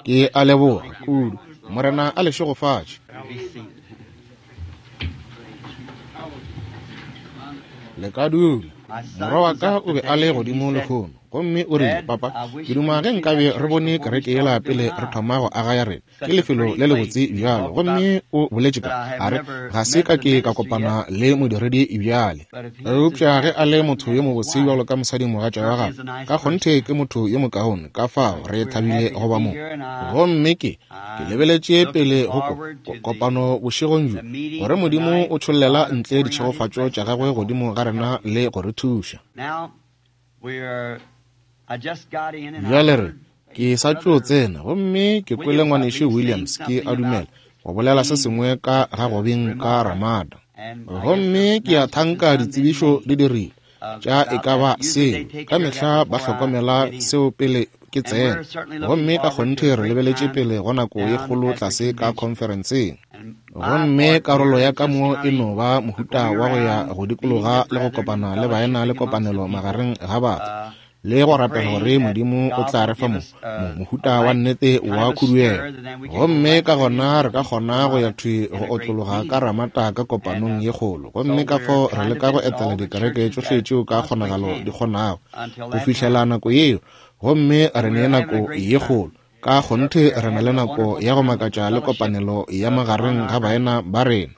Ke a leboga kudu. Morena a le šegofatše. Le ka dula. Morwa wa ka o be a le godimo lehono, gomme o rile, Papa, ke duma ge nkabe re bone kereke yela pele re thoma go aga ya rena. Ke lefelo le lebotse bjalo. Gomme o boletše ka, a re, Ga se ka ke ka kopana le modiredi bjale. Eupša ge a le motho yo mobotse bjalo ka mosadimogatša wa gagwe, ka kgonthe ke motho yo mokaone, ka fao re thabile go ba mo. Gomme ke, ke lebeletše pele go ko, ko, kopano bošegong bjo, gore Modimo o tšhollela ntle ditšhegofatšo tša gagwe godimo ga rena le go re thuša. Bjale re, ke sa tšo tsena, gomme ke kwele Ngwanešu Williams, ke a dumela, go bolela se sengwe ka ga go beng ka Ramada. Gomme ke a thanka ditsebišo di dirile tša e ka ba seo. Ka mehla ba hlokomela seo pele ke tsena. Gomme ka kgonthe re lebeletše pele go nako ye kgolo tlase ka khonferenseng. Gomme karolo ya ka mo e no ba mohuta wa go ya go dikologa le go kopana le baena le kopanelo magareng ga batho, le go rapela gore Modimo o tla re fa mo, mo mohuta wa nnete wa khuduego. Gomme ka gona re ka kgona go ya thwi go otlologa ka Ramata ka kopanong ye kgolo. Gomme ka fao re leka go etela dikereke tšohle tšeo ka kgonagalo di kgonago, go fihlela nako yeo. Gomme re ne nako ye kgolo. Ka kgonthe re na le nako ya go makatša le kopanelo ya magareng ga baena ba rena.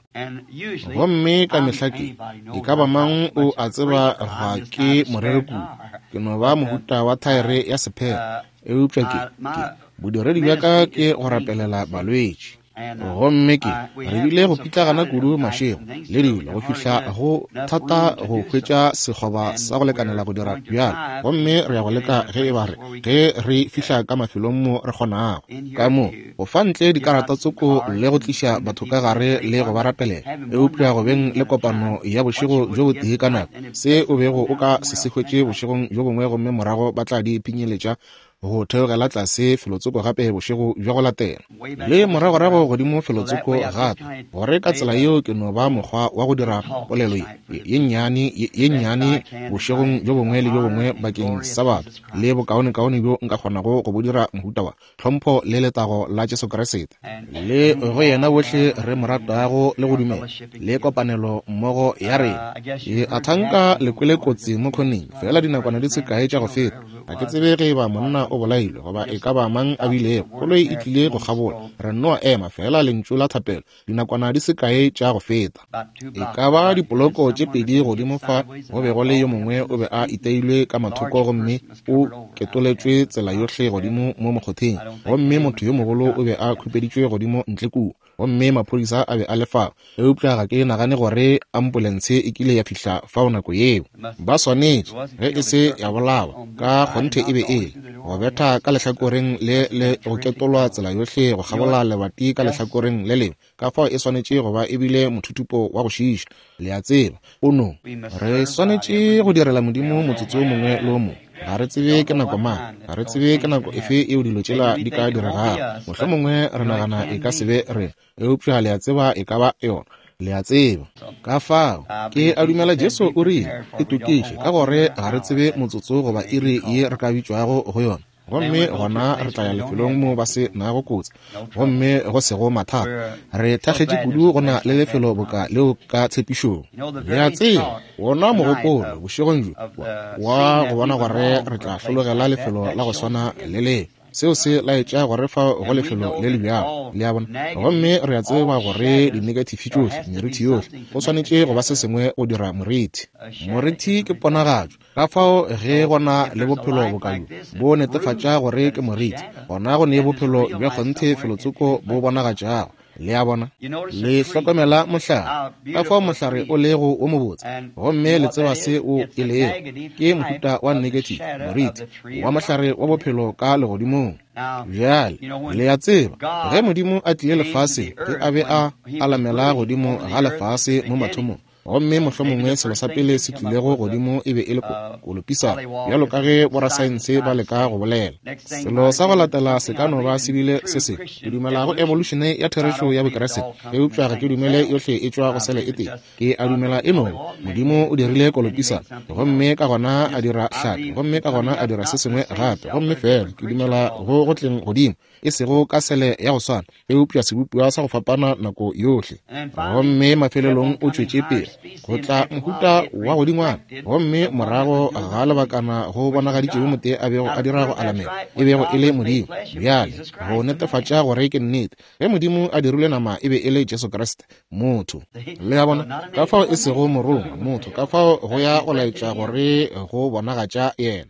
Gomme ka mehla ke, e ka ba mang o a tseba ga ke moreri kudu, ke no ba mohuta wa thaere ya sephela, eupša ke, ke, bodiredi bja ka ke go rapelela balwetši. Gomme ke, re bile go pitlagana kudu mašego le dilo go fihla go thata go hwetša sekgoba sa go lekanela go dira bjalo. Gomme re ya go leka ge e ba re, ge re fihla ka mafelong mo re kgonago, ka mo, go fa ntle dikarata tsoko le go tliša batho ka gare le go ba rapelela. Eupša go beng le kopano ya bošego bjo botee ka nako, se o bego o ka se se hwetše bošegong bjo bongwe gomme morago ba tla di pinyeletša go theogela tlase felotsoko gape bošego bja go latela, le moragorago godimo felotsoko gape, gore ka tsela yeo ke no ba mokgwa wa go dira polelo ye, ye nnyane, ye, ye nnyane bošegong bjo bongwe le bjo bongwe bakeng sa batho, le bokaonekaone bjo nka kgonago go bo dira, mohuta wa tlhompho le letago la Jesu Kriste, le go yena bohle re mo ratago le go dumela, le kopanelo mmogo ya rena. Ke a thanka le kwele kotsi mo khoneng, feela dinakwana di se kae tša go feta. Ga ke tsebe ge eba monna o bolailwe goba e ka ba mang a bilego. Koloi e tlile go kgabola. Re nno ema feela lentšu la thapelo dinakwana di se kae tša go feta. E ka ba dipoloko tše pedi godimo fa go be go le yo mongwe o be a iteilwe ka mathoko gomme o ketoletšwe tsela yohle godimo mo mokgotheng, gomme motho yo mogolo o be a khupeditšwe godimo ntle kua. Gomme maphodisa a be a le fao, eupša ga ke nagane gore ampolense e kile ya fihla fao nako yeo. Ba swanetše, ge e se ya bolawa, ka kgonthe e be e le, go betha ka lehlakoreng le le go ketolwa tsela yohle go kgabola lebati ka lehlakoreng le lengwe, ka fao e swanetše go ba e bile mothuthupo wa go šiiša, le a tseba. O no. Re swanetše go direla Modimo motsotso wo mongwe le wo mongwe. Ga re tsebe ke nako mang, ga re tsebe ke nako efe yeo dilo tšela di ka diregago. Mohlomongwe re nagana e ka se be rena, eupša le a tseba e ka ba yona. Le a tseba. Ka fao, ke a dumela Jesu o rile, Itokiše, ka gore ga re tsebe motsotso goba iri ye re ka bitšwago go yona. Gomme gona re tla ya lefelong mo ba se nago kotsi gomme go sego mathata. Re thakgetše kudu go na le lefelo boka leo ka tshepišong. Le a tseba, wona mogopolo bošegong bjo wa go bona gore re tla hlologela lefelo la go swana le leo. Seo se laetša gore fa go lefelo le le bjalo, le a bona. Gomme re a tseba gore dinekathifi tšohle, merithi yohle, go swanetše go ba se sengwe go dira morithi. Morithi ke ponagatšo. Ka fao ge go na le bophelo boka bjo, bo netefatša gore ke moriti, gona go ne bophelo bja kgonthe felotsoko bo bonagatšago. Le a bona? Le hlokomela mohlare, ka fao mohlare o lego wo mobotse, gomme le tseba se o e lego. Ke mohuta wa negative, moriti, wa mohlare wa bophelo ka legodimong. Bjale, le a tseba, ge Modimo a tlile lefaseng, ge a be a alamela godimo ga lefase mo mathomong, Gomme mohlomongwe selo sa pele se tlilego godimo e be e le kolopisana, bjalo ka ge borasaense ba leka go bolela. Selo sa go latela se ka no ba se bile se sengwe. Ke dumela go evolušene ya therešo ya Bokriste, eupša ga ke dumele yohle e tšwa go sele e tee. Ke a dumela e no Modimo o dirile kolopisana, gomme ka gona a dira hlapi, gomme ka gona a dira se sengwe gape, gomme fela ke dumela go go tleng godimo, e sego ka sele ya go swana, eupša sebopiwa sa go fapana nako yohle. Gomme mafelelong o tšwetše pele go tla mohuta wa godingwana, gomme morago ga lebakana go bonagaditše yo motee a bego a dira go alamela, e bego e le Modimo. Bjale go netefatša gore ke nnete, ge Modimo a dirile nama e be e le Jesu Kriste, motho. Le a bona? Ka fao e sego morongwa, motho, ka fao go ya go laetša gore go bonagatša yena.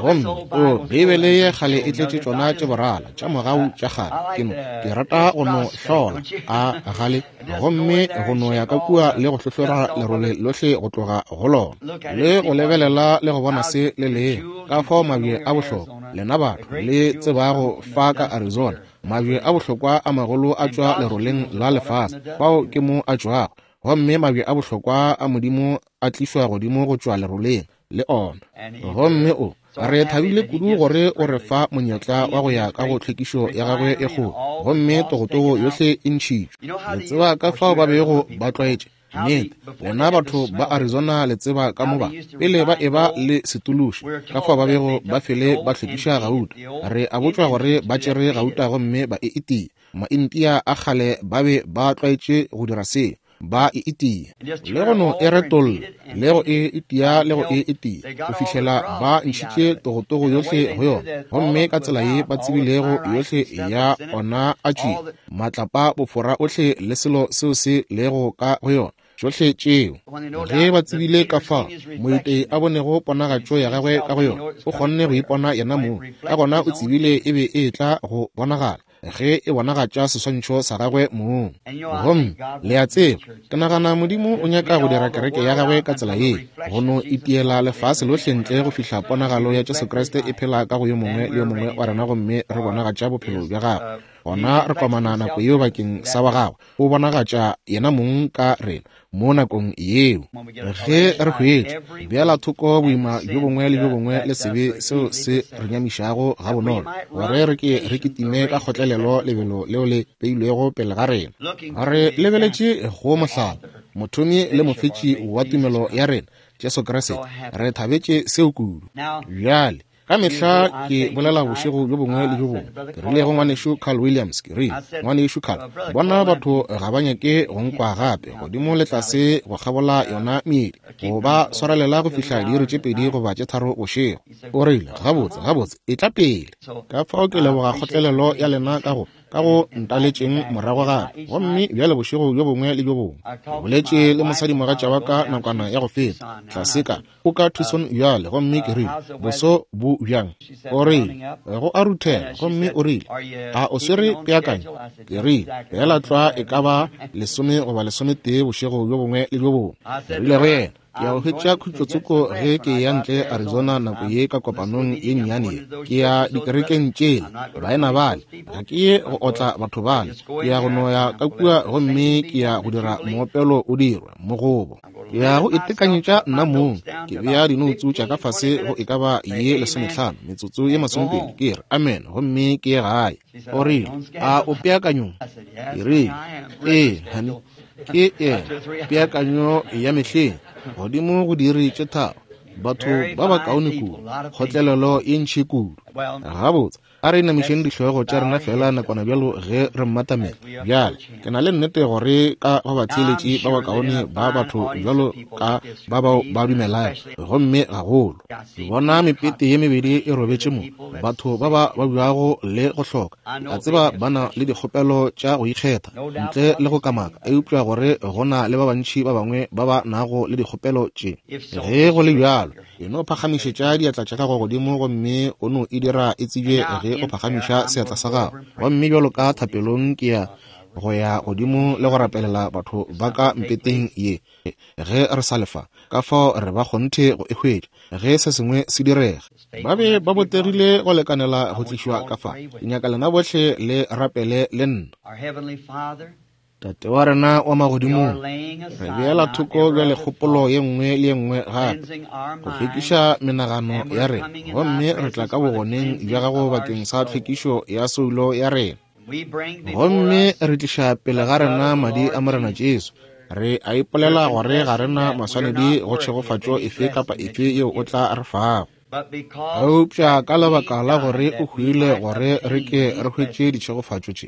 Gomme o Beibele ye kgale e tletše tšona tše borala tša mogau tša kgale. Ke no, ke rata go no hlola a gale, gomme go no ya ka kua le go hlohlora lerole lohle go tloga go lona, le go lebelela le go bona se le leng, ka fao mabje a bohlokwa lena batho le tsebago fa ka Arizona, Mabje a bohlokwa a magolo a tšwa leroleng la lefase, fao ke mo a tšwago. Gomme mabje a bohlokwa a Modimo a tlišwa godimo go tšwa leroleng, le ona. Gomme o, re thabile kudu gore o re fa monyetla wa go ya ka go tlhwekišo ya gagwe e kgolo, gomme togotogo yohle e ntšhitšwe. Le tseba ka fao ba bego ba tlwaetše Nnete, lena batho ba Arizona le tseba ka mo ba, pele ba eba le setološi, ka fao ba bego ba fele ba hlwekiša gauta. Re a botšwa gore ba tšere gauta gomme ba e itia. Maintia a kgale ba be ba tlwaetše go dira seo, ba e itia le go no e retolla, le go e itia le go e itia, go fihlela ba ntšhitše togotogo yohle go yona. Gomme ka tsela ye ba tsebilego yohle ya ona a tšwile, matlapa, bofora ohle le selo seo se lego ka go yona, tšohle tšeo. Ge ba tsebile ka fao moitei a bonego ponagatšo ya gagwe ka go yona, o kgonne go ipona yena mong, ka gona o tsebile e be e etla go bonagala ge e bonagatša seswantšho sa gagwe mong. Gomme le a tseba, ke nagana Modimo o nyaka go dira kereke ya gagwe ka tsela ye, go no itiela lefase lohle ntle go fihla ponagalo ya Jesu Kriste e phela ka go yo mongwe le yo mongwe wa rena gomme re bonagatša bophelo bja gagwe. Gona re komana nako yeo bakeng sa wa gagwe, o bonagatša yena mong ka rena mo nakong yeo. Ge re hwetša, beela thoko boima bjo bongwe le bjo bongwe le sebe seo se re nyamišago gabonolo, gore re ke re kitime ka kgotlelelo lebelo leo le beilwego pele ga rena. Re lebeletše go mohlala, mothomi le mofetši wa tumelo ya rena, Jesu Kriste. Re thabetše seo kudu. Bjale, Ka mehla ke bolela bošego bjo bongwe le bjo bongwe. Ke rile go ngwanešu Carl Williams, ke rile, Ngwanešu Carl, bona batho ga ba nyake go nkwa gape, godimo le tlase go kgabola yona meedi, go ba swarelela go fihla diiri tše pedi goba tše tharo bošego. O rile, Gabotse, gabotse, etla pele. Ka fao ke leboga kgotlelelo ya lena ka go ka go ntaletšeng morago gape. Gomme bjale bošego bjo bongwe le bjo bongwe, ke boletše le mosadimogatša wa ka nakwana ya go feta, tlase ka o ka Tucson bjale, gomme ke rile, Boso bo bjang? O rile, Go a ruthela. Gomme o rile, A o swere peakanyo? Ke rile, Feela tlwa e ka ba lesome goba lesometee bošego bjo bongwe le bjo bongwe. Ke rile go yena, Ke ya go hwetša khutšotsoko ge ke eya ntle Arizona nako ye ka kopanong ye nnyane ye. Ke ya dikerekeng tšela, baena bale. Ga ke ye go otla batho bale. Ke ya go no ya ka kua gomme ke ya go dira moopelo o dirwe, mogobo. Ke ya go itekanyetša nna mong, ke bea dinoutsu tša ka fase go e ka ba ye lesomehlano, metsotso ye masomepedi, ke re, Amen, gomme ke ye gae. O rile, A o peakanyong? Ke rile, Ee, honey, ke yena, peakanyo ya mehleng, godimo go diiri tše tharo. Batho ba bakaone kudu, kgotlelelo ye ntši kudu. Gabotse, A re inamišeng dihlogo tša rena feela nakwana bjalo ge re mmatamela. Bjale, ke na le nnete gore ka go batheeletši ba bakaone ba batho bjalo ka ba bao ba dumelago, gomme gagolo. Ke bona mepete ye mebedi e robetše mo, batho ba ba babjago le go hloka. Ke a tseba ba na le dikgopelo tša go ikgetha, ntle le go kamaka, eupša gore go na le ba bantši ba bangwe ba ba nago le dikgopelo tše. Ge go le bjalo, E no phagamišetša diatla tša gago godimo gomme o no e dira e tsebje ge o phagamiša seatla sa gago. Gomme bjalo ka thapelong ke ya go ya godimo le go rapelela batho ba ka mpeteng ye ge re sa lefa, ka fao re ba kgonthe go e hwetša ge se sengwe se direga. Ba be ba botegile go lekanela go tlišwa ka fa. Ke nyaka lena bohle le rapele le nna. Tate wa rena wa magodimong, re beela thoko bjale kgopolo ye nngwe le ye nngwe gape, go hlwekiša menagano ya rena, gomme re tla ka bogoneng bja gago bakeng sa tlhwekišo ya soulo ya rena. Gomme re tliša pele ga rena madi a Morena Jesu. Re a ipolela gore ga rena maswanedi go tšhegofatšo efe kapa efe yeo o tla re fago. Eupša ka lebaka la gore o hwile gore re ke re hwetše ditšhegofatšo tše,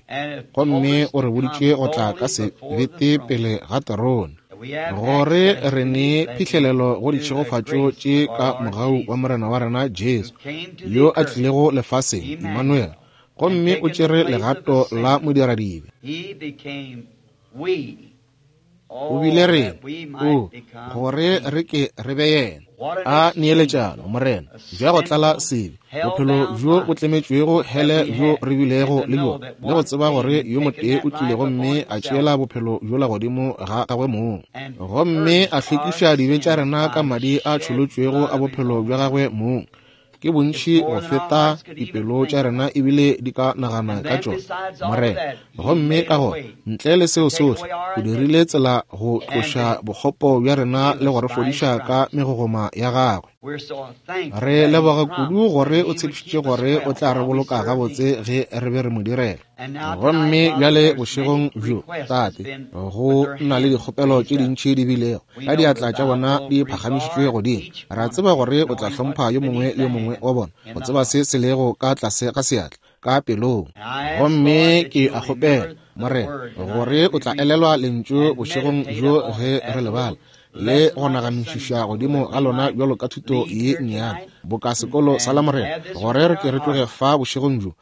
gomme o re boditše go tla ka sebete pele ga terone, gore re ne phihlelelo go ditšhegofatšo tše ka mogau wa Morena wa rena Jesu, yo a tlilego lefaseng, Emmanuel, gomme o tšere legato la modiradibe. O bile rena, o, gore re ke re be yena. A neeletšano, Morena, bja go tlala sebe, bophelo bjo bo tlemetšwego hele bjo re bilego le bjona, le go tseba gore yo motee o tlile gomme a tšeela bophelo bjola godimo ga gagwe mong, gomme a hlwekiša dibe tša rena ka madi a tšholotšwego a bophelo bja gagwe mong. Ke bontši go feta dipelo tša rena ebile di ka nagana ka tšona, Morena. Gomme ka gona, ntle le seo sohle, o dirile tsela go tloša bokgopo bja rena le go re fodiša ka megogoma ya gagwe. Re leboga kudu gore o tshepišitše gore o tla re boloka gabotse ge re be re mo direla. Gomme bjale bošegong bjo, Tate, go na le dikgopelo tše dintši di bilego ka diatla tša bona di phagamišitšwe godimo. Re a tseba gore o tla hlompha yo mongwe le yo mongwe wa bona, go tseba se se lego ka tlase ga seatla, ka pelong. Gomme ke a kgopela, Morena, gore o tla elelwa lentšu bošegong bjo ge re le bala, le go naganišiša godimo ga lona bjalo ka thuto ye nnyane, boka sekolo sa Lamorena, gore re ke re tloge fa bošegong bjo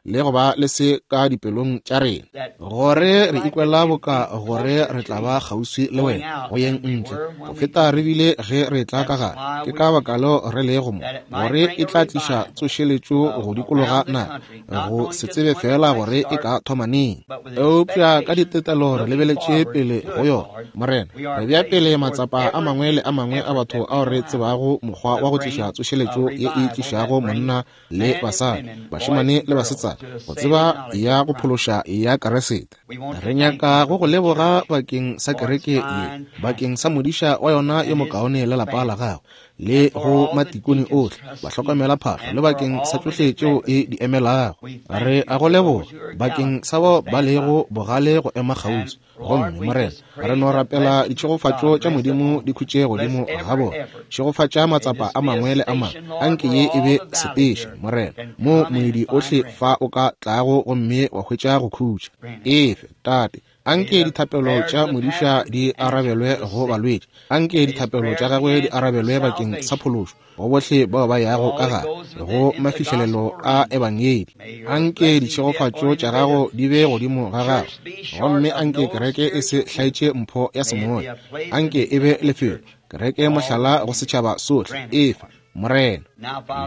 le go ba le se ka dipelong tša rena, gore re ikwela boka gore re tla ba kgauswi le wena go yeng ntle go feta re bile ge re tla ka gare. Ke ka baka leo re lego mo, gore e tla tliša tsošeletšo go dikologa naga, go se tsebe fela gore e ka thoma neng, eupša ka ditetelo re lebeletše pele go yona. Morena, re bea pele matsapa a mangwe le a mangwe a batho ao re tsebago mokgwa wa go tliša tsošeletšo ye e tlišago monna le basadi, bašemane le basetsana, go tseba ya go phološa ya Keresete. Re nyaka go go leboga bakeng sa kereke ye, bakeng sa modiša wa yona yo mokaone le lapa la gagwe, le go matikone ohle, bahlokomela phahlo, le bakeng sa tšohle tšeo e di emelago. Re a go leboga bakeng sa bao ba lego bogale go ema kgauswi. Gomme, Morena, re no rapela ditšhegofatšo tša Modimo di khutše godimo ga bona. Šegofatša matsapa a mangwe le a mangwe. Anke ye e be sepeše, Morena, mo moedi ohle fa o ka tlago gomme wa hwetša go khutša. Efe, Tate, anke dithapelo tša modiša di arabelwe go balwetši. Anke dithapelo tša gagwe di arabelwe bakeng sa phološo go bohle bao ba yago ka gare go mafihlelelo a ebangedi. Anke ditšhegofatšo tša gago di be godimo ga gagwe, gomme anke kereke e se hlaetše mpho ya semoya. Anke e be lefelo, kereke mohlala go setšhaba sohle. Efa, Morena.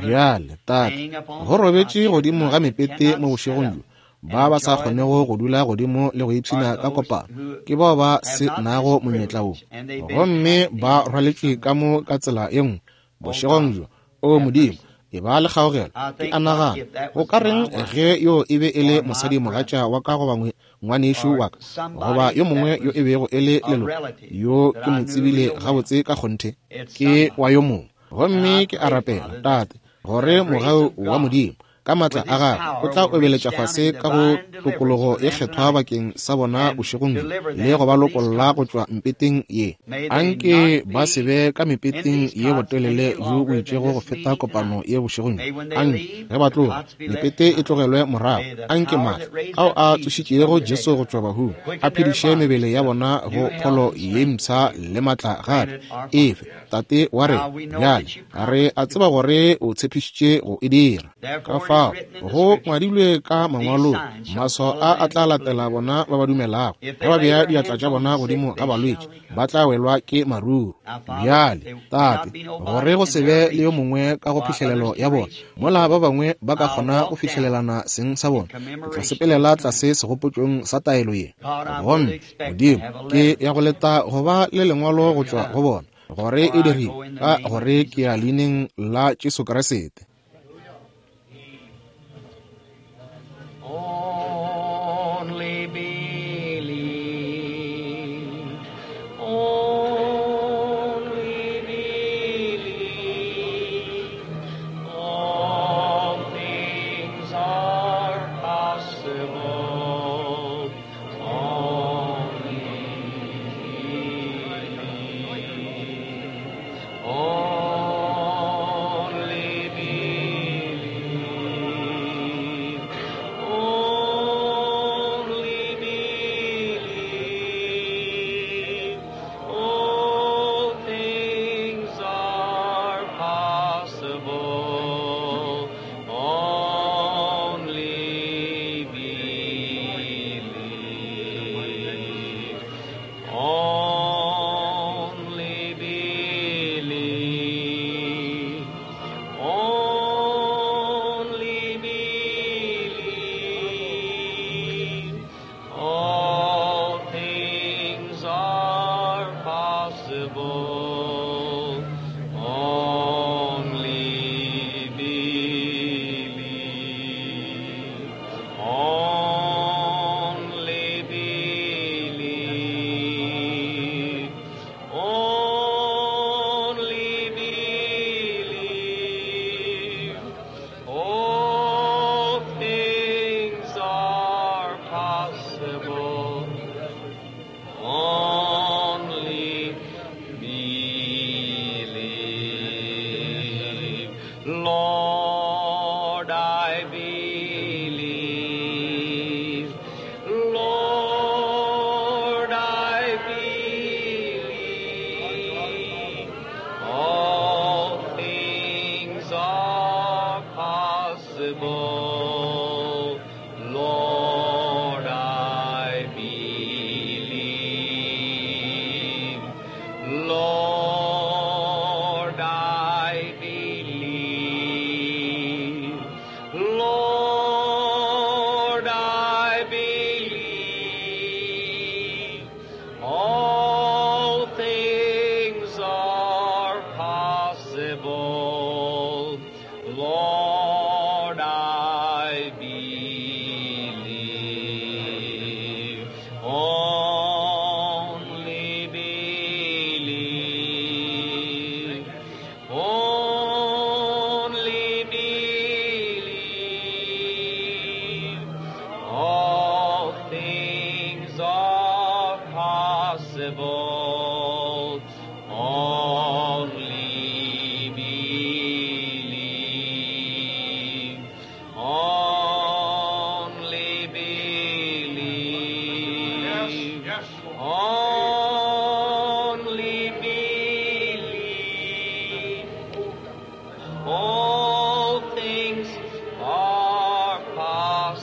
Bjale, Tate, go robetše godimo ga mepete mo bošegong bjo, ba ba sa kgonego go dula godimo le go ipshina ka kopano, ke bao ba se nago monyetla wo, gomme ba rwaletšwe ka mo ka tsela ye nngwe bošegong bjo. O Modimo, e ba le kgaogelo. Ke a nagana, go ka reng ge yo e be e le mosadimogatša wa ka goba ngwanešu wa ka, goba yo mongwe yo e bego e le leloko yo ke mo tsebile gabotse ka kgonthe, ke wa yo mongwe. Gomme ke a rapela, Tate, gore mogau wa Modimo ka matla a gagwe o tla obeletša fase ka go tokologo e kgethwa bakeng sa bona bošegong bjo, le go ba lokolla go tšwa mpeteng ye. Anke ba se be ka mepeteng ye botelele bjo bo itšego go feta kopano ye bošegong bjo. Anke ge ba tloga, mepete e tlogelwe morago. Anke matla ao a tsošitšego Jesu go tšwa bahung a phediše mebele ya bona go pholo ye mpsha le matla gape. Efe, Tate wa rena, bjale re a tseba gore o tshepišitše go e dira. Ka fao go ngwadilwe ka mangwalong, maswao a a tla latela bona ba ba dumelago. Ge ba bea diatla tša bona godimo ga balwetši, ba tla welwa ke maruru. Bjale, Tate, gore go se be le yo mongwe ka go phihlelelo ya bona, mola ba bangwe ba ka kgona go fihlelelana seng sa bona, ke tla sepelela tlase segopotšong sa taelo ye. Gomme, Modimo, ke ya go leta go ba le lengwalo go tšwa go bona, gore e dirile, ka gore ke ya leineng la Jesu Kriste. Only believe.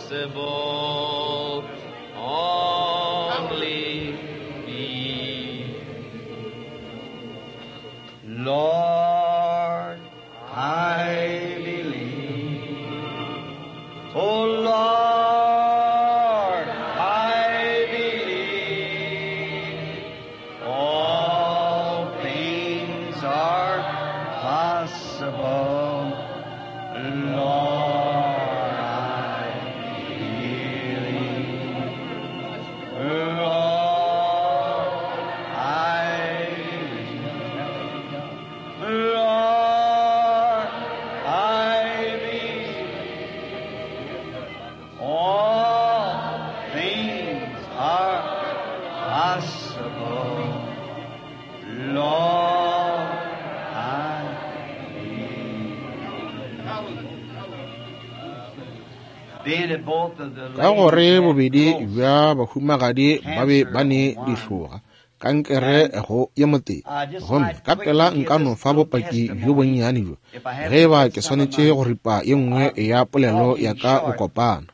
possible. Only believe. Lord, I believe. Oh Lord, I believe. All things are possible. Lord, I believe. Lord, I believe. Lord, I believe. All things are possible. Lord, I believe. Being that both of the Ka gore ladies had bobedi growths, bja bahumagadi ba be ba ne dihloga kankere go ye motee. Gomme ka pela nka no fa bopaki bjo bonnyane bjo, ge eba ke swanetše go ripa ye nngwe ya polelo ya ka bokopana.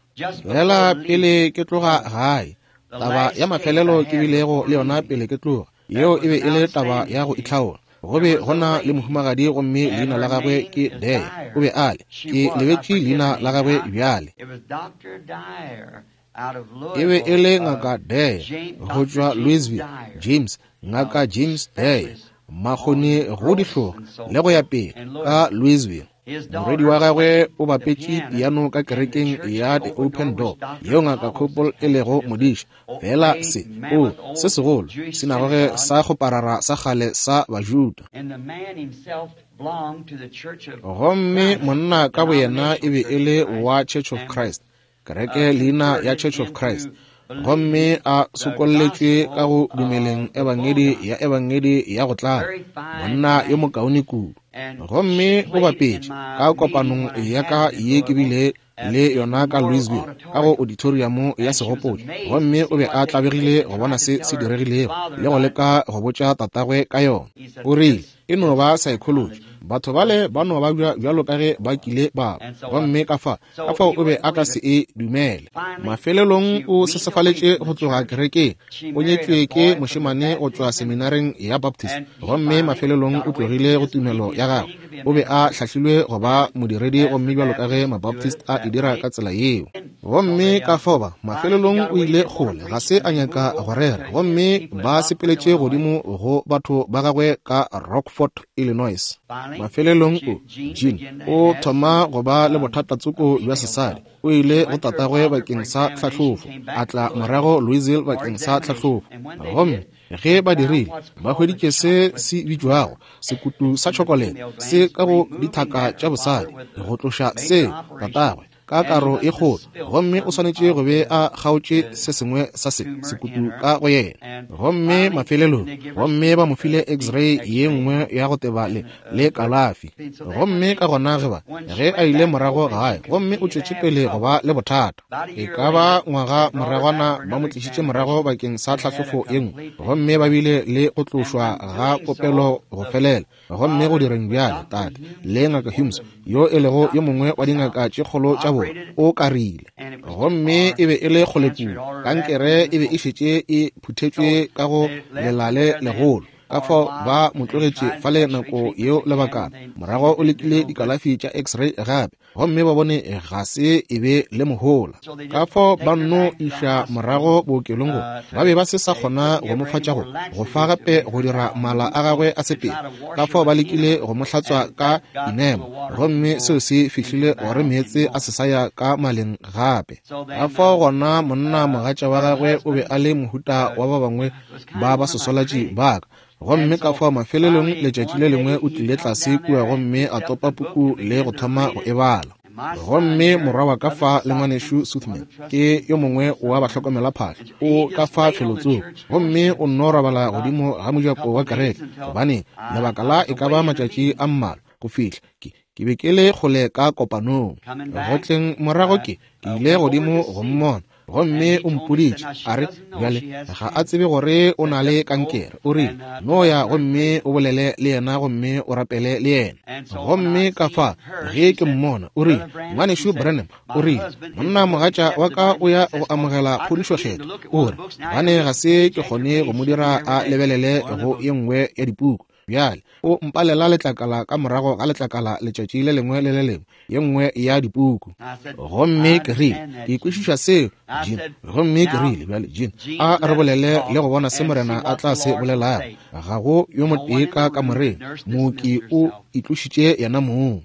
Fela pele ke tloga gae, taba ya mafelelo ke bilego le yona pele ke tloga, yeo e be e le taba ya go itlhaola. Go be go na le mohumagadi gomme leina la gagwe ke Dyer. O be a le, ke lebetše leina la gagwe bjale. It was Dr. Dyer out of E be e le Louisville, ngaka Dyer James, go Dr. tšwa James Louisville, Dyer, James, ngaka James Dyer, makgoni go dihloga le go ya pele ka Louisville. His Morwedi daughter wa gagwe played o the bapetše piano piano ka in the kerekeng church ya The Open Door, Open which Door, Dr. yeo ngaka Cobbles Copple e lego is the modiša. Fela great se, o, mammoth se old segolo, Jewish sinagoge synagogue, sa go parara sa kgale sa Bajuda. and the man himself belonged to the Church of Gomme Christ, monna ka boyena e denominational be Church e of le Christ, wa Church of and Christ, kereke leina ya converted Church of Christ, into believing gomme a the sokolletšwe ka gospel go dumeleng of the ebangedi full ya ebangedi ya go tlala, Very fine monna yo man. mokaone kudu. And she Gomme o played in bapetše my ka meeting kopanong when I ya had ka it in ye ke Louisville bile at le the yona ka Memorial Louisville ka go Auditorium. auditorium ya And she was segopotšo, amazed to gomme see o be what a taken place tlabegile and go bona tried to se tell se her diregilego father le go about it. leka go botša tatagwe ka yona. He said, O rile, This e no is ba psychology. psychology. Batho bale ba no ba bjalo ka ge ba kile ba ba. And so, Gomme ka fa, ka so fao he o be wouldn't a ka believe se it. e dumele. Finally, Mafelelong she o weaned away sesefaletše from go the tloga church. kerekeng. She O married a nyetšwe ke boy from the mošemane go tšwa Baptist seminary. seminareng ya Baptist. And he Gomme finally mafelelong got o away from tlogile go his tumelo belief, ya his gagwe. training to be a O be a minister, hlahlilwe go ba modiredi as gomme the bjalo ka ge Baptists do Mabaptist it a e that dira way. ka tsela yeo. So Gomme they ka fao ba, finally he mafelelong got o away, ile didn't want kgole, to ga preach, se and a they nyaka moved go over rera, to his gomme people at ba Rockford, sepeletše Illinois. godimo go batho ba gagwe ka Rockford, Illinois. Finally, Mafelelong o, Jean Jean, began to o have some thoma go ba le bothatatsoko bja female sesadi. trouble. O She ile go went to her tatagwe father for bakeng sa examination, tlhahlofo, came a back to tla Louisville morago Louisville for bakeng sa examination. tlhahlofo. And when they Gomme did, ge they ba found dirile, what's ba called a hweditše se chocolate se tumor bitšwago sekutu sa in the tšhokolete female se glands, ka go removing dithaka that tša her father bosadi, with a go tloša major se operation, tatagwe ka and he karo must e have kgolo, spilled gomme o some swanetše go of be the a kgaotše the se sengwe sa se tumor in sekutu her. ka go yena. And Gomme finally, and mafelelong, they give her gomme some ba mo file deep x-ray ye x-ray nngwe ya go teba le and le kalafi. and so then when Gomme she ka gona ge ba, when she ge a went ile back morago home and she gae, gomme o continued to tšwetše have pele go trouble, ba le bothata. about a E year ka ba later, ngwaga they brought her back moragwana for ba mo another tlišitše morago examination bakeng sa and had a tlhahlofo ye nngwe, complete gomme ba bile le go And tlošwa in ga doing so, kopelo go the felela. Gomme go father, direng bjale, Dr. tate Humes, le ngaka one of Humes, the yo e lego yo doctors mongwe of wa the South, dingaka tše kgolo tša bona, operated, o karile. and it was too Gomme far. e be e le The kgole cancer had kudu, already kankere rapidly e be e moved. šetše e So phuthetšwe ka go they left her lelale there then legolo. Ka for a fao while ba mo and tlogetše tried the fale x-ray nako treatments yeo again, lebakana. and they Morago o didn't do lekile no good. dikalafi tša x-ray gape, gomme ba bone ga se e be le mohola. So they Ka just fao take ba her nno back to the iša hospital. morago bookelong go ba be To ba se sa they kgona couldn't go give mo her fa any tša more go go fa laxatives to gape make go her dira bowel mala move. a gagwe a They sepele. tried to wash Ka her fao ba with lekile enema, go mo hlatswa and ka that got the enema, water to gomme go seo se into the fihlile gore bowel meetse anymore. a se sa ya ka maleng gape. So Ka then, fao gona monna mogatša wa her gagwe o be husband a le mohuta wa ba bangwe was kind ba of ba one of my sesolatši critics. ba ka. Gomme And ka so fao mafelelong finally, letšatši one le lengwe day o he tlile come tlase down kua there and gomme a picked up topa the book puku and le began go to thoma read go it. e bala. And my son Gomme here, morwa wa ka Brother fa le Stockton, ngwanešu one of Suthman, the ke trustees yo mongwe of wa Southern, bahlokomelaphahlo, and o he ka just fa laid on the felotsoko, church gomme doorstep o nno robala about godimo ga a mojako couple wa days kereke, until gobane I, lebaka I la was e ka away ba in a matšatši meeting. a mmalwa go fihla ke ke be ke le kgole ka kopanong. Coming Go back, tleng morago ke ke ile went over godimo to go see her. mmona. Gomme o mpoditše, a re, bjale, ga a tsebe gore o na le kankere. O rile, no ya gomme o bolele le yena gomme o rapele le yena. Gomme ka fa, ge ke mmona, o rile, Ngwanešu Branham, o rile, monna mogatša wa ka o ya go amogela phodišo kgethwa. O re, gobane ga se ke kgone go mo dira a lebelele go ye nngwe ya dipuku. Bjale, o mpalela letlakala ka morago ga letlakala letšatši le lengwe le le lengwe, ye nngwe ya dipuku. Gomme ke rile, ke kwešiša seo, Gene. Gomme ke rile, bjale, Gene, a re bolele le go bona se Morena a tla se bolelago. Ga go yo motee ka kamoreng, mooki o itlošitše yena mong.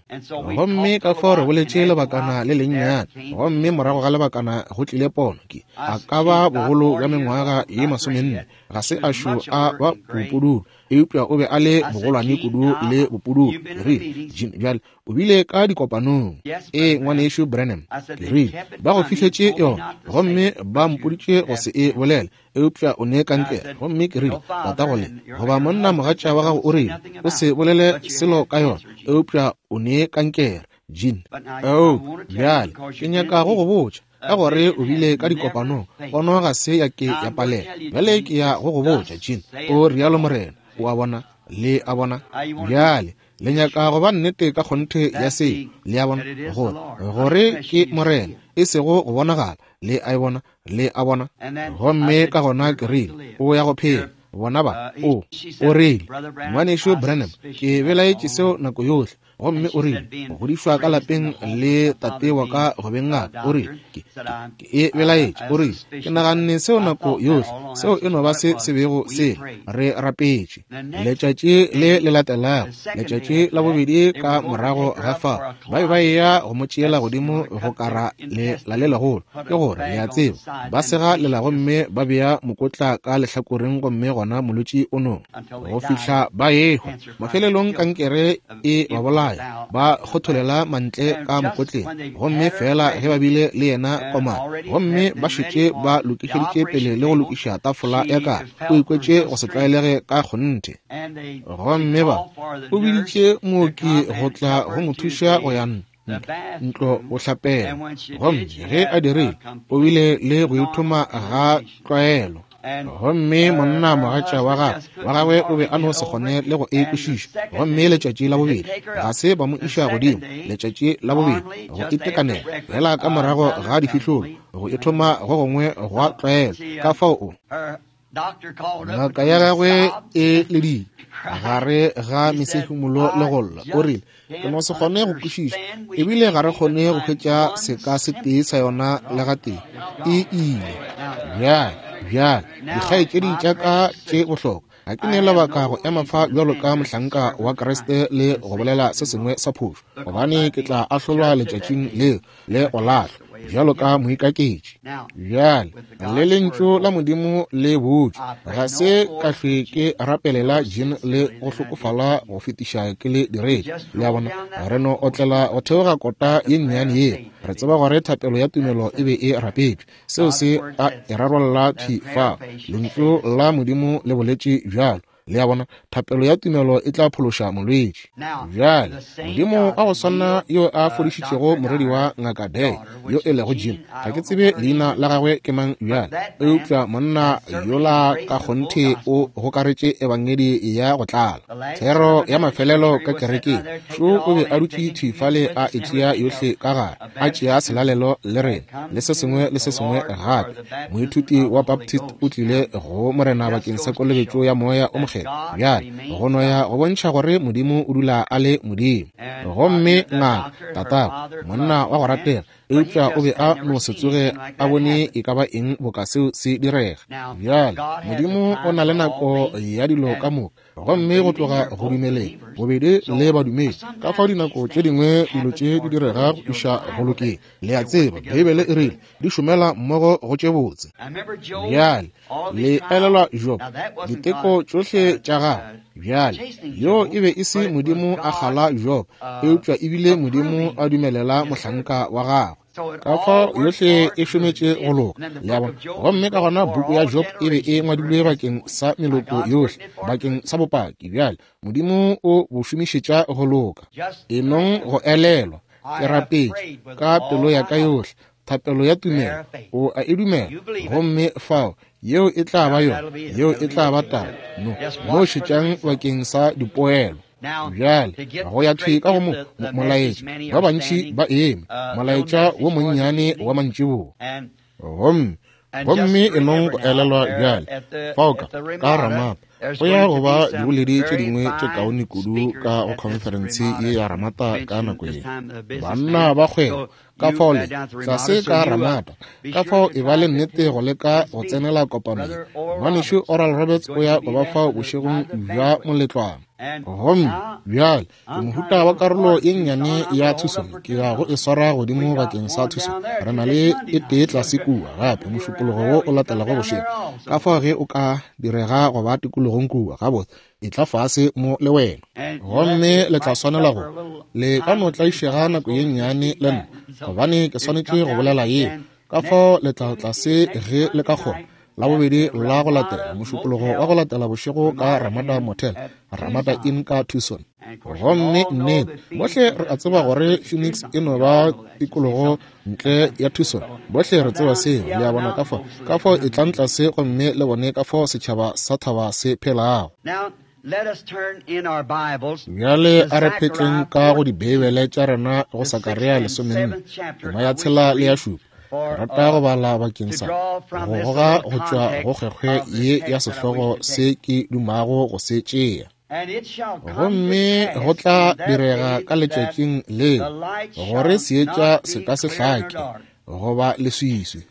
Gomme ka fao re boletše lebakana le lennyane, gomme morago ga lebakana go tlile pono. Ke, a ka ba bogolo bja mengwaga ye 40, ga se a šo a ba bopududu, eupša o be a le bogolwane kudu le bopududu. Ke rile, Gene, bjale, o bile ka dikopanong. Ee, Ngwanešu Branham. Ke rile, ba go fihletše yona, gomme ba mpoditše go se e bolele, eupša o ne kankere. Gomme ke rile, tatago le, goba monna mogatša wa gago o rile, o se bolele selo ka yona, eupša o ne kankere, Gene. Oh, bjale, ke nyaka go go botša, ka gore o bile ka dikopanong, pono ga se ya ke ya palela. Bjale ke ya go go botša, Gene, o rialo Morena. O a bona? Le a bona? Bjale, le nyaka go ba nnete ka kgonthe ya seo, le a bona, gore, gore ke Morena, e sego go bonagala. Le a e bona? Le a bona? Gomme ka gona ke rile, o ya go phela. Bona ba, o, o rile, Ngwanešu Branham, ke belaetše seo nako yohle. Gomme o rile, go godišwa ka lapeng le tate wa ka go beng ngaka. O rile, ke, ke, ke e belaetše. O rile, ke naganne seo nako yohle, seo e no ba se se bego se re rapetše. Letšatši le le latelago, letšatši la bobedi ka morago ga fao, ba be ba eya go mo tšeela godimo go kara le la le legolo, ke gore, le a tseba, ba sega lela gomme ba bea mokotla ka lehlakoreng, gomme gona molwetši o no go fihla ba ehwa. Mafelelong kankere e ba bolaya, ba kgotholela mantle ka mokotleng, gomme feela ge ba bile le yena komana, gomme ba šetše ba lokišeditše pele le go lokiša tafola ya ka, o ikwetše go se tlwaelege ka kgonthe. Gomme ba, o biditše mooki go tla go mo thuša go ya ntlo go hlapela, gomme ge a dirile, o bile le go ithoma ga tlwaelo. Gomme monna mogatša wa gagwe, wa gagwe o be a no se kgone le go e kwešiša. Gomme letšatši la bobedi, ga se ba mo iša godimo, letšatši la bobedi, go itekanela, fela ka morago ga difihlolo, go ithoma go gongwe gwa tlwaelo. Ka fao o. Ngaka ya gagwe e ledile gare ga mesehumolo le go lla. O rile, ke no se kgone go kwešiša, ebile ga re kgone go hwetša seka se tee sa yona le gatee. E ile. Bjale, bjale, dikgaetšedi tša ka tše bohlokwa, ga ke ne lebaka go ema fa bjalo ka mohlanka wa Kriste le go bolela se sengwe sa phošo, gobane ke tla ahlolwa letšatšing leo le go lahlwa bjalo ka moikaketši. Bjale, le lentšu la Modimo le botšwe, ga se ka hlwe ke rapelela Jean le go hlokofala go fetiša ke le diretše. Le a bona, re no otlela go theoga kota ye nnyane yeo. Re tseba gore thapelo ya tumelo e be e rapetšwe. Seo se a e rarolla thwi fa. Lentšu la Modimo le boletše bjalo. Le a bona, thapelo ya tumelo e tla phološa molwetši. Bjale, Modimo wa go swana yo a fodišitšego morwedi wa Ngaka Day, yo e lego Jim, ga ke tsebe leina la gagwe ke mang bjale, eupša monna yola ka kgonthe o gokaretše ebangedi ya go tlala. Thero ya mafelelo ka kerekeng, šo o be a dutše thwi fale a e tšea yohle ka gare, a tšea selalelo le rena, le se sengwe le se sengwe gape. Moithuti wa Baptist o tlile go Morena bakeng sa kolobetšo ya Moya o Mokgethwa. Bjale, go no ya go bontšha gore Modimo o dula a le Modimo. Gomme ngaka, tatago, monna wa go ratega, eupša o be a no se tsoge a bone e ka ba eng boka seo se direga. Bjale, Modimo o na le nako ya dilo ka moka. Gomme go tloga go dumeleng bobedi le badumedi, ka fao dinako tše dingwe dilo tše di direga go iša go lokeng. Le a tseba, Beibele e rile di šomela mmogo go tše botse. Bjale, le elelwa Job, diteko tšohle tša gagwe. Bjale, yoo e be e se Modimo a kgala Job, eupša e bile Modimo a dumelela mohlanka wa gagwe. Ka fao yohle e šometše go loka, le a bona. Gomme ka gona buku ya Job e be e ngwadilwe bakeng sa meloko yohle, bakeng sa bopaki. Bjale, Modimo o bo šomišetša go loka. E nong go elelwa, ke rapetše ka pelo ya ka yohle. Thapelo ya tumelo, o a e dumela, gomme fao yeo e tla ba yona, yeo e tla ba taba. No, no šetšang bakeng sa dipoelo. Bjale go ya thwi ka go molaetša, ba bantši ba eme, molaetša wo monnyane wa mantšiboa. Gomme, gomme e nong go elelwa bjale, fao ka, ka Ramata, go ya go ba diboledi tše dingwe tše kaone kudu ka go khonferense ye ya Ramata ka nako ye. Banna ba kgwebo, ka fao le tlase ka Ramata, ka fao e ba le nnete go leka go tsenela kopano ye. Ngwanešu Oral Roberts o ya go ba fao bošegong bja moletlwana. Gomme bjale ke mohuta wa karolo ye nnyane ya Tucson, ke ya go e swara godimo bakeng sa Tucson. Re na le e tee tlase kua gape mošupologo wo o latelago bošego. Ka fao ge o ka direga go ba tikologong kua, gabotse, etla fase mo le wena. Gomme le tla swanela go, le ka no tlaišega nako ye nnyane le nna, gobane ke swanetše go bolela yeo. Ka fao le tla tlase ge le ka kgona, la bobedi la go latela, mošupologo wa go latela bošego ka Ramada Motel, Ramada Inn ka Tucson. Gomme nnete, bohle re a tseba gore Phoenix e no ba tikologo ntle ya Tucson. Bohle re tseba seo, le a bona. Ka fao, ka fao e tlang tlase gomme le bone ka fao setšhaba sa thaba se phelago. Bjale a re phetleng ka go Dibeibele tša rena go Sakaria 14, tema ya 6 le ya 7. Ke rata go bala bakeng sa go goga go tšwa go kgwekgwe ye ya sehlogo se ke dumago go se tšea. Gomme go tla direga ka letšatšing leo gore seetša se ka se hlake goba leswiswi,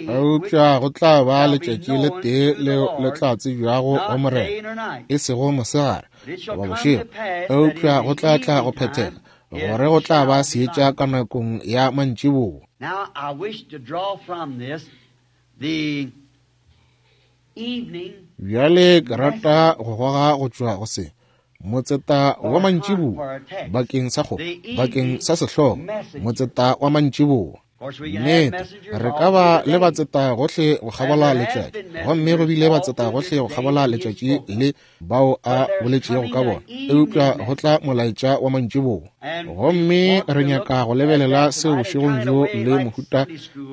eupša go tla ba letšatši le tee leo le tla tsebjago go Morena, e sego mosegare goba bošego, eupša go tla tla go phethega gore go tla ba seetša ka nakong ya mantšiboa. Now I wish to draw from this the evening Bjale ke rata go goga go tšwa go se motseta wa mantšiboa bakeng sa go, bakeng sa sehlogo, motseta wa mantšiboa. Nnete, re ka ba le batseta gohle go kgabola letšatši, gomme go bile batseta gohle go kgabola letšatši le bao a boletšego ka bona, eupša go tla molaetša wa mantšiboa. Gomme re nyaka go lebelela seo bošegong bjo le mohuta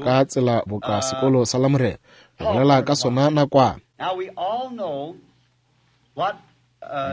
ka tsela boka sekolo sa Lamorena, go bolela ka sona nakwana. Now we all know what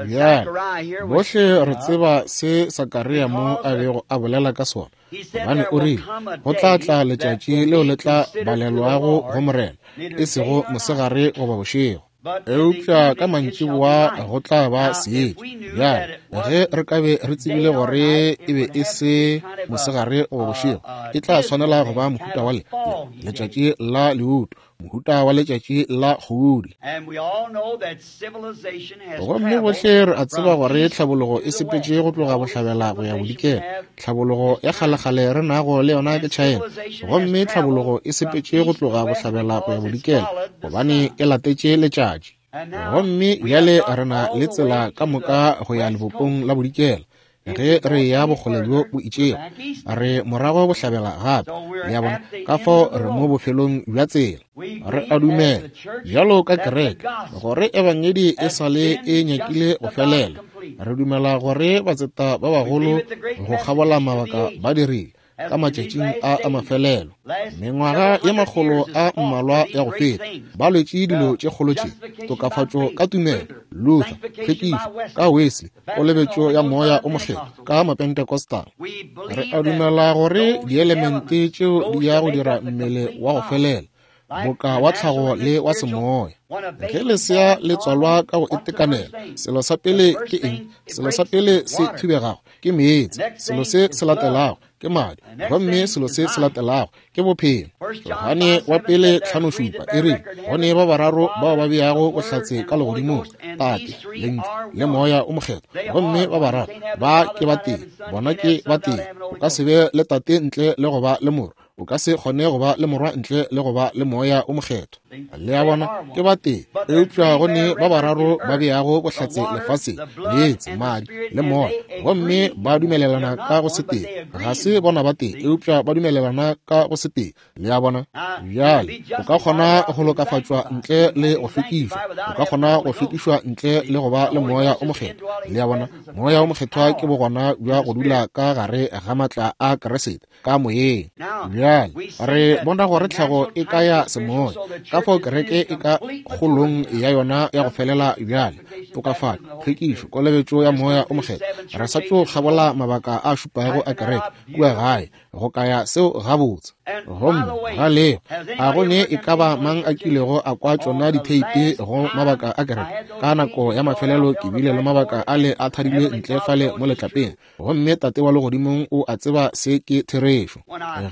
Bjale, Zechariah here was bohle re speaking of. tseba se Sakaria mo a bego a bolela ka sona, He said gobane there o will rile, come a go tla day tla that letšatši will leo be le tla considered to the balelwago go Lord, Morena, neither e day sego nor night. mosegare goba bošego, But in the eupša ka evening it shall be mantšiboa light. go tla ba Now, if seetša. we knew Bjale, that it ge wasn't re ka be re day tsebile nor gore night, e it be would e have to se be kind of mosegare goba a, bošego, a e tla dismal swanela go day, ba kind mohuta of wa a le, le, foggy day. letšatši la leuto, mohuta wa letšatši la kgodi. And we all know that civilization has Gomme traveled bohle re a tseba from gore east tlhabologo to e the sepetše west. go The tloga oldest bohlabela go ya civilization we bodikela. have Tlhabologo is ya China. kgalekgale re nago le yona ke And China. civilization has Gomme traveled tlhabologo e from sepetše go east to tloga west bohlabela go ya because it's bodikela, followed the gobane sun. e latetše letšatši. And now Gomme we have bjale got re na all le the tsela way ka to the moka go ya west lebopong coast. la bodikela. If Ge we go re ya any bokgole bjo further, bo we're itšego, back east re again. morago bohlabela gape. So we're Le a bona? at the Ka end fao of the re mo road. bofelong bja tsela. We Re believe a as dumela the church bjalo ka that the kereke gospel gore ebangedi e has sa le been e nyakile just go about felela. completed. Re dumela gore batseta ba We bagolo believe it the great go messengers kgabola to the mabaka ages ba dirile as ka in these matšatšing last a a days, mafelelo. last Mengwaga several ye hundred makgolo years a has fought for mmalwa these ya go great feta things. ba lwetše dilo The tše kgolo tše, justification by tokafatšo faith, ka tumelo, Luther, Luther, sanctification by tlhwekišo Wesley, ka Wesley, the baptism of the kolobetšo Holy ya Ghost by moya the o mokgethwa Pentecostals. ka Mapentecostal. We Re believe a that dumela gore those dielemente elements, tšeo di those ya that go make dira up the mmele complete wa go body, felela, like boka the wa natural tlhago and the le wa spiritual, semoya. when a Ge baby lesea born le tswalwa normal, ka go what's the first itekanela, thing? selo sa The pele first ke eng? thing it Selo sa breaks pele is se water. thubegago ke meetse, The next selo thing se is se blood. latelago ke madi, The next gomme thing selo is se se life. latelago ke bophelo. 1 John Johane 5 wa 7 pele said, There are three 5:7 that e bear rile, record in go ne heaven, ba the bararo bao ba Father, the beago Word, bohlatse and ka the Holy legodimong, Ghost, and Tate, these three Lentšu are le one. Moya o Mokgethwa. They Gomme are ba one. You bararo can't have the ba Father ke ba without tee, having Son, you bona can't ke have ba Son without tee. having O Holy ka se Ghost. be le Tate ntle le go ba le Morwa, O ka se kgone go ba le Morwa ntle le go ba le Moya o Mokgethwa. Le a bona, ke batee, eupša go ne ba bararo ba beago bohlatse lefaseng, meetse, madi, le Moya, gomme ba dumelelana ka go setee. Ga se bona batee, eupša ba dumelelana ka go setee. Le a bona? Bjale, o ka kgona go lokafatšwa ntle le go hlwekišwa. O ka kgona go hlwekišwa ntle le go ba le Moya o Mokgethwa. Le a bona? Moya o Mokgethwa ke bogona bja go dula ka gare ga maatla a Kriste, ka moyeng. Bjale, re bona gore tlhago e ka ya semoya, ka fao kereke e ka kgolong ya yona ya go felela bjale, tokafatšo, tlhwekišo, kolobetšo ya Moya o Mokgethwa. Re sa tšo kgabola mabaka a šupago a kereke kua gae, go kaya seo gabotse. Gomme ga leo, a go ne e ka ba mang a kilego a kwa tšona ditheipi go mabaka a kereke? Ka nako ya mafelelo ke bile le mabaka ale a thadilwe ntle fale mo letlapeng, gomme Tate wa Legodimong o a tseba se ke therešo.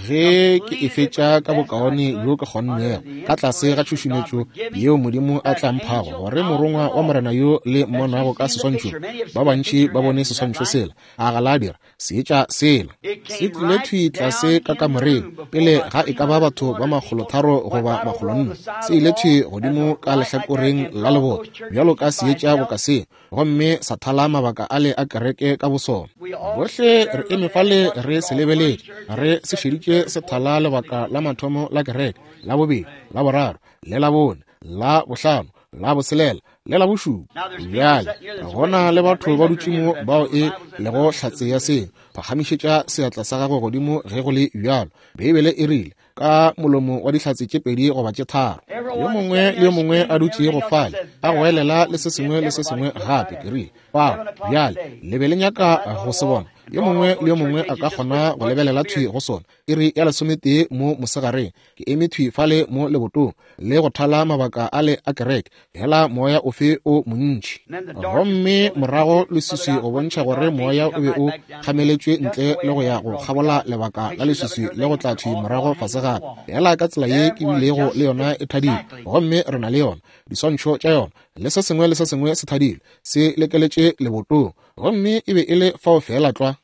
Ge ke e fetša ka bokaone bjo ke kgonnego, ka tlase ga tšhušumetšo yeo Modimo a tla mphago, gore morongwa wa Morena yo le mmonago ka seswantšhong, ba bantši ba bone seswantšho sela, a ga la dira? Seetša sela se tlile thwi tlase ka kamoreng pele ga e ka ba batho ba makgolotharo goba makgolonne. Se ile thwi godimo ka lehlakoreng la leboto bjalo ka seetša boka se, gomme sa thala mabaka ale a kereke ka bosona. Bohle re eme fale re se lebeletše, re se šeditše se thala lebaka la mathomo la kereke, la bobedi, la boraro, le la bone, la bohlano, la boselela, le la bošupa. Bjale go na le batho ba dutše mo bao e lego hlatse ya seo. Phagamišetša seatla sa gago godimo ge go le bjalo. Beibele e rile, ka molomo wa dihlatse tše pedi goba tše tharo. Yo mongwe le yo mongwe a dutšego fale a goelela le se sengwe le se sengwe gape. Ke rile, Fao, bjale le be le nyaka go se bona. Yo mongwe le yo mongwe a ka kgona go lebelela thwi go sona. Iri ya lesometee mo mosegareng, ke eme thwi fale mo lebotong le go thala mabaka ale a kereke, hela moya ofe o montši. Gomme morago leswiswi go bontšha gore moya o be o kgameletšwe ntle le go ya go kgabola lebaka la leswiswi le go tla thwi morago fase gape, hela ka tsela ye ke bilego le yona e thadilwe. Gomme re na le yona, diswantšho tša yona, le se sengwe le se sengwe se thadilwe, se lekeletše lebotong. Gomme e be e le fao feela tlwa.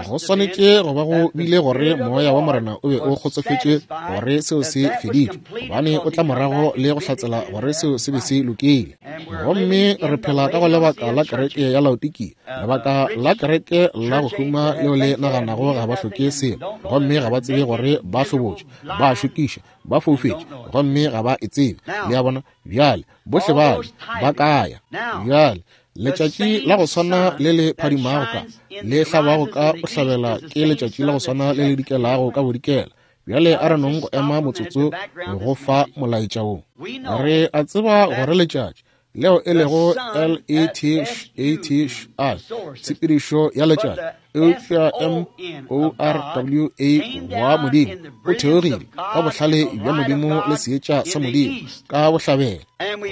Go swanetše go ba go bile gore Moya wa Morena o be o kgotsofetše gore seo se feditšwe, gobane o tla morago le go hlatsela gore seo se be se lokile. Gomme re phela ka go lebaka la kereke ya Laodikia, lebaka la kereke la go huma leo le naganago ga ba hloke selo, gomme ga ba tsebe gore ba hlobotše, ba šokiša, ba foufetše, gomme ga ba e tsebe. Le a bona? Bjale, bohle bale ba kaya. Bjale, Letšatši la go swana le le phadimago ka le hlabago ka bohlabela ke letšatši la go swana le le dikelago ka bodikela. Bjale a re nong go ema motsotso go fa molaetša wo. Re a tseba gore letšatši, leo e lego L-E-T-H-A-T-H-I, tshepedišo ya letšatši, eupša M-O-R-W-A wa Modimo o theogile ka bohlale bja Modimo le seetša sa Modimo ka bohlabela.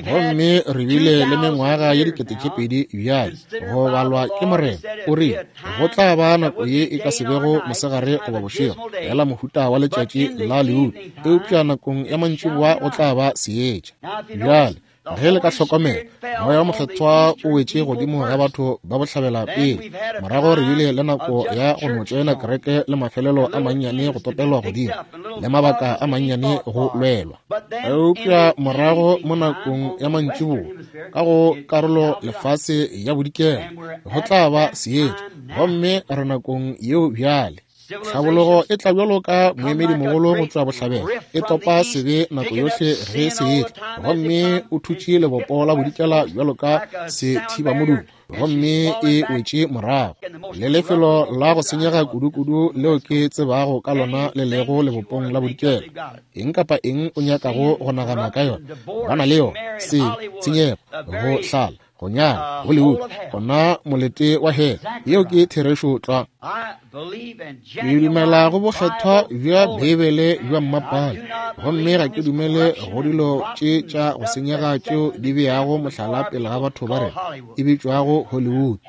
Gomme re bile le mengwaga ye 2000 bjale go balwa ke Morena. O rile go tla ba nako ye e ka se bego mosegare goba bošego, fela mohuta wa letšatši la leutu, eupša nakong ya mantšiboa go tla ba seetša. Bjale ge le ka hlokomela, Moya wo Mokgethwa o wetše godimo ga batho ba bohlabela pele. Morago re bile le nako ya go no tšoena kereke le mafelelo a mannyane go topelwa godimo, le mabaka a mannyane go lwelwa. Eupša morago mo nakong ya mantšiboa, ka go karolo lefase ya bodikela, go tla ba seetša, gomme re nakong yeo bjale. Tlhabologo e tla bjalo ka moemedimogolo go tšwa bohlabela, e topa sebe nako yohle ge se etla, gomme o thutše lebopo la bodikela bjalo ka sethibamodumo, gomme e wetše morago. Le lefelo la go senyega kudukudu leo ke tsebago ka lona le lego lebopong la bodikela. Eng kapa eng o nyakago go nagana ka yona, ba na le yona, sebe, tshenyego, go hlala, go nyala, Hollywood, gona molete wa hela. Yeo ke therešo tlwa. Ke dumela go bokgethwa bja Beibele bja mmapale. Gomme ga ke dumele go dilo tše tša go senyega tšeo di beago mohlala pele ga batho ba rena, e bitšwago Hollywood.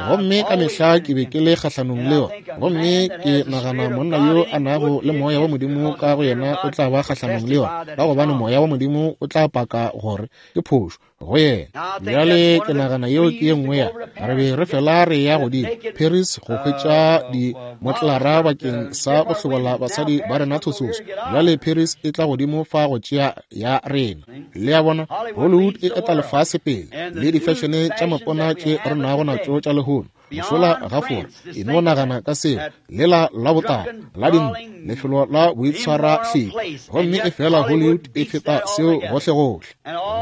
Gomme ka mehla ke be ke le kgahlanong le yona. Gomme ke nagana monna yo a nago le Moya wa Modimo ka go yena o tla ba kgahlanong le yona, ka gobane Moya wa Modimo o tla paka gore ke phošo go yena. Bjale ke nagana yeo ke ye nngwe ya re be re fela re ya godimo Paris go hwetša dimotlara bakeng sa go hlobola basadi ba rena thososo. Bjale Paris e tla godimo fa go tšea ya rena. Le a bona, Hollywood e eta lefase pele le difešene tša mapona tše re nago natšo tša lehono. Mošola ga Fora, e no nagana ka seo, lela la botala la dintlo, lefelo la boitshwarahleng, gomme efela Hollywood e feta seo gohlegohle.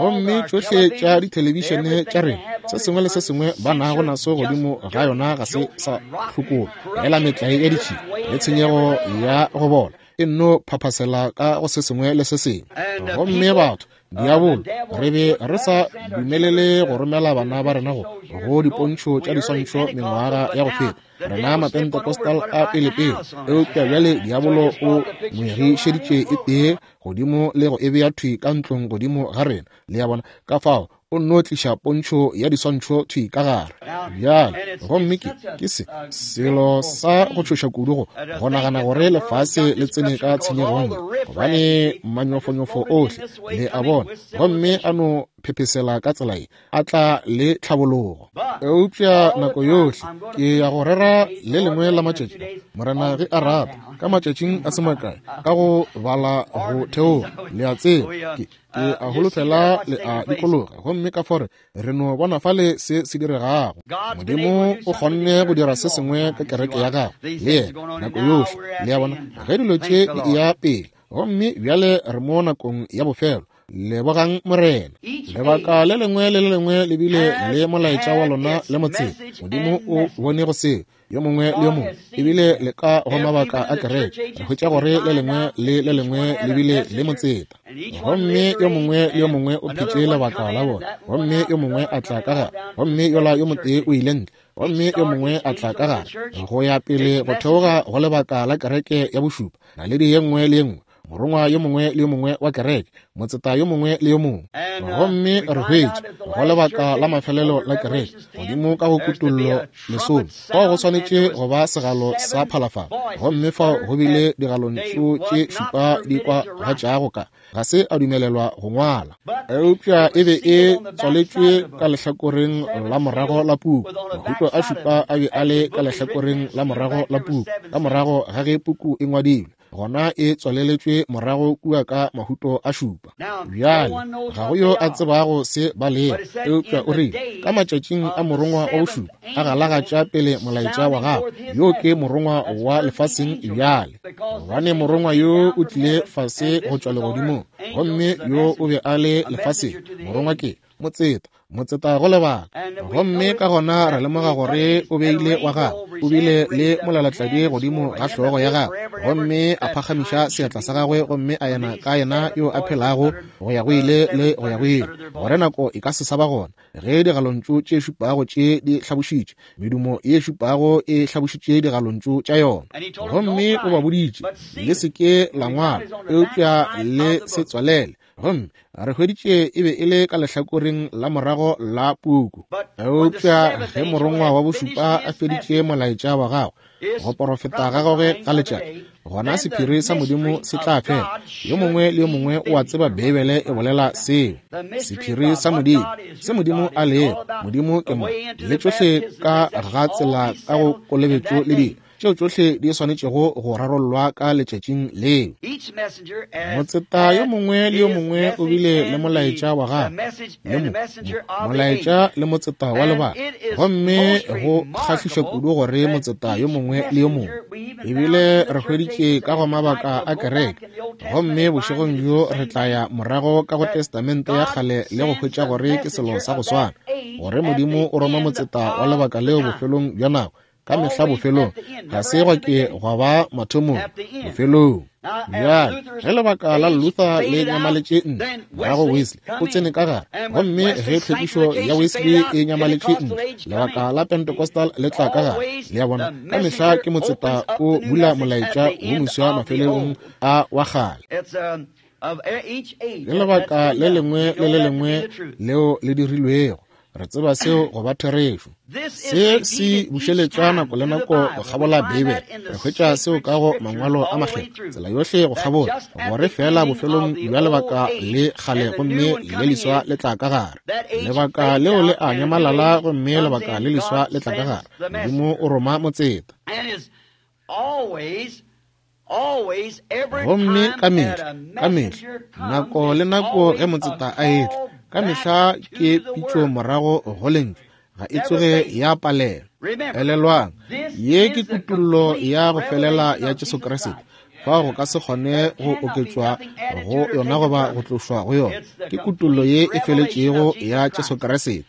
Gomme tšohle tša dithelebišene tša rena, se sengwe le se sengwe ba nago naso godimo ga yona ga se sa hlokolwa, fela metlae ya ditšhila le tshenyego ya go bola e nno phaphasela ka go se sengwe le se sengwe. Gomme batho, diabolo, re be re sa dumelele go romela bana ba rena go go dipontšho tša diswantšho mengwaga ya go feta, rena Mapentecostal a pelepele, eupša bjale diabolo o ngwegišeditše e tee godimo le go e bea thwi ka ntlong godimo ga rena. Le a bona? Ka fao o nno tliša pontšho ya diswantšho thwi ka gare bjale. Gomme ke, ke se selo sa go tšhoša kudu go, go nagana gore lefase le tsene ka tshenyegong ye, gobane manyofonyofo ohle, le a bona, gomme a no phephesela ka tsela ye, a tla le tlhabologo. Eupša nako yohle ke ya go rera le lengwe la matšatši, Morena ge a rata, ka matšatšing a se makae, ka go bala go theoga, le a tseba, ke, ke a holofela le a dikologa, gomme ka fore re no bona fale se se diregago. Modimo o kgonne go dira se sengwe ka kereke ya gagwe le yena nako yohle, le a bona, ge dilo tše di eya pele. Gomme bjale re mo nakong ya bofelo. Lebogang Morena. Lebaka le lengwe le le lengwe le bile le molaetša wa lona le motseng. Modimo o bone go seo, yo mongwe le yo mongwe, ebile le ka go mabaka a kereke re hwetša gore le lengwe le le lengwe le bile le motseta, gomme yo mongwe le yo mongwe o phetše lebaka la bona, gomme yo mongwe a tla ka gare, gomme yola yo motee o ile ntle, gomme yo mongwe a tla ka gare, go ya pele go theoga go lebaka la kereke ya bošupa, naledi ye nngwe le ye nngwe, morongwa yo mongwe le yo mongwe wa kereke, motseta yo mongwe le yo mongwe. Gomme re hwetša go lebaka la mafelelo la kereke, godimo ka go Kutollo lesome, fao go swanetše go ba segalo sa phalafala, gomme fao go bile digalontšu tše šupa di kwagatšago ka ga se a dumelelwa go ngwala, eupša e be e tswaletšwe ka lehlakoreng la morago la puku. Mahuto a šupa a be a le ka lehlakoreng la morago la puku, ka morago ga ge puku e ngwadilwe, gona e tswaleletšwe morago kua ka mahuto a šupa. Bjale ga go yo a tsebago se ba lego, eupša o rile ka matšatšing a morongwa wa bošupa a galagatša pele molaetša wa gagwe. Yo ke morongwa wa lefaseng bjale, gobane morongwa yo o tlile fase go tšwa legodimong, gomme yo o be a le lefaseng. Morongwa ke motseta, motseta go lebaka. Gomme ka gona re lemoga gore o beile wa gagwe, o bile le molalatladi godimo ga hlogo ya gagwe, gomme a phagamiša seatla sa gagwe gomme a ena ka yena yo a phelago go ya go ile le go ya go ile, gore nako e ka se sa ba gona ge digalontšu tše šupago tše di hlabošitše, medumo ye šupago e hlabošitše digalontšu tša yona. Gomme o ba boditše, Le se ke la ngwala, eupša le se tswalele. Gomme re hweditše e be e le ka lehlakoreng la morago la puku. Eupša ge morongwa wa bošupa a feditše molaetša wa gagwe, go porofeta ga gagwe ga letšatši, gona sephiri sa Modimo se tla fela. Yo mongwe le yo mongwe o a tseba Beibele e bolela seo. Sephiri sa Modimo, se Modimo a lego, Modimo ke mo, le tšohle ka ga tsela ka go kolobetšo le dilo tšeo tšohle di swanetšego go rarollwa ka letšatšing leo. Motseta yo mongwe le yo mongwe o bile le molaetša wa gagwe, le mo, molaetša le motseta wa lebaka. Gomme go kgahliša kudu gore motseta yo mongwe le yo mongwe, ebile re hweditše ka go mabaka a kereke. Gomme bošegong bjo re tla ya morago ka go Testamente ya Kgale le go hwetša gore ke selo sa go swana, gore Modimo o roma motseta wa lebaka leo bofelong bja nako, ka mehla bofelong, ga se gwa ke gwa ba mathomong, bofelong. Bjale, ge lebaka la Luther le nyamaletše ntle, morago Wesley o tsene ka gare, gomme ge tlhwekišo ya Wesley e nyamaletše ntle, lebaka la Pentecostal le tla ka gare. Le a bona, ka mehla ke motseta o bula molaetša wo moswa mafelelong a wa kgale. Le lebaka le lengwe le le lengwe leo le dirilwego, re tseba seo go ba therešo. Se se bušeletšwa nako le nako go kgabola Beibele. Re hwetša seo ka go Mangwalo a Makgethwa, tsela yohle go kgabola, gore feela bofelong bja lebaka le kgale gomme le leswa le tla ka gare. Lebaka leo le a nyamalala gomme lebaka le leswa le tla ka gare. Modimo o roma motseta. Gomme ka mehla, ka mehla, nako le nako ge motseta a etla, ka mehla ke pitšo morago go lentšu, ga e tsoge ya palelwa. Elelwang, ye ke kutollo ya go felela ya Jesu Kriste. Fao go ka se kgone go oketšwa go yona goba go tlošwa go yona. Ke kutollo ye e feletšego ya Jesu Kriste.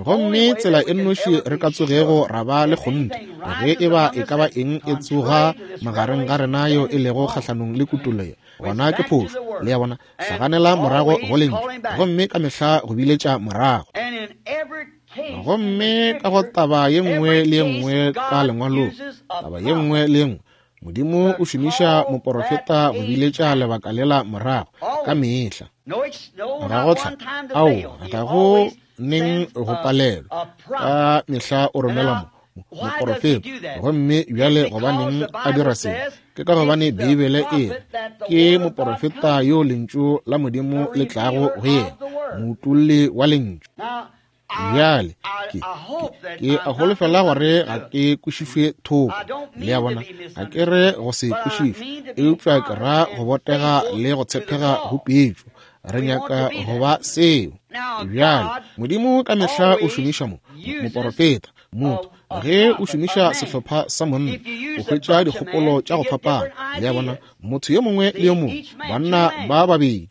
Gomme tsela e nnoši re ka tsogego ra ba le kgonthe, ge e ba e ka ba eng e tsoga magareng ga rena yeo e lego kgahlanong le kutollo ye, gona ke phošo. Le a bona? Hlaganela morago go lentšu, gomme ka mehla go biletša morago. Gomme ka go taba ye nngwe le ye nngwe ka lengwalong, taba ye nngwe le ye nngwe, Modimo o šomiša moporofeta go biletša lebaka lela morago, ka mehla. Ga go tla, aowa, ga go neng go palelwa. Ka mehla o romela moporofeta. Gomme bjale gobaneng a dira se? Ke ka gobane Beibele e re ke moporofeta yo lentšu la Modimo le tlago go yena, moutolli wa lentšu. Bjale ke a holofela gore ga ke kwešišwe thoko. Le a bona, ga ke re go se kwešišwe, eupša ke ra go botega le go tshepega go pitšo. Re nyaka go ba seo. Bjale Modimo ka mehla o šomiša moporofeta, motho. Ge o šomiša sehlopha sa monna, o hwetša dikgopolo tša go fapana. Le a bona, motho yo mongwe le yo mongwe, banna ba babedi.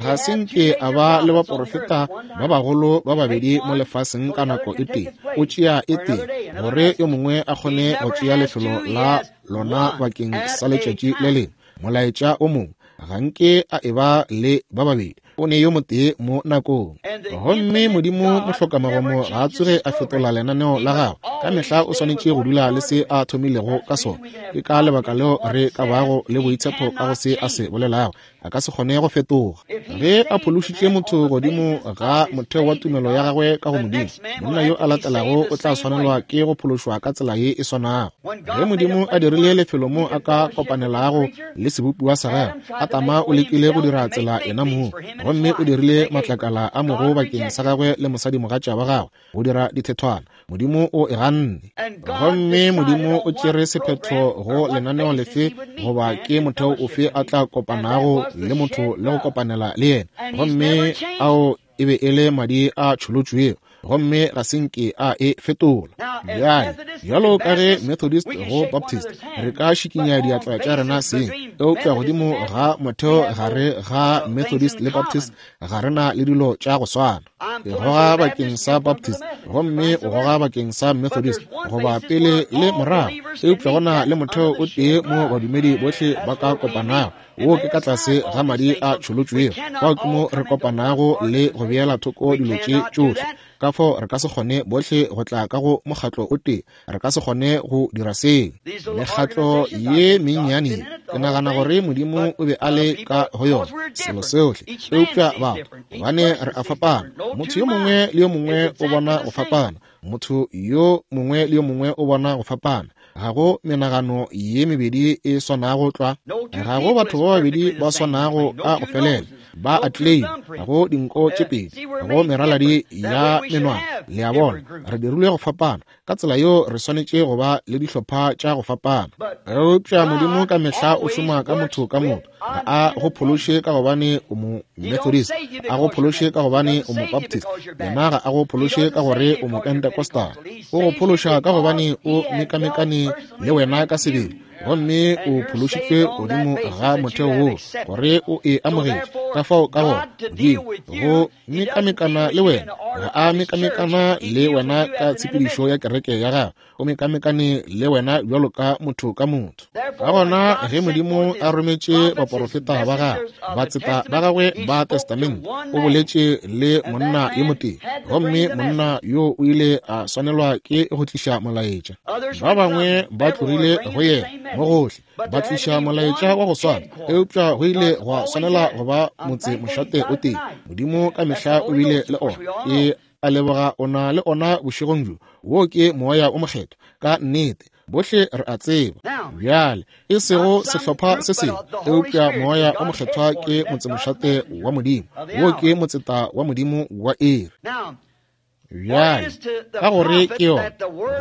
Ga se nke a ba le baporofeta ba bagolo ba babedi mo lefaseng ka nako e tee. O tšea e tee gore yo mongwe a kgone go tšea lefelo la lona bakeng sa letšatši le lengwe. Molaetša o mongwe, ga nke a e ba le ba babedi, o ne yo motee mo nakong. Gomme Modimo mohlokamagomo ga a tsoge a fetola lenaneo la gagwe. Ka mehla o swanetše go dula le se a thomilego ka sona. Ke ka lebaka leo re ka bago le boitshepo ka go se a se bolelago. A ka se kgone go fetoga. Ge a phološitše motho godimo ga motheo wa tumelo ya gagwe ka go Modimo, monna yo a latelago o tla swanelwa ke go phološwa ka tsela ye e swanago. Ge Modimo a dirile lefelo mo a ka kopanelago le sebopiwa sa gagwe, Adama o lekile go dira tsela yena mong, gomme o dirile matlakala a mogo bakeng sa gagwe le mosadimogatša wa gagwe go dira dithethwana. Modimo o e ganne. Gomme Modimo o tšere sephetho go lenaneo lefe goba ke motheo ofe a tla kopanago le motho le go kopanela le yena, gomme ao e be e le madi a tšholotšwego, gomme ga se nke a e fetola. Bjale, bjalo ka ge Methodist go Baptist, re ka šikinya diatla tša rena seng, eupša godimo ga motheo gare ga Methodist le Baptist ga re na le dilo tša go swana. Ke goga bakeng sa Baptist gomme o goga bakeng sa Methodist, goba pele le morago, eupša go na le motheo o tee mo badumedi bohle ba ka kopanago, wo ke ka tlase ga madi a tšholotšwego. Fao ke mo re kopanago le go beela thoko dilo tše tšohle. Ka fao re ka se kgone bohle go tla ka go mokgatlo o tee. Re ka se kgone go dira seo. Mekgatlo ye mennyane, ke nagana gore Modimo o be a le ka go yona, selo sohle. Eupša batho, gobane re a fapana, motho yo mongwe le yo mongwe o bona go fapana, motho yo mongwe le yo mongwe o bona go fapana. Ga go menagano ye mebedi e swanago tlwa. Ga go batho ba babedi ba swanago ka go felela. Ba a claim. Ga go dinko tše pedi. Ga go meraladi ya menwana. Le a bona, re dirilwe go fapana. Ka tsela yeo re swanetše go ba le dihlopha tša go fapana. Eupša Modimo ka mehla o šoma ka motho ka motho. Ga a go phološe ka gobane o mo Methodist, a go phološe ka gobane o mo Baptist, yena ga a go phološe ka gore o mo Pentecostal. O go phološa ka gobane o mekamekane le wena ka sebele, gomme o phološitšwe godimo ga motheo woo gore o e amogetše. Ka fao ka gona Modimo go mekamekana le wena, ga a mekamekana le wena ka tshepedišo ya kereke ya gagwe, o mekamekane le wena bjalo ka motho ka motho. Ka gona ge Modimo a rometše baporofeta ba gagwe, batseta ba gagwe ba Testamente, o boletše le monna yo motee, gomme monna yo o ile a swanelwa ke go tliša molaetša. Ba bangwe ba tlogile go yena mo gohle. Ba tliša molaetša wa go swana, eupša go ile gwa swanela go ba motse mošate o tee. Modimo ka mehla o bile le ona. Ke a leboga o na le ona bošegong bjo. Wo ke Moya o Mokgethwa. Ka nnete, bohle re a tseba. Bjale, e sego sehlopha se sengwe, eupša Moya o Mokgethwa ke motsemošate wa Modimo. Wo ke motseta wa Modimo wa iri. Bjale, ka gore ke yona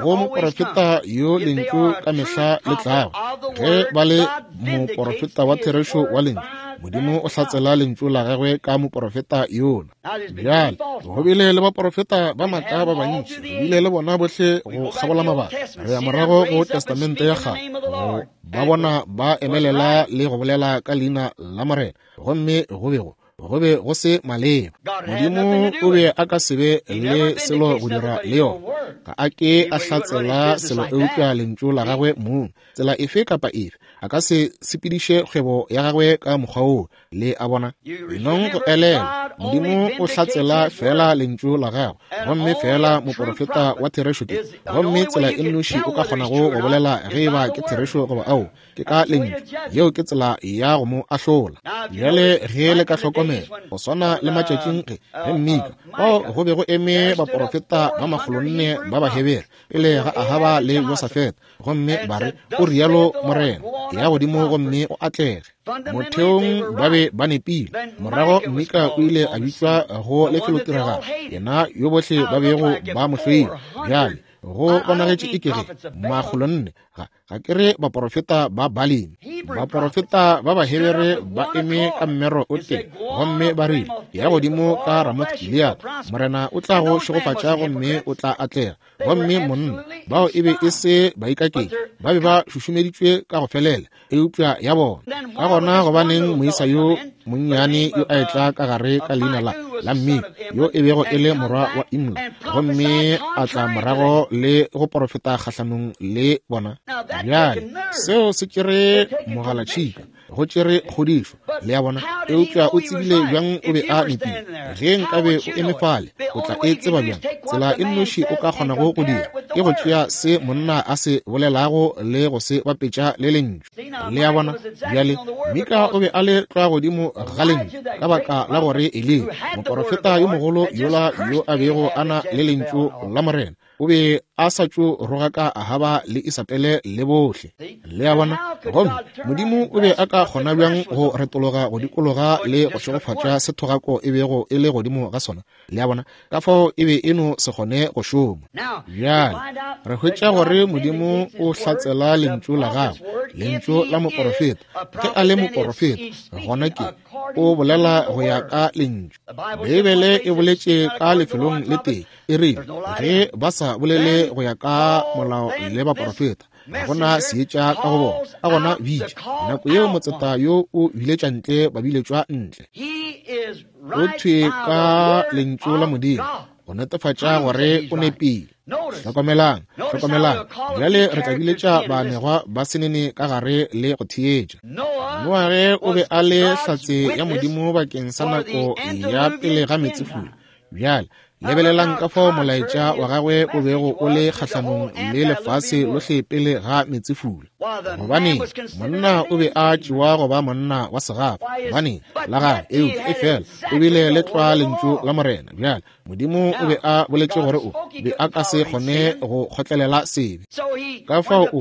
go moporofeta yo lentšu ka mehla le tlago, ge ba le moporofeta wa therešo wa lentšu, Modimo o hlatsela lentšu la gagwe ka moporofeta yola. Bjale, go bile le baporofeta ba maaka ba bantši, re bile le bona bohle go kgabola mabaka. Re ya morago go Testamente ya Kgale, go ba bona ba emelela le go bolela ka leina la Morena, gomme go be go go be go se maleba. Modimo o be a ka se be le selo go dira le yona. Ga a ke a hlatsela selo eupša lentšu la gagwe mong. Tsela efe kapa efe, a ka se sepediše kgwebo ya gagwe ka mokgwa woo. Le a bona? Enong go elelwa, Modimo o hlatsela feela lentšu la gagwe, gomme feela moporofeta wa therešo ke. Gomme tsela e nnoši o ka kgonago go bolela ge e ba ke therešo goba ao, ke ka lentšu. Yeo ke tsela ya go mo ahlola. Bjale ge le ka hlokomela, go swana le matšatšing ge, ge Mika, fao go be go eme baporofeta ba makgolonne ba Bahebere pele ga Ahaba le Josafete, gomme ba re, O rialo Morena, ya godimo gomme o atlege. Motheong ba be ba nepile. Morago Mika o ile a bitšwa go lefelotiragalo, yena yo bohle ba bego ba mo hloile. Bjale go bonagetše e ke ge makgolonne ga ga ke re baporofeta ba Balemi, baporofeta ba Bahebere ba eme ka mmero o tee, gomme ba rile, Ya godimo ka Ramoth Gilead, Morena o tla go šegofatša gomme o tla atlega. Gomme monna, bao e be e se baikaketši, ba be ba šušumeditšwe ka go felela, eupša ya bona. Ka gona gobaneng moisa yo monnyane yo a etla ka gare ka leina la, la Mmika, yo e bego e le morwa wa Imla, gomme a tla morago le go porofeta kgahlanong le bona? Bjale, seo se tšere mogalatšhika, go tšere kgodišo, le a bona. Eupša o tsebile bjang o be a nepile? Ge nkabe o eme fale, o tla e tseba bjang? Tsela e nnoši o ka kgonago go dira ke go tšea se monna a se bolelago le go se bapetša le lentšu. Le a bona? Bjale, Mika o be a le tlwa godimo ga lentšu, ka baka la gore Eliya, moporofeta yo mogolo yola yo a bego a na le lentšu la Morena, o be a sa tšo rogaka Ahaba le Isabele le bohle. Le a bona? Gomme Modimo o be a ka kgona bjang go retologa go dikologa le go šegofatša se thogako e bego e le godimo ga sona? Le a bona? Ka fao e be e no se kgone go šoma. Bjale re hwetša gore Modimo o hlatsela lentšu la gagwe, lentšu la moporofeta. Ge a le moporofeta, gona ke o bolela go ya ka lentšu. Beibele e boletše ka lefelong le tee, e rile, ge ba sa bolele go ya ka molao le baporofeta, ga gona seetša ka go bona. Ka gona bitša nako yeo motseta yo o biletša ntle babiletšwa ntle. O thwe ka lentšu la Modimo go netefatša gore o nepile. Hlokomelang, hlokomelang. Bjale re tla biletša baanegwa ba senene ka gare le go theetša. Noage o be a le hlatse ya Modimo bakeng sa nako ya pele ga meetsefula. Bjale lebelelang ka fao molaetša wa gagwe o bego o le kgahlanong le lefase lohle pele ga meetsefula. Gobaneng, monna o be a tšewa go ba monna wa segafa, gobaneng, la gagwe, eupša efela o bile le tlwa lentšu la Morena. Bjale, Modimo o be a boletše gore o be a ka se kgone go kgotlelela sebe. Ka fao o,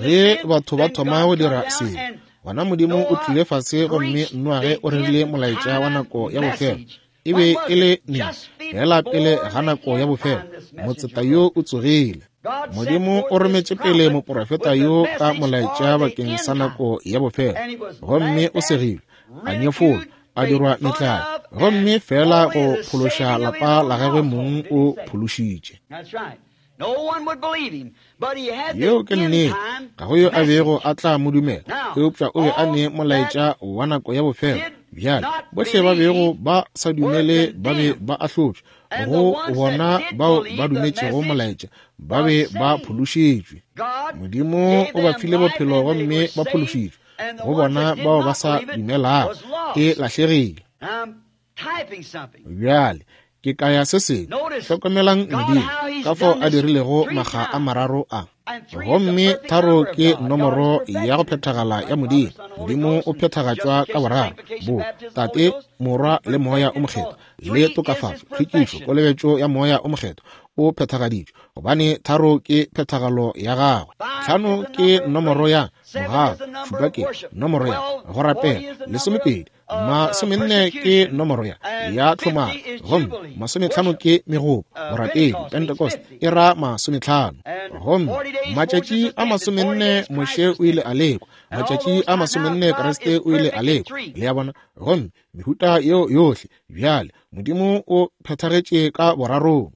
ge batho ba thoma go dira sebe, gona Modimo o tlile fase gomme Noage o rerile molaetša wa nako ya bofelo. E be e le neng? Feela pele ga nako ya bofelo, motseta yo o tsogile. Modimo o rometše pele moporofeta yo ka molaetša bakeng sa nako ya bofelo, gomme o segilwe, a nyefolwa, a dirwa metlae, gomme feela go phološa lapa la gagwe mong o phološitše. Yeo ke nnete. Ga go yo a bego a tla mo dumela, eupša o be a ne molaetša wa nako ya bofelo. Bjale, bohle ba bego ba sa dumele ba be ba ahlotšwe. Go bona bao ba dumetšego molaetša, ba be ba phološitšwe. Modimo o ba file bophelo gomme ba phološitšwe. Go bona bao ba sa dumelago, e lahlegile. Bjale, ke kaya se sengwe. Hlokomelang Modimo, ka fao a dirilego makga a mararo a. Gomme tharo ke nomoro ya go phethagala ya Modimo. Modimo o phethagatšwa ka boraro, bo Tate, Morwa le Moya o Mokgethwa, le tokafatšo, tlhwekišo, kolobetšo ya Moya o Mokgethwa o phethagaditšwe, gobane tharo ke phethagalo ya gagwe. 5 ke nomoro ya mogau, 7 ke nomoro ya go rapela, 20 40 ke nomoro ya tlhomaro, gomme 50 ke megopo, borapedi. Pentecost e ra 50. Gomme matšatši a 40 Moshe o ile a lekwa, matšatši a 40 Kriste o ile a lekwa. Le a bona? Gomme mehuta yeo yohle bjale Modimo o phethagetše ka borarong.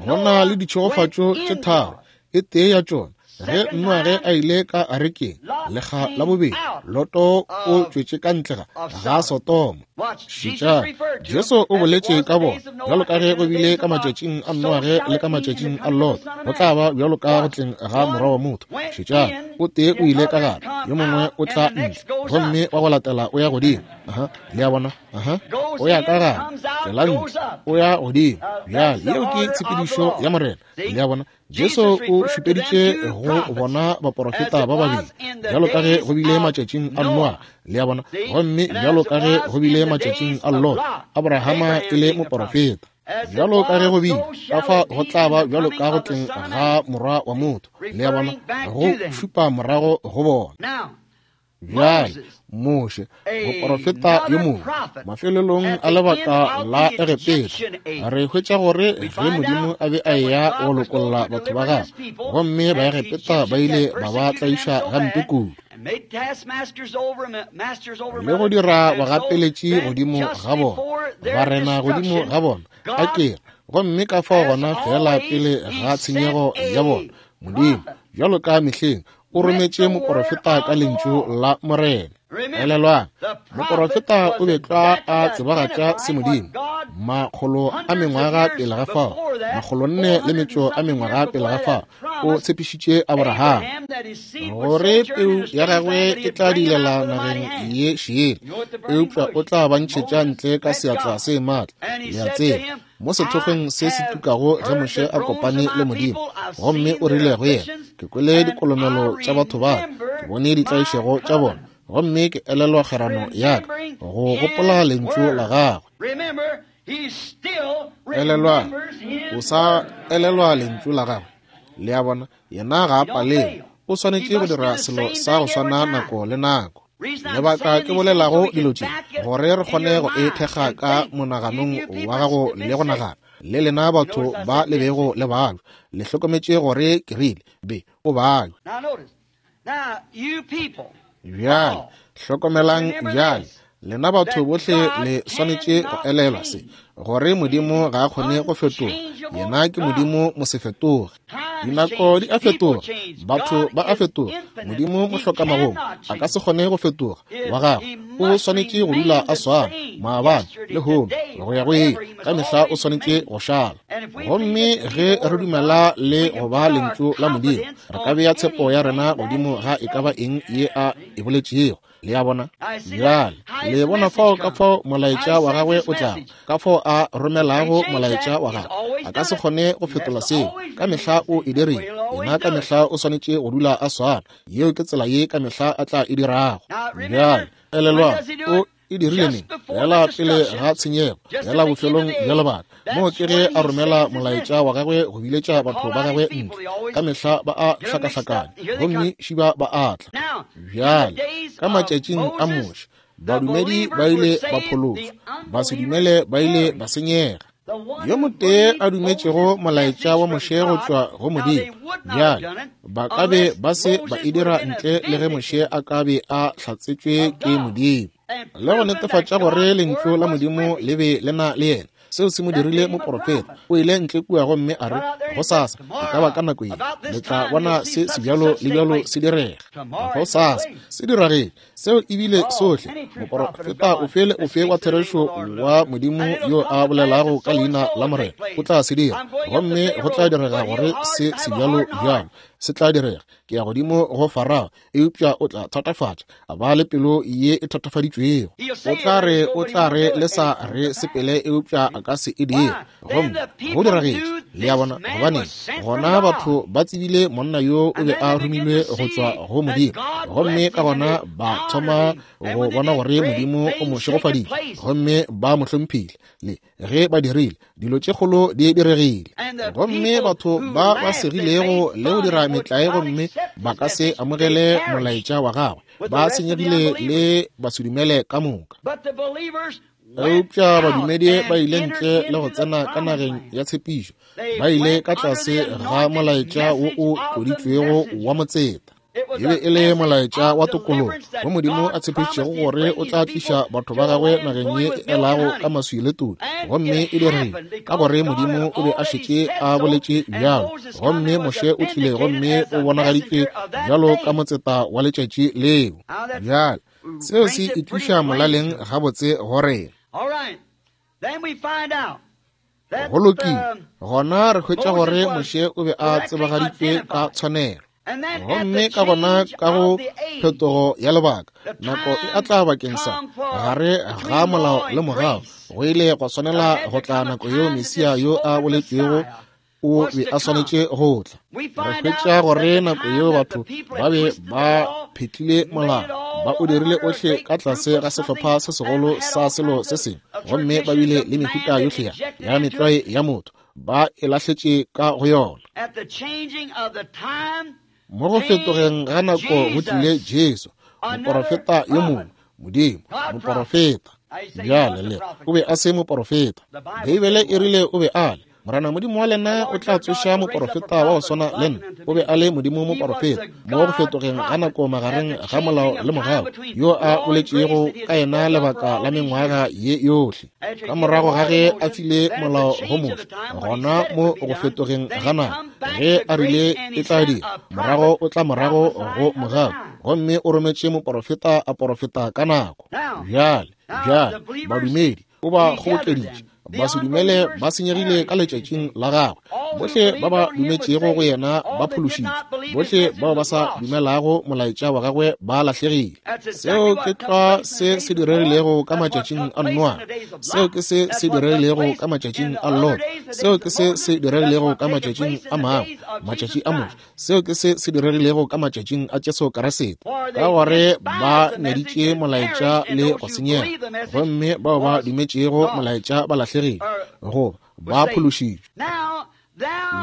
Go na le ditšhegofatšo tše tharo, e tee ya tšona ge Noage a ile ka arekeng, lekga la bobedi Loto o tšwetše ka ntle ga Sodoma. Šetšang, Jesu o boletše ka bona, bjalo ka ge go bile ka matšatšing a Noage le ka matšatšing a Loto, go tla ba bjalo ka go tleng ga Morwa wa motho. Šetšang, o tee o ile ka gare, yo mongwe o tla ntle, gomme wa go latela o ya godimo. Aha, le a bona? Aha, o ya ka gare, tsela ntle, o ya godimo. Bjale, yeo ke tshepedišo ya Morena. Le a bona? Jesu o šupeditše go bona baporofeta ba babedi, bjalo ka ge go bile matšatšing a Noa, le a bona, gomme bjalo ka ge go bile matšatšing a Lot, Abrahama e le moporofeta. Bjalo ka ge go bile, ka fa go tla ba bjalo ka go tleng ga Morwa wa motho, le a bona, go šupa morago go bona. Bjale Moshe, moporofeta yo mongwe, mafelelong a lebaka la Egepeta, re hwetša gore ge Modimo a be a eya go lokolla batho ba gagwe, gomme Baegepeta ba ile ba ba tlaiša gampe kudu, le go dira bagapeletši godimo ga bona, barena godimo ga bona, a kere, gomme ka fao gona fela pele ga tshenyego ya bona, Modimo, bjalo ka mehleng, o rometše moporofeta ka lentšu la Morena. Elelwang, moporofeta o be tlwa a tsebagatša se Modimo makgolo a mengwaga pele ga fao, 400 a mengwaga pele ga fao, o tshepišitše Abraham gore peu ya gagwe e tla dilela nageng ye šele, eupša o tla ba ntšhetša ntle ka seatla se maatla. Le a tseba, mo sethokgweng se se tukago ge Moshe a kopane le Modimo, gomme o rile go yena, ke kwele dikolomelo tša batho ba, ke bone ditlaišego tša bona, gomme ke elelwa kgerano ya ka, go gopola lentšu la gagwe. Elelwa, o sa elelwa lentšu la gagwe. Le a bona, yena ga a palelwe, o swanetše go dira selo sa go swana nako le nako. Lebaka ke bolelago dilo tše, gore re kgone go e thekga ka monaganong wa gago le go nagana, le lena batho ba le bego le balwa, le hlokometše gore ke rile, be o balwa. Bjale, hlokomelang bjale, lena batho bohle le swanetše go elelwa se, gore Modimo ga a kgone go fetoga. Yena ke Modimo mosefetoge. Dinako di a fetoga, batho ba a fetoga. Modimo mohlokamagomo a ka se kgone go fetoga. Wa gagwe o swanetše go dula a swana maabane, lehono, go ya go ile. Ka mehla o swanetše go šala. Gomme ge re dumela le go ba lentšu la Modimo, re ka bea tshepo ya rena godimo ga e ka ba eng ye a e boletšego. Le a bona? Bjale, le bona fao ka fao molaetša wa gagwe o tlago, ka fao a romelago molaetša wa gagwe. A ka se kgone go fetola seo. Ka mehla o e dirile. Yena ka mehla o swanetše go dula a swana. Yeo ke tsela ye ka mehla a tla e dirago. Bjale, elelwang, o e dirile neng? Fela pele ga tshenyego, fela bofelong bja lebaka. Moo ke ge a romela molaetša wa gagwe go biletša batho ba gagwe ntle. Ka mehla ba a hlakahlakana, gomme šiba ba a tla. Bjale, ka matšatšing a Moshe, badumedi ba ile ba phološwa, basedumele ba ile ba senyega. Yo motee a dumetšego molaetša wa Moshe go tšwa go Modimo, bjale ba ka be ba se ba e dira ntle le ge Moshe a ka be a hlatsetšwe ke Modimo le go netefatša gore lentšu la Modimo le be le na le yena. Seo se mo dirile moporofeta. O ile ntle kua gomme a re, Gosasa, e ka ba ka nako ye, le tla bona se sebjalo le bjalo se direga. Gosasa, se diragetše. Seo e bile sohle. Moporofeta ofe le ofe wa therešo wa Modimo yo a bolelago ka leina la Morena o tla se dira, gomme go tla direga gore se sebjalo bjalo. se tla direga. Ke ya godimo go Farao, eupša o tla thatafatša, a ba le pelo ye e thatafaditšwego. O tla re, o tla re le sa re sepele, eupša a ka se e dire. Gomme go diragetše. Le a bona? Gobaneng? Gona batho ba tsebile monna yo o be a romilwe go tšwa go Modimo, gomme ka gona ba thoma go bona gore Modimo o mo šegofaditše, gomme ba mo hlomphile. Le ge ba dirile, dilo tše kgolo di diregile. Gomme batho ba ba segilego le go dira metlae gomme ba ka se amogele molaetša wa gagwe, ba senyegile le basedumele ka moka. Eupša badumedi ba ile ntle le go tsena ka nageng ya tshepišo, ba ile ka tlase ga molaetša wo o tloditšwego wa motseta. E be e le molaetša wa tokologo wo Modimo a tshepišitšego gore o tla tliša batho ba gagwe nageng ye e elago ka maswi le todi. Gomme e diregile ka gore Modimo o be a šetše a boletše bjalo, gomme Moshe o tlile gomme o bonagaditšwe bjalo ka motseta wa letšatši leo. Bjale seo se itliša molaleng gabotse go rena. Go lokile, gona re hwetša gore Moshe o be a tsebagaditšwe ka tshwanelo. Gomme ka gona ka go phetogo ya lebaka, nako e a tla bakeng sa gare ga molao le mogau, go ile gwa swanela go tla nako yeo Mesia yo a boletšwego o be a swanetše go tla. Re hwetša gore nako yeo batho ba be ba phetlile molao, ba o dirile ohle ka tlase ga sehlopha se segolo sa selo se sengwe, gomme ba bile le mehuta yohle ya metlwae ya motho, ba e lahletše ka go yona. Mo go fetogeng ga nako go tlile Jesu, moporofeta yo mongwe, Modimo, moporofeta. Bjale le o be a se moporofeta. Beibele e rile o be a le. Morena Modimo wa lena o tla tsoša moporofeta wa go swana le nna. O be a le Modimo moporofeta mo go fetogeng ga nako magareng ga molao le mogau, yo a boletšego ka yena lebaka la mengwaga ye yohle. Ka morago ga ge a file molao go Moshe, gona mo go fetogeng ga nako, ge a rile e tla dira, morago o tla morago go mogau, gomme o rometše moporofeta a porofeta ka nako. Bjale, bjale, badumedi o ba kgobokeditše, basedumele ba senyegile ka letšatšing la gagwe. Bohle ba ba dumetšego go yena ba phološitšwe, bohle bao ba sa dumelago molaetša wa gagwe ba lahlegile. Seo ke tlwa se se diregilego ka matšatšing a Noa, seo ke se se diregilego ka matšatšing a Lot, seo ke se se diregilego ka matšatšing a mangwe, matšatši a Moshe, seo ke se se diregilego ka matšatšing a Jesu Kriste, ka gore ba nyaditše molaetša le go senyega, gomme bao ba dumetšego molaetša ba lahlegile goba ba phološitšwe.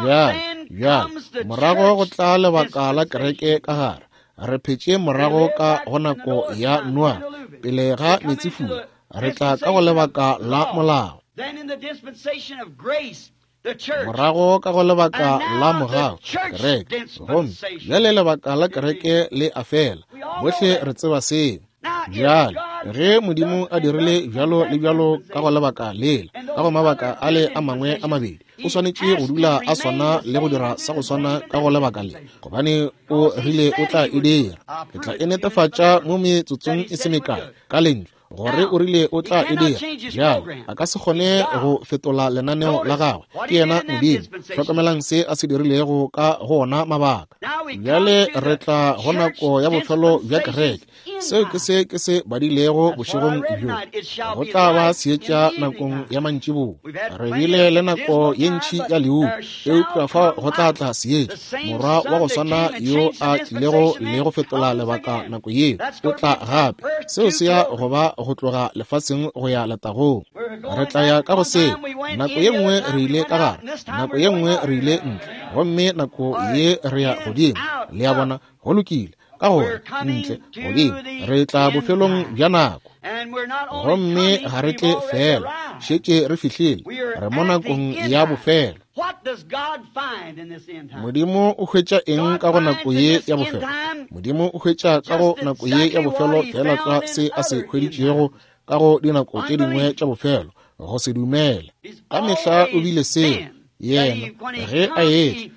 Bjale, bjale, morago go tla lebaka la kereke ka gare. Re phetše morago ka go nako ya Noa, pele ga meetsefula. Re tla ka go lebaka la molao. Morago ka go lebaka la mogau, kereke. Gomme bjale lebaka la kereke le a fela. Bohle re tseba seo. Bjale, ge Modimo a dirile bjalo le bjalo ka go lebaka lela, ka go mabaka ale a mangwe a mabedi, o swanetše go dula a swana le go dira sa go swana ka go lebaka le, gobane o rile o tla e dira. Ke tla e netefatša mo metsotsong e se mekae ka lentšu, gore o rile o tla e dira. Bjale a ka se kgone go fetola lenaneo la gagwe, ke yena Modimo. Hlokomelang se a se dirilego ka go ona mabaka. Bjale re tla go nako ya bofelo bja kereke. Seo ke se ke se badilego bošegong bjo. Go tla ba seetša nakong ya mantšiboa. Re bile le nako ye ntši ya leuba, eupša fa go tla tla seetša. Morwa wa go swana yo a tlilego le go fetola lebaka nako yeo, o tla gape. Seo se ya go ba go tloga lefaseng go ya letagong. Re tla ya ka go seo. Nako ye nngwe re ile ka gare, nako ye nngwe re ile ntle, gomme nako ye re ya godimo. Le a bona? Go lokile. Ka gore ntle godimo re tla bofelong bja nako, gomme ga re tle fela, šetše re fihlile, re mo nakong ya bofelo. Modimo o hwetša eng ka go nako ye ya bofelo? Modimo o hwetša ka go nako ye ya bofelo feela tlwa se a se hweditšego ka go dinako tše dingwe tša bofelo, go se dumele. Ka mehla o bile seo. Yena ge a etla,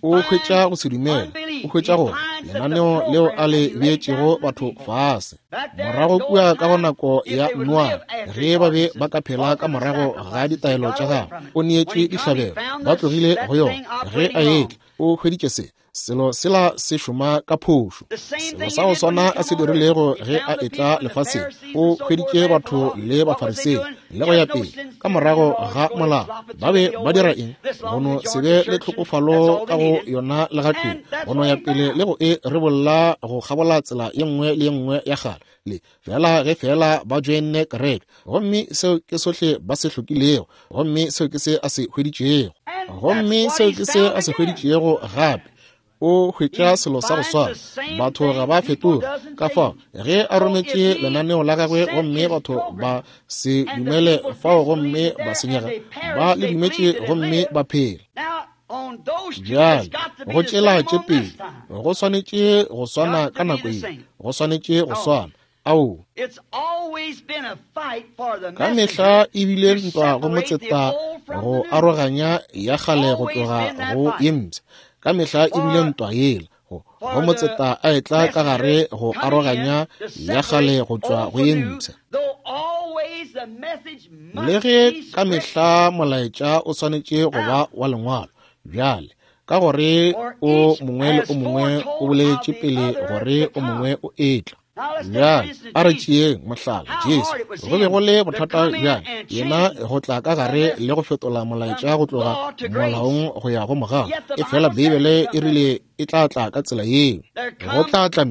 o hwetša go se dumele, o hwetša gore lenaneo leo a le beetšego batho fase morago kua ka go nako ya Noa, ge ba be ba ka phela ka morago ga ditaelo tša gagwe, o neetšwe dihlabelo, ba tlogile go yona. Ge a etla, o hweditše se. Selo sela se šoma ka phošo. Selo sa go swana a se dirilego ge a etla lefaseng, o hweditše batho le Bafarisei le go ya pele ka morago ga molao. Ba be ba dira eng? Go no se be le tlhokofalo ka go yona le gatee, go no ya pele le go e rebolla go kgabola tsela ye nngwe le ye nngwe ya kgale, le fela ge fela ba joinne kereke. Gomme seo ke sohle ba se hlokilego, gomme seo ke se a se hweditšego, gomme seo ke se a se hweditšego gape. O hwetša selo sa go swana. Batho ga ba fetoge. Ka fao ge a rometše lenaneo la gagwe gomme batho ba se dumele fao gomme ba senyega, ba le dumetše gomme ba phela. Bjale go tšela tše pedi go swanetše go swana ka nako ye, go swanetše go swana. Ao, ka mehla e bile ntwa go motseta go aroganya ya kgale go tloga go ye mpsha. Ka mehla e bile ntwa yela go motseta a etla ka gare go aroganya ya kgale go tšwa go ye mpsha. Le ge ka mehla molaetša o swanetše go ba wa lengwalo, bjale ka gore o mongwe le o mongwe o boletše pele gore o mongwe o etla. Bjale a re tšeeng mohlala Jesu. Go be go le bothata bjang yena go tla ka gare le go fetola molaetša go tloga molaong go ya go mogau. E fela Beibele e rile e tla tla ka tsela yeo. Go tla tla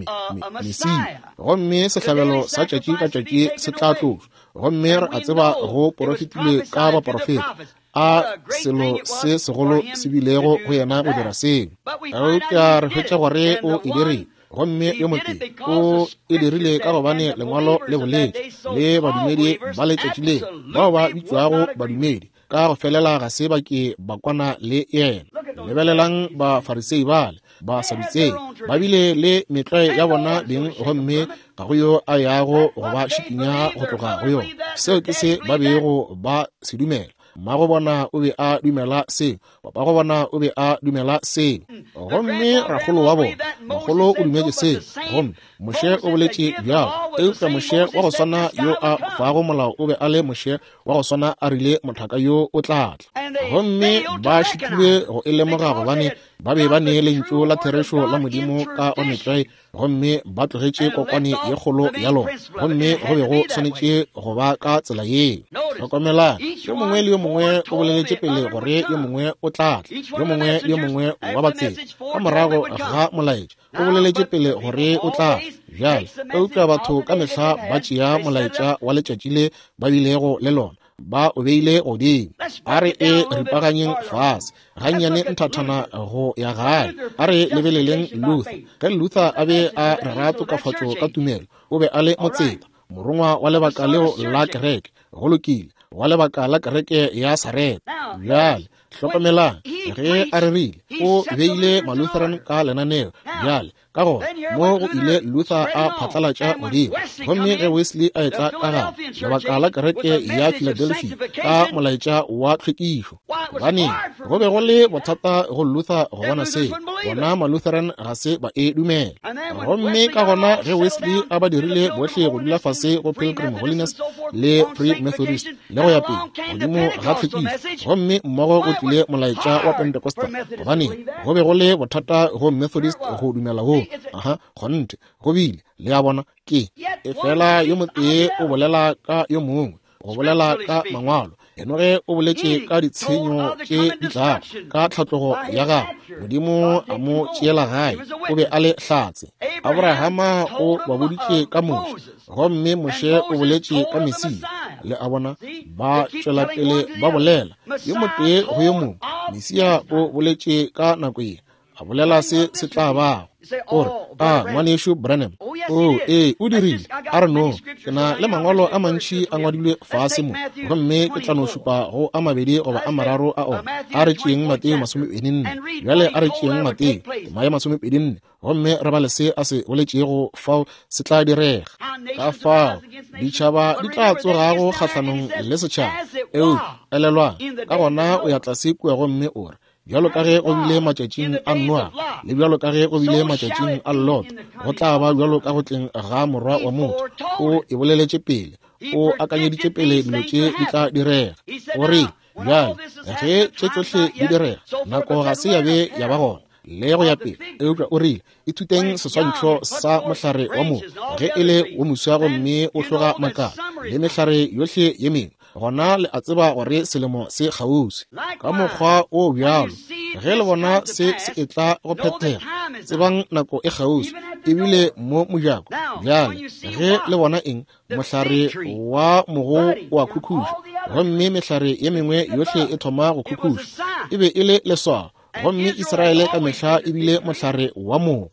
Mesia, gomme sehlabelo sa tšatši ka tšatši se tla tlošwa. Gomme re a tseba go porofetilwe ka baporofeta, a selo se segolo se bilego go yena go dira seo. Eupša re hwetša gore o e dirile. Gomme yo motee o e dirile ka gobane lengwalo le boletše, le badumedi ba letšatši le bao ba bitšwago badumedi ka go felela ga se ba ke ba kwana le yena. Lebelelang Bafarisei bale, Basadutsei, ba bile le metlwae ya bona beng, gomme ga go yo a yago go ba šikinya go tloga go yona. Seo ke se ba bego ba se dumela. Mmago bona o be a dumela seo, papago bona o be a dumela seo, gomme rakgolo wa bona makgolo o dumetše seo, gomme Moshe o boletše bjalo. Eupša Moshe wa go swana yo a fago molao o be a le Moshe wa go swana a rile mothaka yo o tla tla. Gomme ba šitilwe go e lemoga gobane ba be ba ne lentšu la therešo la Modimo ka go metlwae, gomme ba tlogetše kokwane ye kgolo ya lona, gomme go be go swanetše go ba ka tsela yeo. Hlokomelang, yo mongwe le yo mongwe o boleletše pele gore yo mongwe o tla tla, yo mongwe le yo mongwe wa batseta ka morago ga molaetša o boleletše pele gore o tla tla. Bjale, eupša batho ka mehla ba tšea molaetša wa letšatši le ba bilego le lona, ba o beile godimo. A re e ripaganyeng fase gannyane nthathana go ya gae. A re lebeleleng Luther. Ge Luther a be a rera tokafatšo ka tumelo, o be a le motseta, morongwa wa lebaka leo la kereke. Go lokile, wa lebaka la kereke ya Sareta. Bjale hlokomelang, ge a rerile, o beile Malutheran ka lenaneo. Bjale ka gona mo go ile Luther a phatlalatša godimo, gomme ge Wesley a etla ka gare lebaka la kereke ya Philadelphia ka molaetša wa tlhwekišo, gobane go be go le bothata go Luther go bona seo, bona Malutheran ga se ba e dumela. Gomme ka gona ge Wesley a ba dirile bohle go dula fase go Pilgrim Holiness le Free Methodist le go ya pele godimo ga tlhwekišo, gomme mmogo go tlile molaetša wa Pentecostal, gobane go be go le bothata go Methodist go dumela wo. Aha, kgonthe go bile. Le a bona, ke e fela yo motee o bolela ka yo mongwe, go bolela ka mangwalo. Enoge o boletše ka ditshenyo tše di tlago ka tlhatlogo ya gagwe, Modimo a mo tšeela gae, o be a le hlatse. Abrahama o ba boditše ka Moshe, gomme Moshe o boletše ka Mesia. Le a bona, ba tšwela pele ba bolela yo motee go yo mongwe. Mesia o boletše ka nako ye, a bolela se se tla bago. O re, a ngwanešu Branham, o ee, o dirile. A re no, ke na le mangwalo a mantši a ngwadilwe fase mo, gomme ke tla no šupa go a mabedi goba a mararo a ona. A re tšeeng Mateo 24. Bjale a re tšeeng Mateo tema ya 24, gomme re bale se a se boletšego fao se tla direga. Ka fao ditšhaba di tla tsogago kgahlanong le setšhaba. Eupša elelwang, ka gona o ya tlase kua gomme o re, bjalo ka ge go bile matšatšing a Noa, le bjalo ka ge go bile matšatšing a Lot, go tla ba bjalo ka go tleng ga Morwa wa motho. O e boleletše pele, o akanyeditše pele dilo tše di tla direga. O re, bjale ge tše tšohle di direga, nako ga se ya be ya ba gona. le go ya pele. Eupša o rile, Ithuteng seswantšho sa mohlare wa mogo, ge e le wo moswa gomme o hloga makala, le mehlare yohle ye mengwe, gona le a tseba gore selemo se kgauswi. Ka mokgwa o bjalo, ge le bona se se etla go phethega, tsebang nako e kgauswi, ebile mo mojako. Bjale, ge le bona eng, mohlare wa mogo o a khukhuša, gomme mehlare ye mengwe yohle e thoma go khukhuša, e be e le leswao. Gomme Israele ka mehla e bile mohlare wa mogo.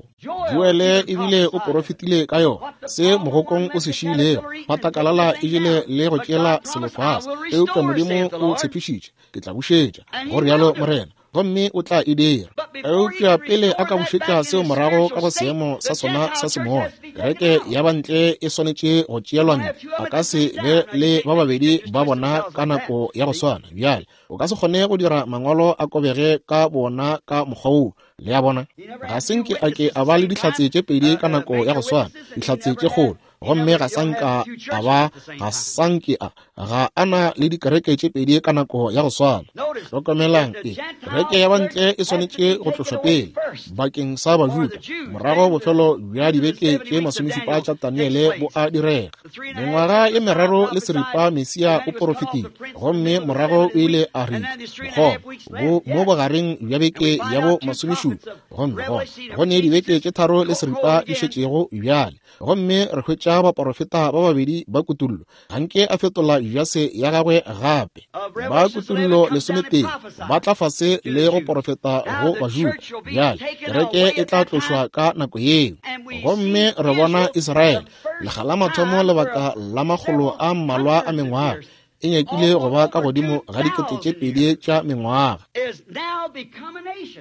Joele ebile o porofetile ka yona, se mogokong o se šiilego, patakalala e jele le go tšeela selo fase. Eupša Modimo o tshepišitše, Ke tla bušetša, go rialo Morena, gomme o tla e dira. Eupša pele a ka bušetša seo morago ka go seemo sa sona sa semoya, kereke ya bantle e swanetše go tšeelwa ntle. A ka se be le ba babedi ba bona ka nako ya go swana. Bjale, o ka se kgone go dira mangwalo a kobege ka bona ka mokgwa woo. Le a bona? Ga se nke a ke a ba le dihlatse tše pedi ka nako ya go swana, dihlatse tše kgolo. Gomme ga sa nka a ba, ga sa nke a, ga a na le dikereke tše pedi ka nako ya go swana. Hlokomelang, e, kereke ya bantle e swanetše go tlošwa pele bakeng sa Bajuda, morago bofelo bja dibeke tše masomešupa tša Daniele bo a direga. Mengwaga ye meraro le seripa Mesia o porofetile, gomme morago o ile a re mokgoma bo mo bogareng bja beke ya bo masomešupa, gomme gona go ne dibeke tše tharo le seripa di šetšego bjale. Gomme re hwetša baporofeta ba babedi ba kutullo, ga nke a fetola jase ya gagwe gape. Ba kutullo 11 ba tla fase le go porofeta go Bajuda. Bjale kereke e tla tlošwa ka nako yeo. Gomme re bona Israele lekga la mathomo lebaka la makgolo a mmalwa a mengwaga, e nyakile go ba ka godimo ga 2000 tša mengwaga.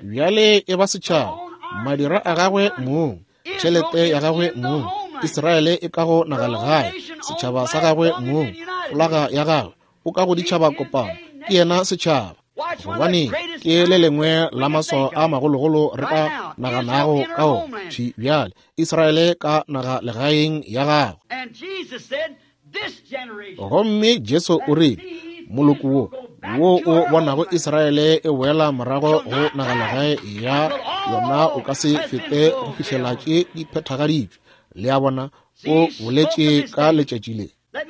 Bjale e ba setšhaba, madira a gagwe mong, tšhelete ya gagwe mong, Israele e ka go nagalegae, setšhaba sa gagwe mong, folaga ya gagwe, o ka go ditšhaba kopano, ke yena setšhaba. Gobane ke le lengwe la maswao a magologolo re ka naganago ka ona thwi bjale, Israele ka naga legaeng ya gagwe. Gomme Jesu o rile, moloko wo wo o bonago Israele e boela morago go naga legae ya yona o ka se fete go fihlela tše di phethagaditšwe. Le a bona, o boletše ka letšatši le.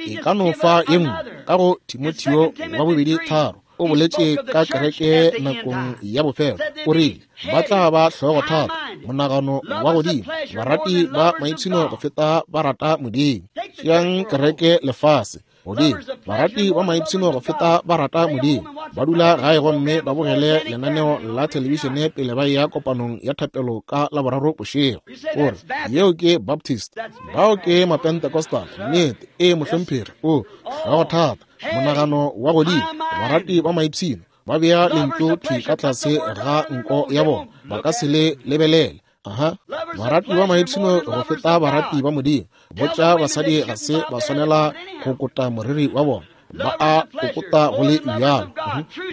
E ka no fa ye nngwe ka go Timotheo wa bobedi 3, o boletše ka kereke nakong ya bofelo, o rile ba tla ba hlogothata, monagano wa godimo, barati ba maipshino go feta ba rata Modimo. Tšeang kereke lefase godimo, barati ba maipshino go feta ba rata Modimo, ba dula gae gomme ba bogele lenaneo la thelebišene pele ba eya kopanong ya thapelo ka Laboraro bošego. O re, yeo ke Baptist, bao ke Mapentecostal. Nnete, ee mohlomphegi, o hlogothata, monagano wa godimo, barati ba maipshino, ba bea lentšu thwi ka tlase ga nko ya bona, ba ka se le lebelele. Aha, barati ba maipshino go feta barati ba Modimo. Botša basadi ga se ba swanela go kota moriri wa bona, ba a o kota go le bjalo.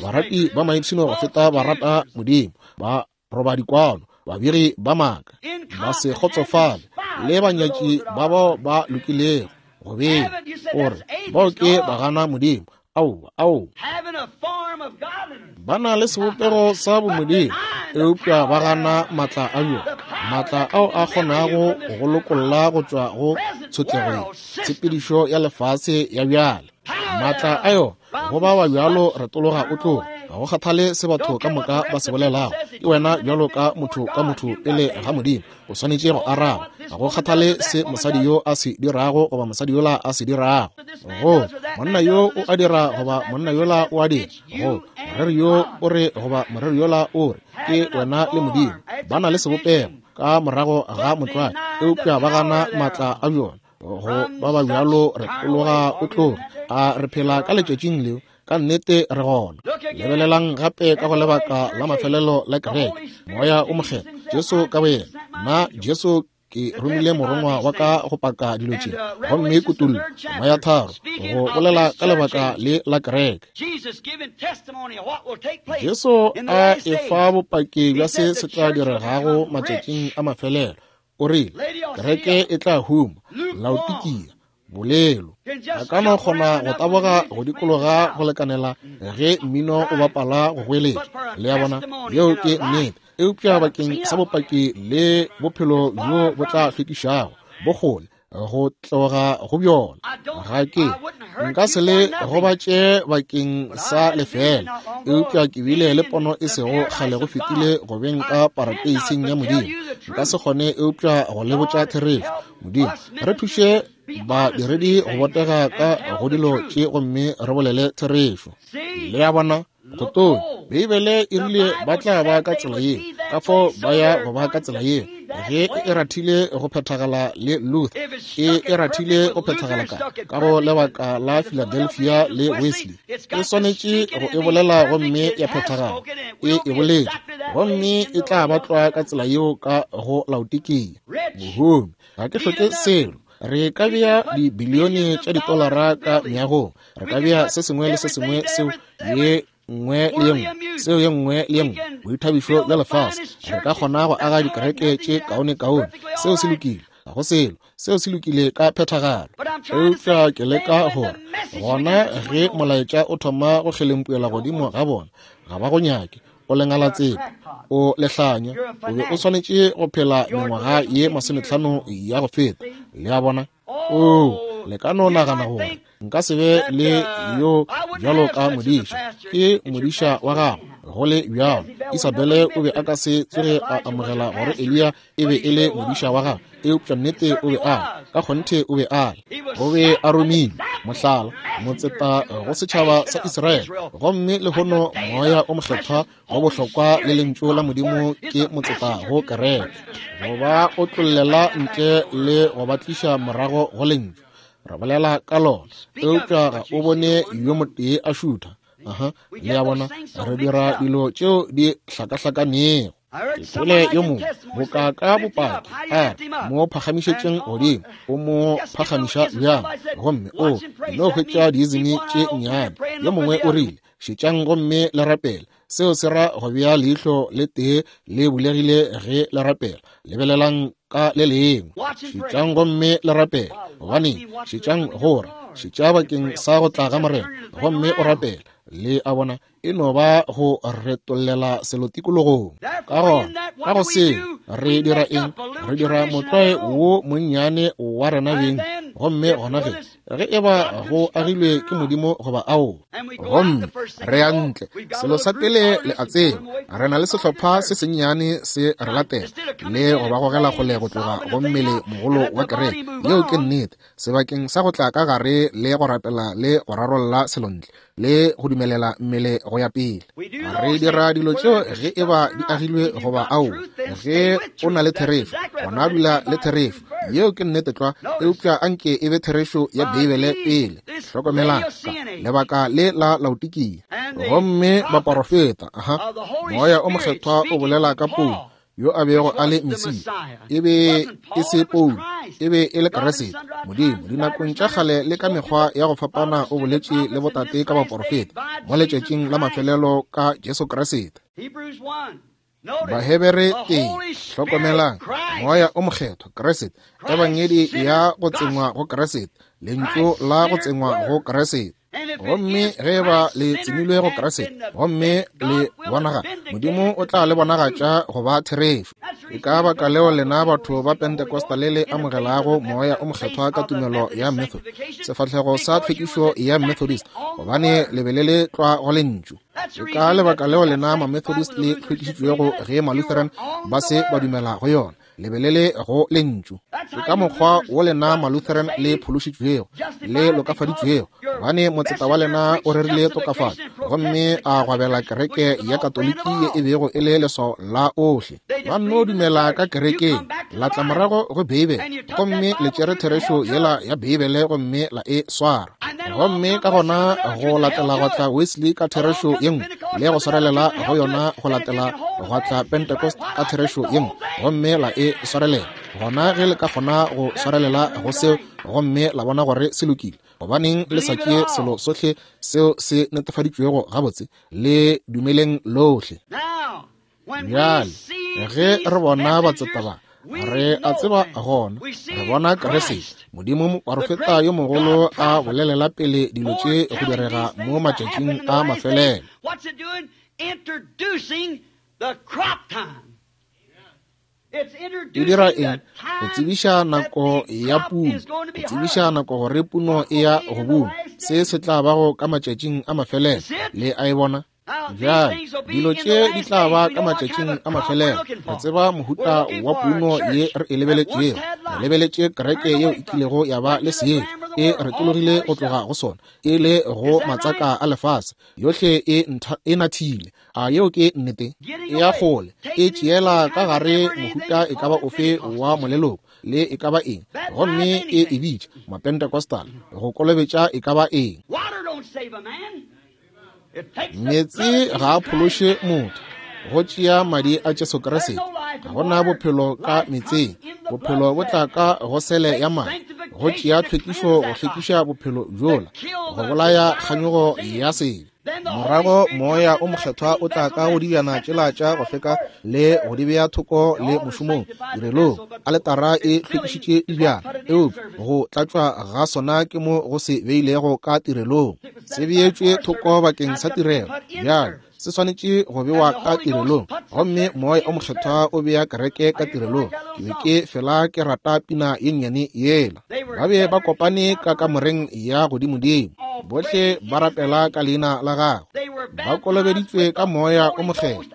Barati ba maipshino go feta barata Modimo, ba roba dikwano, babegi ba maaka, ba se kgotsofale, le banyatši ba bao ba lokilego go beng, gore bao ke ba gana Modimo. Aowa, aowa. Ba na le sebopego sa bomodimo, eupša ba gana maatla a bjona, maatla ao a kgonago go lokolla go tšwa go tshotlego ye, tshepedišo ya lefase ya bjale. Maatla a yona, go ba wa bjalo retologa o tloga, ga go kgathale se batho ka moka ba se bolelago, ke wena bjalo ka motho ka motho pele ga Modimo, o swanetše go araba. Ga go kgathale se mosadi yo a se dirago goba mosadi yola a se dirago, go monna yo o a dira goba monna yola o a dira, go moreri yo o re goba moreri yola o re, ke wena le Modimo. Ba na le sebopego ka morago ga motlwae, eupša ba gana maatla a bjona. Go ba ba bjalo retologa o tloga. A re phela ka letšatšing leo? Ka nnete re gona. Lebelelang gape ka go lebaka la mafelelo la kereke, Moya o Mokgethwa, Jesu ka boyena. Nna Jesu ke romile morongwa wa ka go paka dilo tše, gomme kutullo, Moya tharo, go bolela ka lebaka le la kereke. Jesu a efa bopaki bja se se tla diregago matšatšing a mafelelo. O rile, kereke e tla huma, Laodikia, Bolelo. A ka no kgona go taboga go dikologa go lekanela ge mmino o bapala go goeletša. Le a bona? Yeo ke nnete. Eupša bakeng sa bopaki le bophelo bjo bo tla hlwekišago, bokgole go tloga go bjona. Ga ke nka se le gobatše bakeng sa lefela, eupša ke bile le pono e sego kgale go fetile go beng ka parateising ya Modimo. Nka se kgone eupša go le botša therešo. Modimo, re thuše badiredi go botega ka go dilo tše gomme re bolele therešo. Le a bona? Go tonya. Beibele e rile ba tla ba ka tsela yeo, ka fao ba ya go ba ka tsela yeo. Ge e rathile go phethagala le Luther, e rathile go phethagala ka go lebaka la Philadelphia le Wesley. E swanetše go e bolela gomme ya phethagala. E boletše gomme e tla ba tlwa ka tsela yeo ka go Laodikia. Mohumi, ga ke hloke selo. Re ka bea dibilione tša ditolara ka meagong. Re ka bea se sengwe le se sengwe seo ye nngwe le ye nngwe, seo ye nngwe le ye nngwe, boithabišo bja lefase. Re ka kgona go aga dikereke tše kaone-kaone. Seo se lokile, ga go selo. Seo se lokile ka phethagalo. Eupša ke leka gore gona ge molaetša o thoma go kgelempuela godimo ga bona, ga ba go nyake. O lengalatsepe, o lehlanya, o be o swanetše go phela mengwaga ye 50 ya go feta. Le a bona? Oo, le ka no nagana gore nka se be le yo bjalo ka modiša. Ke modiša wa gago. Go le bjalo, Isabele o be a ka se tsoge a amogela gore Eliya e be e le modiša wa gagwe, eupša nnete o be a le, ka kgonthe o be a le. O be a romilwe, mohlala, motseta go setšhaba sa Israele. Gomme lehono Moya o Mokgethwa go bohlokwa le Lentšu la Modimo ke motseta go kereke, go ba otlollela ntle le go ba tliša morago go Lentšu. Re bolela ka lona, eupša ga o bone yo motee a šutha. Aha, le a bona, re dira dilo tšeo di hlakahlakanego. Ke kwele yo mongwe boka ka bopaki a re, mo phagamišetšeng godimo, o mo phagamiša bjang? Gomme o no hwetša diizimi tše nnyane. Yo mongwe o rile, šetšang gomme le rapele. Seo se ra go bea leihlo le tee le bulegile ge le rapela, lebelelang ka le lengwe. Šetšang gomme le rapele. Gobaneng? Šetšang gore, šetša bakeng sa go tla ga Morena, gomme o rapele. Le a bona, e no ba go retollela selo tikologong. Ka gona, ka go seo, re dira eng? Re dira motlwae wo monnyane wa rena beng, gomme gona ge ge e ba go agilwe ke Modimo goba ao, gomme re ya ntle. Selo sa pele le a tseba, re na le sehlopha se sennyane se re latela le go ba gogela kgole go tloga go mmele mogolo wa kereke. Yeo ke nnete. Sebakeng sa go tla ka gare le go rapela le go rarolla selontle le go dumelela mmele go ya pele, re dira dilo tšeo ge e ba di agilwe goba ao. Ge o na le therešo, gona dula le therešo. Yeo ke nnete tlwa, eupša anke e be therešo ya Beibele pele. Hlokomelang ka lebaka le la Laodikia. Gomme baporofeta, aha, Moya o Mokgethwa o bolela ka Paulo, yo a bego a le Mesia. E be e se Paulo, e be e le Kriste. Modimo dinakong tša kgale le ka mekgwa ya go fapana o boletše le botate ka baporofeta, mo letšatšing la mafelelo ka Jesu Kriste. Bahebere 1, hlokomelang, Moya o Mokgethwa, Kriste, Ebangedi ya go tsengwa go Kriste, Lentšu la go tsengwa go Kriste. Gomme ge e ba le tsemilwe go Kriste gomme le bonaga, Modimo o tla le bonagatša go ba therešo. Ke ka baka leo lena batho ba Pentecostal le amogelago Moya o Mokgethwa ka tumelo ya Method, sefahlego sa tlhwekišo ya Methodist, gobane le be le le tlwa go Lentšu. Ke ka lebaka leo lena ma-Methodist le hlwekišitšwego ge ma-Lutheran ba se ba dumela go yona. Le be le le go Lentšu. Ke ka mokgwa wo lena ma-Lutheran le phološitšwego, le lokafaditšwego, gobane motseta wa lena o rerile tokafatšo gomme a gwabela kereke ya Katoliki ye e bego e le leswao la ohle. Ba nno dumela ka kerekeng, la tla morago go Beibele, gomme le tšere therešo yela ya Beibele gomme la e swara. Gomme ka gona go latela gwa tla Wesley ka therešo ye nngwe, le go swarelela go yona go latela gwa tla Pentecost ka therešo ye nngwe, gomme la e swarelela. Gona ge le ka kgona go swarelela go seo gomme la bona gore se lokile, gobaneng le sa tšee selo sohle seo se netefaditšwego gabotse, le dumeleng lohle. Bjale ge re bona batseta ba, Re a tseba gona, re bona Kriste, Modimo moporofeta yo mogolo a bolelela pele dilo tše go direga mo matšatšing a mafelelo. E dira eng? Go tsebiša nako ya puno, go tsebiša nako gore puno e ya go buna. Se se tla bago ka matšatšing a mafelelo. Le a e bona? Bjale, dilo tše di tla ba ka matšatšing a mafelelo. Re tseba mohuta wa puno ye re e lebeletšego. Re lebeletše kereke yeo e kilego ya ba le seetša, e retologile go tloga go sona, e le go matsaka a lefase. Yohle e nathile. A yeo ke nnete? E ya kgole, e tšeela ka gare mohuta e ka ba ofe wa moleloko le e ka ba eng, gomme e e bitša Mapentecostal, go kolobetša e ka ba eng. Meetse ga a phološe motho, go tšea madi a Jesu Kriste. Ga gona bophelo ka meetseng, bophelo bo tla ka go sele ya madi. Go tšea tlhwekišo go hlwekiša bophelo bjola, go bolaya kganyogo ya sebe. Morago Moya o Mokgethwa o tla ka go dibjana tšela tša go hlweka le go di bea thoko le mošomong tirelong. Aletara e hlwekišitše dibjana, eupša go tlatšwa ga sona ke mo go se beilego ka tirelong. Se beetšwe thoko bakeng sa tirelo, bjale se swanetše go bewa ka tirelong, gomme Moya o Mokgethwa o bea kereke ka tirelong. Ke be ke fela ke rata pina ye nnyane yela. Ba be ba kopane ka kamoreng ya godimodimo, bohle ba rapela ka leina la gagwe, ba kolobeditswe ka Moya o Mokgethwa,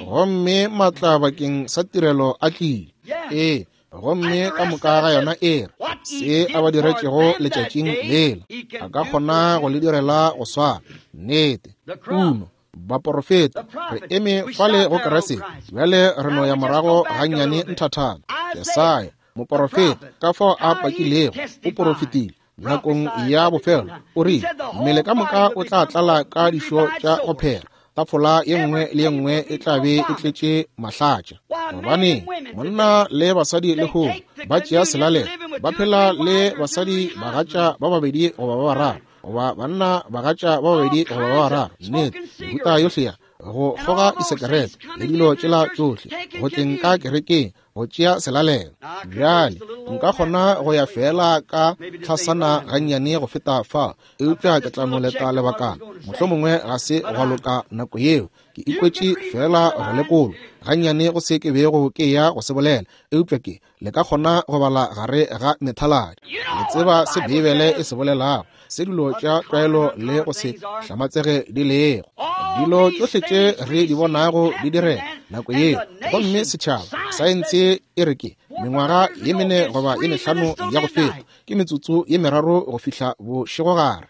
gomme matla bakeng sa tirelo a tlile. Ee, gomme ka moka ga yona e re se a ba diretšego letšatšing lela, a ka kgona go le direla go swana. Nnete, puno, baporofeta, re eme fale go Kriste. Bjale re no ya morago gannyane nthathana. Jesaya, moporofeta, ka fao a pakilego, o porofetile nakong ya bofelo, o rile, mmele ka moka o tla tlala ka dišo tša go phela, tafola ye nngwe le ye nngwe e tla be e tletše mahlatša. Gobaneng monna le basadi lehono ba tšea selalelo, ba phela le basadi bagatša ba babedi goba ba bararo, goba banna bagatša ba babedi goba ba bararo, nnete, mehuta yohle ya go kgoga disekerete le dilo tšela tšohle, go tleng ka kerekeng go tšea selalelo. Bjale nka kgona go ya feela ka tlhasana gannyane go feta fa, eupša ke tla no leta lebakana, mohlomongwe ga se gwa loka nako yeo. Ke ikwetše feela go lekolwa gannyane go se ke bego ke ya go se bolela, eupša ke le ka kgona go bala gare ga methaladi. Le tseba se Beibele e se bolelago, se dilo tša tlwaelo le go se hlamatsege di lego. Dilo tšohle tše re di bonago di direga nako yeo, gomme setšhaba saense e re ke mengwaga ye mene goba ye mehlano ya go feta, ke metsotso ye meraro go fihla bošegogare.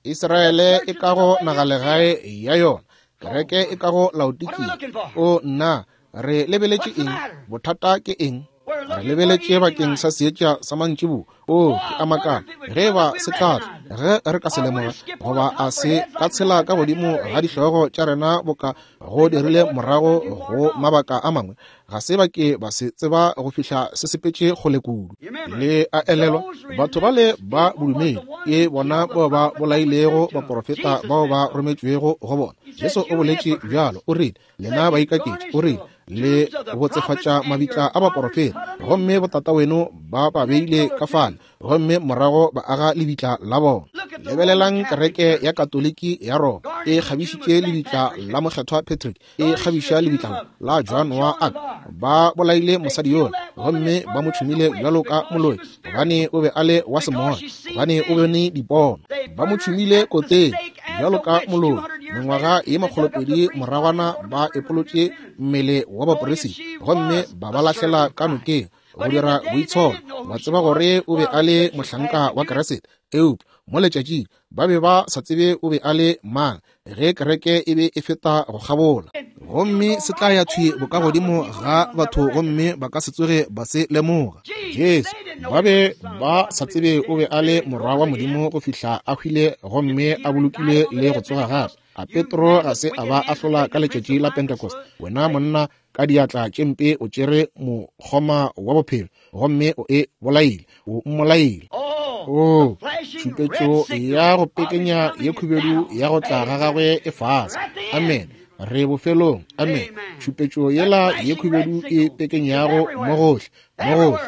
Israele e ka go nagalegae ya yona, kereke e ka go Laodikia. O nna, re lebeletše eng? Bothata ke eng? Re lebeletše bakeng sa seetša sa mantšiboa. O, ke a makala ge e ba se tla tla, ge re ka se lemoga, goba a se ka tshela ka godimo ga dihlogo tša rena boka go dirile morago go mabaka a mangwe. Ga se ba ke ba se tseba go fihla se sepetše kgole kudu. Le a elelwa, batho bale ba bodumedi ke bona bao ba bolailego baporofeta bao ba rometšwego go bona. Jesu o boletše bjalo, o rile, Lena baikaketši, o rile, le botsefatša mabitla a baporofeta, gomme botataweno ba ba beile ka fale, gomme morago ba aga lebitla la bona. Lebelelang kereke ya Katoliki ya Roma, e kgabišitše lebitla la Mokgethwa Patrick, e kgabiša lebitla la Joan wa Arc. Ba bolaile mosadi yola, gomme ba mo tšhumile bjalo ka moloi, gobane o be a le wa semoya, gobane o bone dipono. Ba mo tšhumile koteng bjalo ka moloi. Mengwaga ye 200 moragwana ba epolotše mmele wa baporesiti gomme ba ba lahlela ka nokeng go dira boitsholo. Ba tseba gore o be a le mohlanka wa Keresete, eupša mo letšatšing ba be ba sa tsebe o be a le mang ge kereke e be e feta go kgabola. Gomme se tla ya thwi bokagodimo ga batho gomme ba ka se tsoge ba se lemoga. Jesu, ba be ba sa tsebe o be a le Morwa wa Modimo go fihla a hwile gomme a bolokilwe le go tsoga gape. A Petro ga se a ba ahlola ka letšatši la Pentecost? Wena monna ka diatla tše mpe o tšere mokgoma wa bophelo gomme o e bolaile, o mmolaile. O, tšhupetšo ya go pekenya ye khubedu ya go tla ga gagwe e fase. Amen. Re bofelong. Amene. Tšhupetšo yela ye khubedu e pekenyago mo gohle, mo gohle.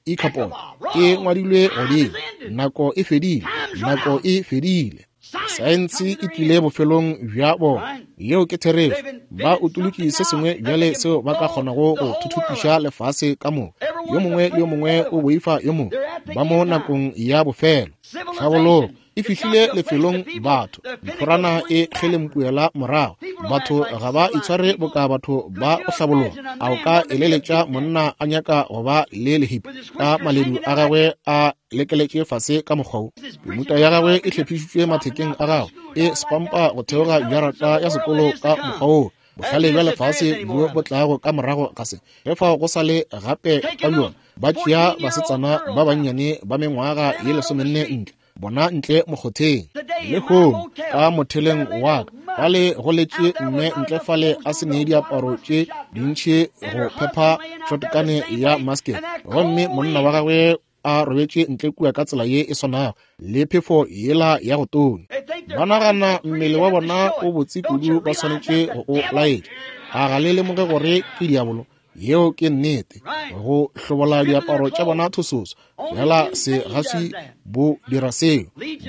Ikapon e ngwadilwe godimo. Nako e fedile. Nako e fedile. Saense e tlile bofelong bja bona. Yeo ke therešo. Ba utolotše se sengwe bjale seo ba ka kgonago go thuthupiša lefase ka moka. Yo mongwe le yo mongwe o boifa yo mongwe. Ba mo nakong ya bofelo. Tlhabologo e fihlile lefelong batho. Ntlhorana e kgelempuela morago. Batho ga ba itshware boka batho ba go hlabologa. A o ka eleletša monna a nyaka go ba le lehipi ka maledu a gagwe a lekeletše fase ka mokgwa wo? Pemuta ya gagwe e hlephišitšwe mathekeng a gagwe, e spampa go theoga jarata ya sekolo ka mokgwa wo. Bohlale bja lefase bjo bo tlago ka morago ga se, ge fao go sa le gape ka bjona, ba tšea basetsana ba bannyane ba mengwaga ye 14 ntle, bona ntle mokgotheng. Lehono ka motheleng wa ka, fale go letše mme ntle fale a se ne diaparo tše dintši go phepha shotgane ya musket, gomme monna wa gagwe a robetše ntle kua ka tsela ye e swanago le phefo yela ya go tonya. Ba nagana mmele wa bona o botse kudu ba swanetše go o laetša. A ga le lemoge gore ke diabolo? Yeo ke nnete. Go hlobola diaparo tša bona thososo, fela se ga se bo dira seo.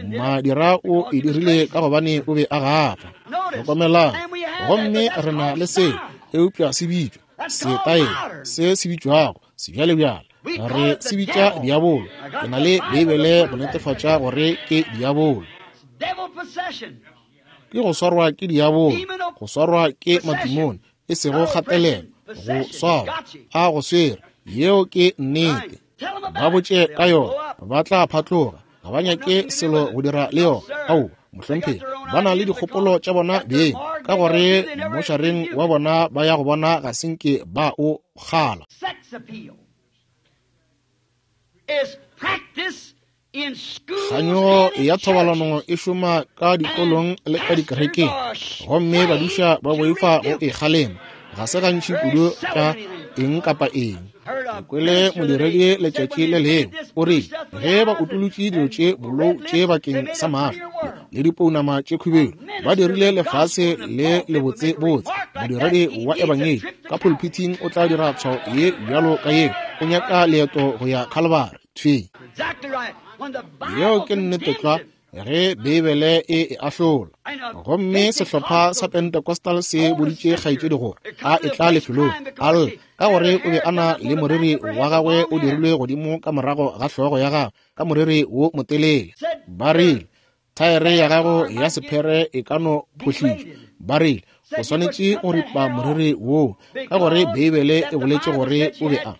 Madira o e dirile ka gobane o be a gafa. Hlokomelang, gomme re na le seo, eupša se bitšwa setaele se se bitšwago sebjalebjale. Re se bitša diabolo. Ke na le Beibele go netefatša gore ke diabolo. Ke go swarwa ke diabolo, go swarwa ke matimone, e sego kgatelelo, go swarwa, a go swere. Yeo ke nnete. Ba botše ka yona, ba tla phatloga. Ga ba nyake selo go dira le yona. Aowa, mohlomphegi, ba na le dikgopolo tša bona beng, ka gore mošareng wa bona ba ya go bona ga senke ba o kgala. Kganyogo ya thobalano e šoma ka dikolong le ka dikerekeng, gomme badiša ba boifa go e kgalema. Ga se gantši kudu ka eng kapa eng. Ke kwele modiredi letšatši le lengwe o rile, ge ba utolotše dilo tše bolou tše bakeng sa mahlo le dipounama tše khubedu, ba dirile lefase le lebotsebotse. Modiredi wa ebangedi ka pulpiting o tla dira tshwao ye bjalo ka yeo, o nyaka leeto go ya Calvary. Thwi. Yeo ke nnete tlwa, ge Beibele e e ahlola. Gomme sehlopha sa Pentecostal se boditše kgaetšedi gore a e tla lefelong a lla, ka gore o be a na le moriri wa gagwe o dirilwe godimo ka morago ga hlogo ya gagwe ka moriri wo motelele. Ba rile, thaere ya gago ya sephere e ka no phohlišwa. Ba rile, o swanetše go ripa moriri woo, ka gore Beibele e boletše gore o be a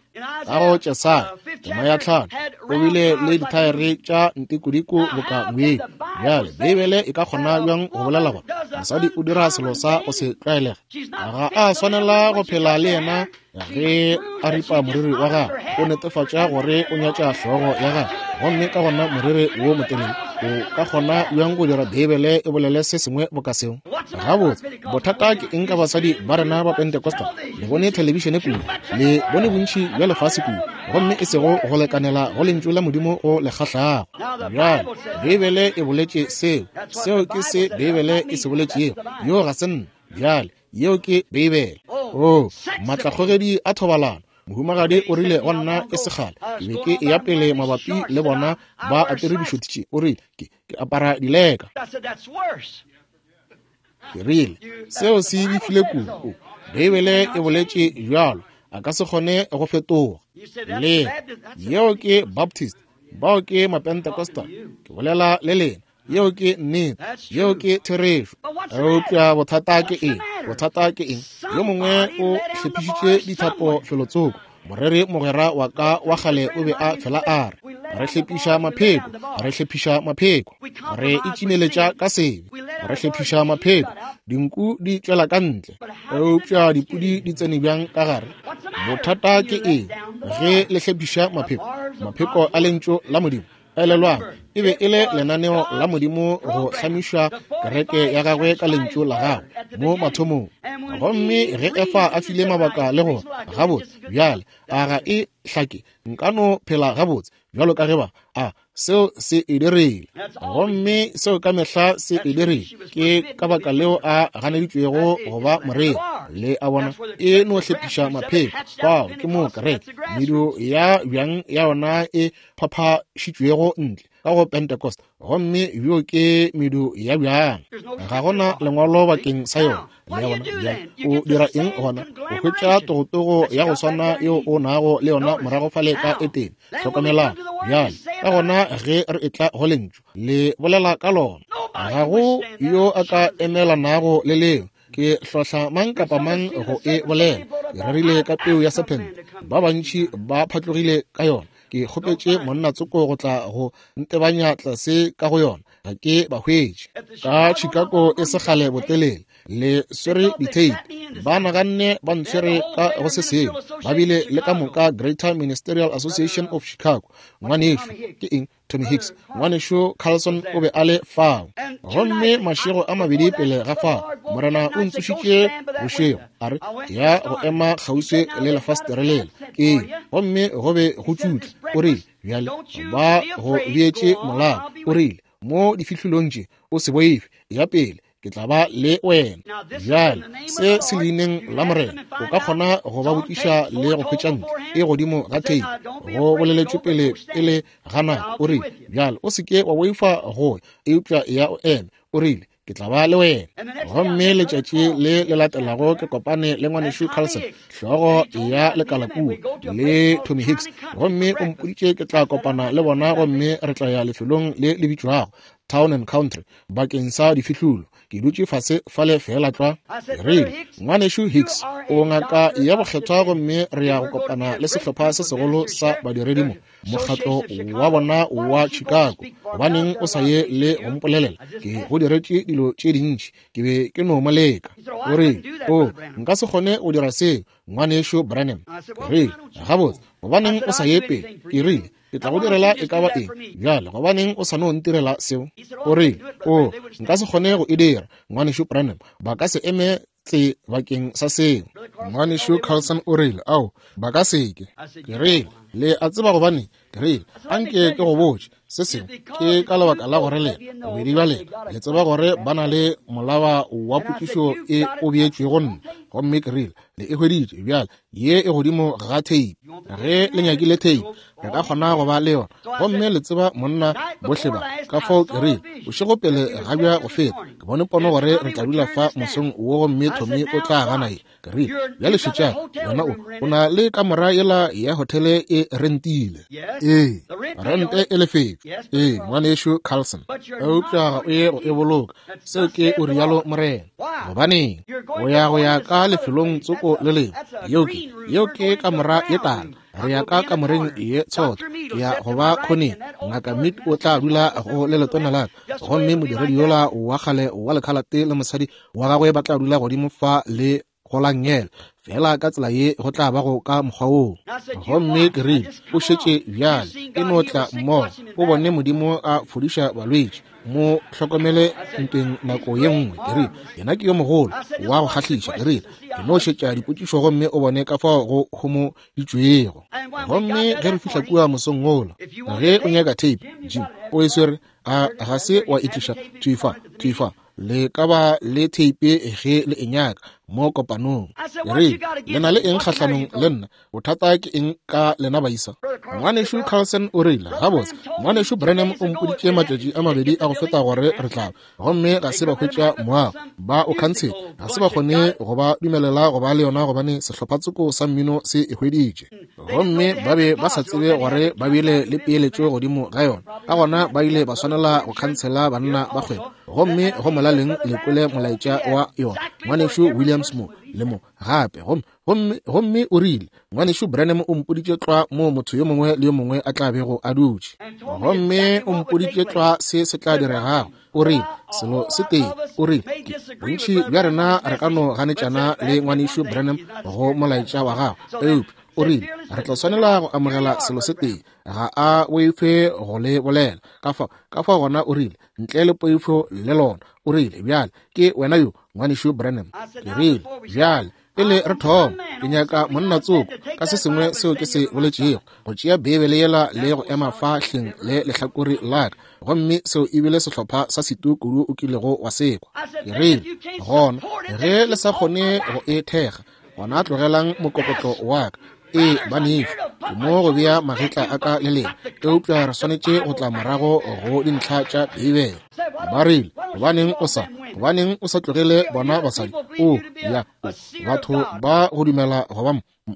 ka go Jesaya tema ya 5 o bile le dithaere tša ntikodiko boka ngwedi. Bjale Beibele e ka kgona bjang go bolela gore mosadi o dira selo sa go se tlwaelege? Ga a swanela go phela le yena ge a ripa moriri wa gagwe, o netefatša gore o nyatša hlogo ya gagwe, gomme ka gona moriri wo motelele. O ka kgona bjang go dira Beibele e bolele se sengwe boka seo? Gabotse, bothata ke eng ka basadi ba rena ba Pentecostal? Le bone thelebišene kudu, le bone bontši bja lefase kudu, gomme e sego go lekanela go lentšu la Modimo go le kgahlago. Bjale, Beibele e boletše seo. Seo ke se Beibele e se boletšego. Yo ga se nna. Bjale, yeo ke Beibele. Oh, maatlakgogedi a thobalano. Mohumagadi o rile go nna e segale, ke be ke eya pele mabapi le bona ba apere dišothi tše. O rile, ke apara dileka. Ke rile, seo se befile kudu. Beibele e boletše bjalo, a ka se kgone go fetoga. Le yeo ke Baptist, bao ke Mapentecostal. Ke bolela le lena. Yeo ke nnete, yeo ke therešo. Eupša bothata ke eng? Bothata ke eng? Yo mongwe o hlephišitše dithapo felotsoko. Moreri mogwera wa ka wa kgale o be a fela a re, re hlephiša mapheko, re hlephiša mapheko, re itšimeletša ka sebe, re hlephiša mapheko. Dinku di tšwela ka ntle, eupša dipudi di tsene bjang ka gare? Bothata ke eng ge le hlephiša mapheko? Mapheko a lentšu la Modimo. Elelwang, e be e le lenaneo la Modimo go hlamiša kereke ya gagwe ka lentšu la gagwe mo mathomong. Gomme ge Efa a file mabaka le gore, gabotse, bjale, a ga e hlake, nka no phela gabotse bjalo ka ge ba a seo se e dirile. Gomme seo ka mehla se e dirile. Ke ka baka leo a ganeditšwego go ba moreri. Le a bona, e no hlephiša mapheko. Fao ke mo kereke, medu ya bjang ya yona e phaphašitšwego ntle ka go Pentecost, gomme bjo ke medu ya bjang. Ga gona lengwalo bakeng sa yona. Le a bona? Bjale o dira eng gona? O hwetša togotogo ya go swana yeo o nago le yona morago fale ka Etene. Hlokomelang bjale, ka gona ge re etla go Lentšu, le bolela ka lona, ga go yo a ka emelanago le leo. Ke hlohla mang kapa mang go e bolela. Ke rerile ka peu ya sephente, ba bantši ba phatlogile ka yona. Ke kgopetše monna tsoko go tla go ntebanya tlase ka go yona, ga ke ba hwetše. Ka Chicago e se kgale botelele, le swere ditheipi, ba naganne ba ntshwere ka go se sengwe. Ba bile le ka moka Greater Ministerial Association of Chicago. Ngwanešu, ke eng? Tommy Hicks, ngwanešu Carlson o be a le fao. Gomme mašego a mabedi pele ga fao, Morena o ntsošitše bošego, a re, ya go ema kgauswi le lefastere lela. Ee, gomme go be go tšutla. O rile, bjale ba go beetše molao. O rile, mo difihlolong tše, o se boife, ya pele, ke tla ba le wena. Bjale se se leineng la Morena, o ka kgona go ba botšiša le go hwetša ntle e godimo ga theipi, go boleletšwe pele pele ga nako. O rile, bjale o se ke wa boifa go ya, eupša ya o eme. O rile, ke tla ba le wena. Gomme letšatši le le latelago ke kopane le ngwanešu Carlson, hlogo ya lekala kua, le Tommy Hicks, gomme o mpoditše ke tla kopana le bona gomme re tla ya lefelong le le bitšwago Town and Country bakeng sa difihlulo. Ke dutše fase fale feela tlwa. Ke rile, Ngwanešu Hicks, o ngaka ya bokgethwa gomme re ya go kopana le sehlopha se segolo sa badiredi mo, mokgatlo wa bona wa Chicago. Gobaneng o sa ye le go mpolelela? Ke go diretše dilo tše dintši, ke be ke no mo leka. O rile, O, nka se kgone go dira seo, Ngwanešu Branham. Ke rile, Gabotse, gobaneng o sa ye pele? Ke rile, Ke tla go direla e ka ba eng. Bjale, gobaneng o sa no ntirela seo? O rile, O, nka se kgone go e dira, Ngwanešu Branham. Ba ka se eme tse bakeng sa seo. Ngwanešu Carlson o rile, Ao, ba ka se ke. Ke rile, Le a tseba gobaneng? Ke rile, Anke ke go botše se sengwe. Ke ka lebaka la gore lena, bobedi bja lena, le tseba gore ba na le molaba wa potšišo e o beetšwego nna. Gomme ke rile, Le e hweditše bjale, ye e godimo ga theipi. Ge le nyakile theipi, re ka kgona go ba le yona. Gomme le tseba monna bohle ba. Ka fao ke rile, bošego pele ga bja go feta, ke bone pono gore re tla dula fa mosong wo gomme Tommy o tla gana ye. Ke rile, bjale šetšang, wena o, o na le kamora yela ya hotele e rentile. Ee, rente e lefetšwe. Ee, ngwanešu Carlson. Eupša ga o ye go e boloka. Seo ke o rialo Morena. Gobaneng? O ya go ya ka lefelong tsoko le lengwe. Yeo ke, yeo ke kamora ye tala. Re ya ka kamoreng ye tshotho. Ke ya go ba khoneng. Ngaka Mead o tla dula go le letona la ka. Gomme modiredi yola wa kgale wa lekhalate le mosadi wa gagwe ba tla dula godimo fa le go la nngele. Feela ka tsela ye go tla ba go ka mokgwa woo. Gomme ke rile, O šetše bjale, e no tla mmogo, o bone Modimo a fodiša balwetši. Mo hlokomele ntweng nako ye nngwe. Ke rile, Yena ke yo mogolo wa go kgahliša. Ke rile, Ke no šetša dipotšišo gomme o bone ka fao go homoditšwego. Gomme ge re fihla kua mosong wola, ge o nyaka theipi, Jim, o e swere, a ga se wa e tliša thwi fa, thwi fa. Le ka ba le theipi ge le e nyaka mo kopanong. Ke rile, Le na le eng kgahlanong le nna? Bothata ke eng ka lena baisa? Ngwanešu Carlson o rile, Gabotse, Ngwanešu Branham o mpoditše matšatši a mabedi a go feta gore re tla ba, gomme ga se ba hwetša moago. Ba o khantshetše. Ga se ba kgone go ba dumelela go ba le yona gobane sehlophatsoko sa mmino se e hweditše. Gomme ba be ba sa tsebe gore ba bile le peeletšo godimo ga yona. Ka gona ba ile ba swanela go khantshela banna ba kgwebo. Gomme go molaleng le kwele molaetša wa yona, Ngwanešu Williams mo le mo gape. Gomme, gomme, gomme o rile, Ngwanešu Branham o mpoditše tlwa moo motho yo mongwe le yo mongwe a tla bego a dutše. Gomme o mpoditše tlwa se se tla diregago. O rile, selo se tee, o rile, ke, bontši bja rena re ka no ganetšana le Ngwanešu Branham go molaetša wa gagwe, eupša o rile, re tla swanela go amogela selo se tee, ga a boife go le bolela. Ka fao, ka fao gona o rile, ntle le poifo le lona. O rile, bjale, ke wena yo, Ngwanešu Branham. Ke rile, bjale, Pele re thoma, ke nyaka monna tsoko ka se sengwe seo ke se boletšego, go tšea Beibele yela le go ema fa hleng le lehlakore la ka, gomme seo e bile sehlopha sa setu kudu o kilego wa sekwa. Ke rile, Gona, ge le sa kgone go e thekga, gona tlogelang mokokotlo wa ka. Ee, banešu, ke mo go bea magetla a ka le lena, eupša re swanetše go tla morago go dintlha tša Beibele. Ba rile, Gobaneng o sa, gobaneng o sa tlogele bona basadi? O, ya, o, batho ba go dumela go ba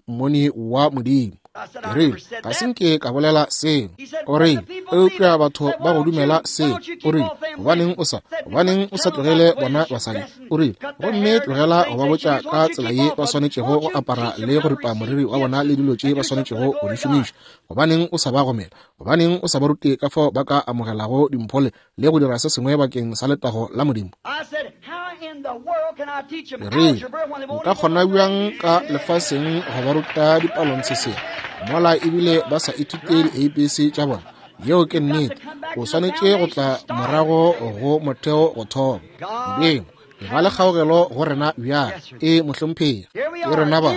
mmoni wa Modimo. Ke rile, Ga se nke ka bolela seo. O rile, Eupša batho ba go dumela seo. O rile, Gobaneng o sa, gobaneng o sa tlogele bona basadi? O rile, Gomme tlogela go ba botša ka tsela ye ba swanetšego go apara le go ripa moriri wa bona le dilo tše ba swanetšego go di šomiša. Gobaneng o sa ba gomela? Gobaneng o sa ba rute ka fao ba ka amogelago dimpho le, le go dira se sengwe bakeng sa letago la Modimo? Ke rile, Nka kgona bjang ka lefaseng go ba ruta dipalontshe mola ebile ba sa ithute di-ABC tša bona? Yeo ke nnete. O swanetše go tla morago go motheo go thoma. Modimo, ba le kgaogelo go rena bjale. E, mohlomphegi, ke rena ba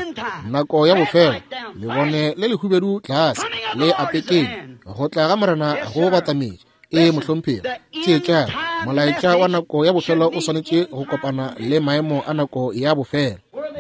nako ya bofelo, lebone le lehubedu tlase le apekeng, go tla ga Morena go batametše. E, mohlomphegi, theetšang, molaetša wa nako ya bofelo o swanetše go kopana le maemo a nako ya bofelo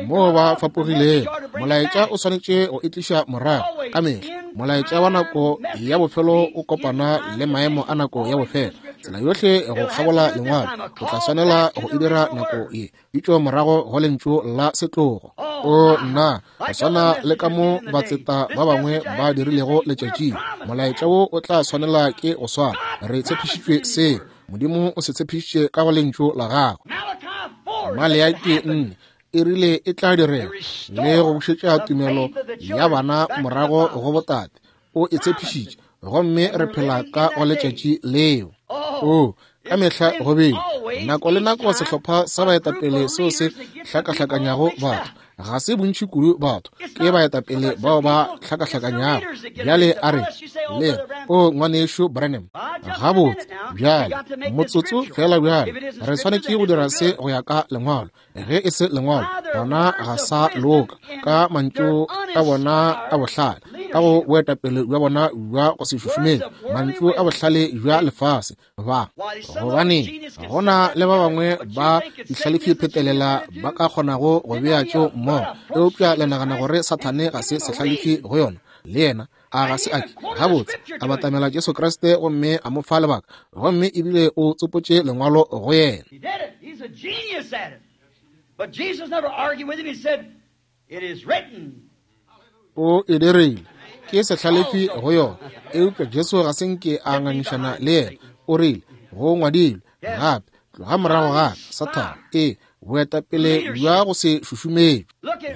moo ba fapogilego. Molaetša o swanetše go e tliša morago ka mehla. Molaetša wa nako ya bofelo o kopana le maemo a nako ya bofelo. Tsela yohle go kgabola Lengwalo, o tla swanela go e dira nako ye bitšo morago go lentšu la setlogo. O nna, go swana le ka mo batseta ba bangwe ba dirilego letšatšing, molaetša wo o tla swanela ke go swana. Re tshepišitšwe seo. Modimo o se tshepišitše ka go lentšu la gagwe. Maleaki 4 e rile e tla direga le go bušetša tumelo ya bana morago go botate. O e tshepišitše, gomme re phela ka go letšatši leo. O, ka mehla go bile nako le nako sehlopha sa baetapele seo se hlakahlakanyago batho. Ga se bontši kudu batho, ke baetapele bao ba hlakahlakanyago. Bjale a re le o ngwanešu Branham, gabotse bjale motsotso fela bjale, re swanetše go dira se go ya ka Lengwalo. Ge e se Lengwalo, gona ga sa loka. Ka mantšu a bona a bohlale, ka go boetapele bja bona bja go se šušumele, mantšu a bohlale bja lefase, ba gobane go na le ba bangwe ba dihlalefi phetelela ba ka kgonago go bea tšeo mmogo, eupša le nagana gore Sathane ga se sehlalefi go yona, le yena a ga se ake. Gabotse, a batamela Jesu Kriste gomme a mo fa lebaka, gomme ebile o tsopotše Lengwalo go yena. O e dirile, ke sehlalefi go yona, eupša Jesu ga se nke a ngangišana le yena. O rile, Go ngwadilwe gape, tloga morago ga ka, Sathane. Ee, boetapele bja go se šušumetšwe.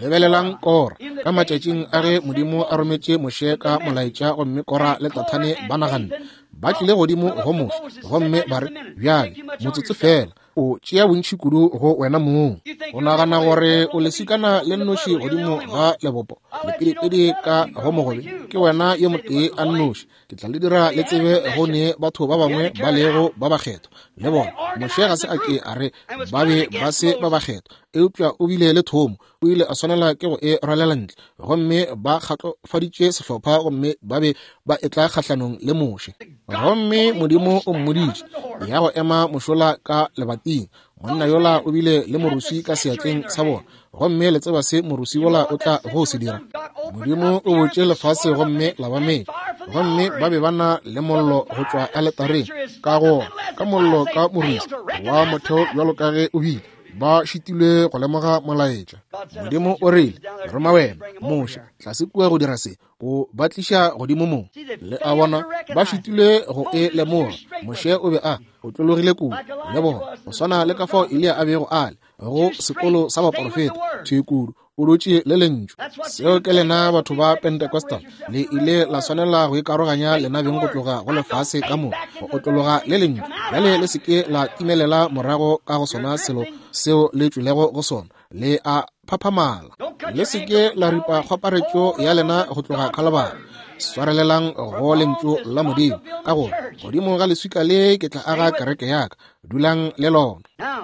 Lebelelang Kora ka matšatšing a ge Modimo a rometše Moshe ka molaetša, gomme Kora le Tathane ba naganne ba tlile godimo go Moshe gomme ba re, Bjale, motsotso feela, o tšea bontši kudu go wena mong. O nagana gore o lesikana le nnoši godimo ga lebopo, lepidipidi ka go mogobe, ke wena yo motee a nnoši. Ke tla le dira le tsebe go ne batho ba bangwe ba lego ba bakgethwa le bona. Moshe ga se a ke a re ba be ba se ba bakgethwa, eupša o bile le thomo, o ile a swanela ke go e rwalela ntle. Gomme ba kgatlofaditše sehlopha gomme ba be ba etla kgahlanong le Moshe. Gomme Modimo o mmoditše ya go ema mošola ka lebating. Monna yola o bile le moruswi ka seatleng sa bona, gomme le tseba se moruswi wola o tla go se dira. Modimo o botše lefase gomme la ba metša, gomme ba be ba na le mollo go tšwa aletareng, ka go ka mollo ka moruswi wa motheo bjalo ka ge o bile. Ba šitilwe go lemoga molaetša. Modimo o rile, Roma wena, Moshe, tlase kua go dira se, go ba tliša godimo mo. Le a bona, ba šitilwe go e lemoga. Moshe o be a otlologile kudu le bona, go swana le ka fao Eliya a bego a le go sekolo sa baporofeta, thwi kudu, o dutše le lentšu. Seo ke lena batho ba Pentecostal, le ile la swanela go ikaroganya lena beng go tloga go lefase ka moka, go otlologa le lentšu. Bjale le se ke la timelela morago ka go sona selo seo le tšwelego go sona, le a phaphamala. Le se ke la ripa kgwaparetšo ya lena go tloga Khalabari. Swarelelang go lentšu la Modimo, ka gore Godimo ga leswika le ke tla aga kereke ya ka. Dulang le lona.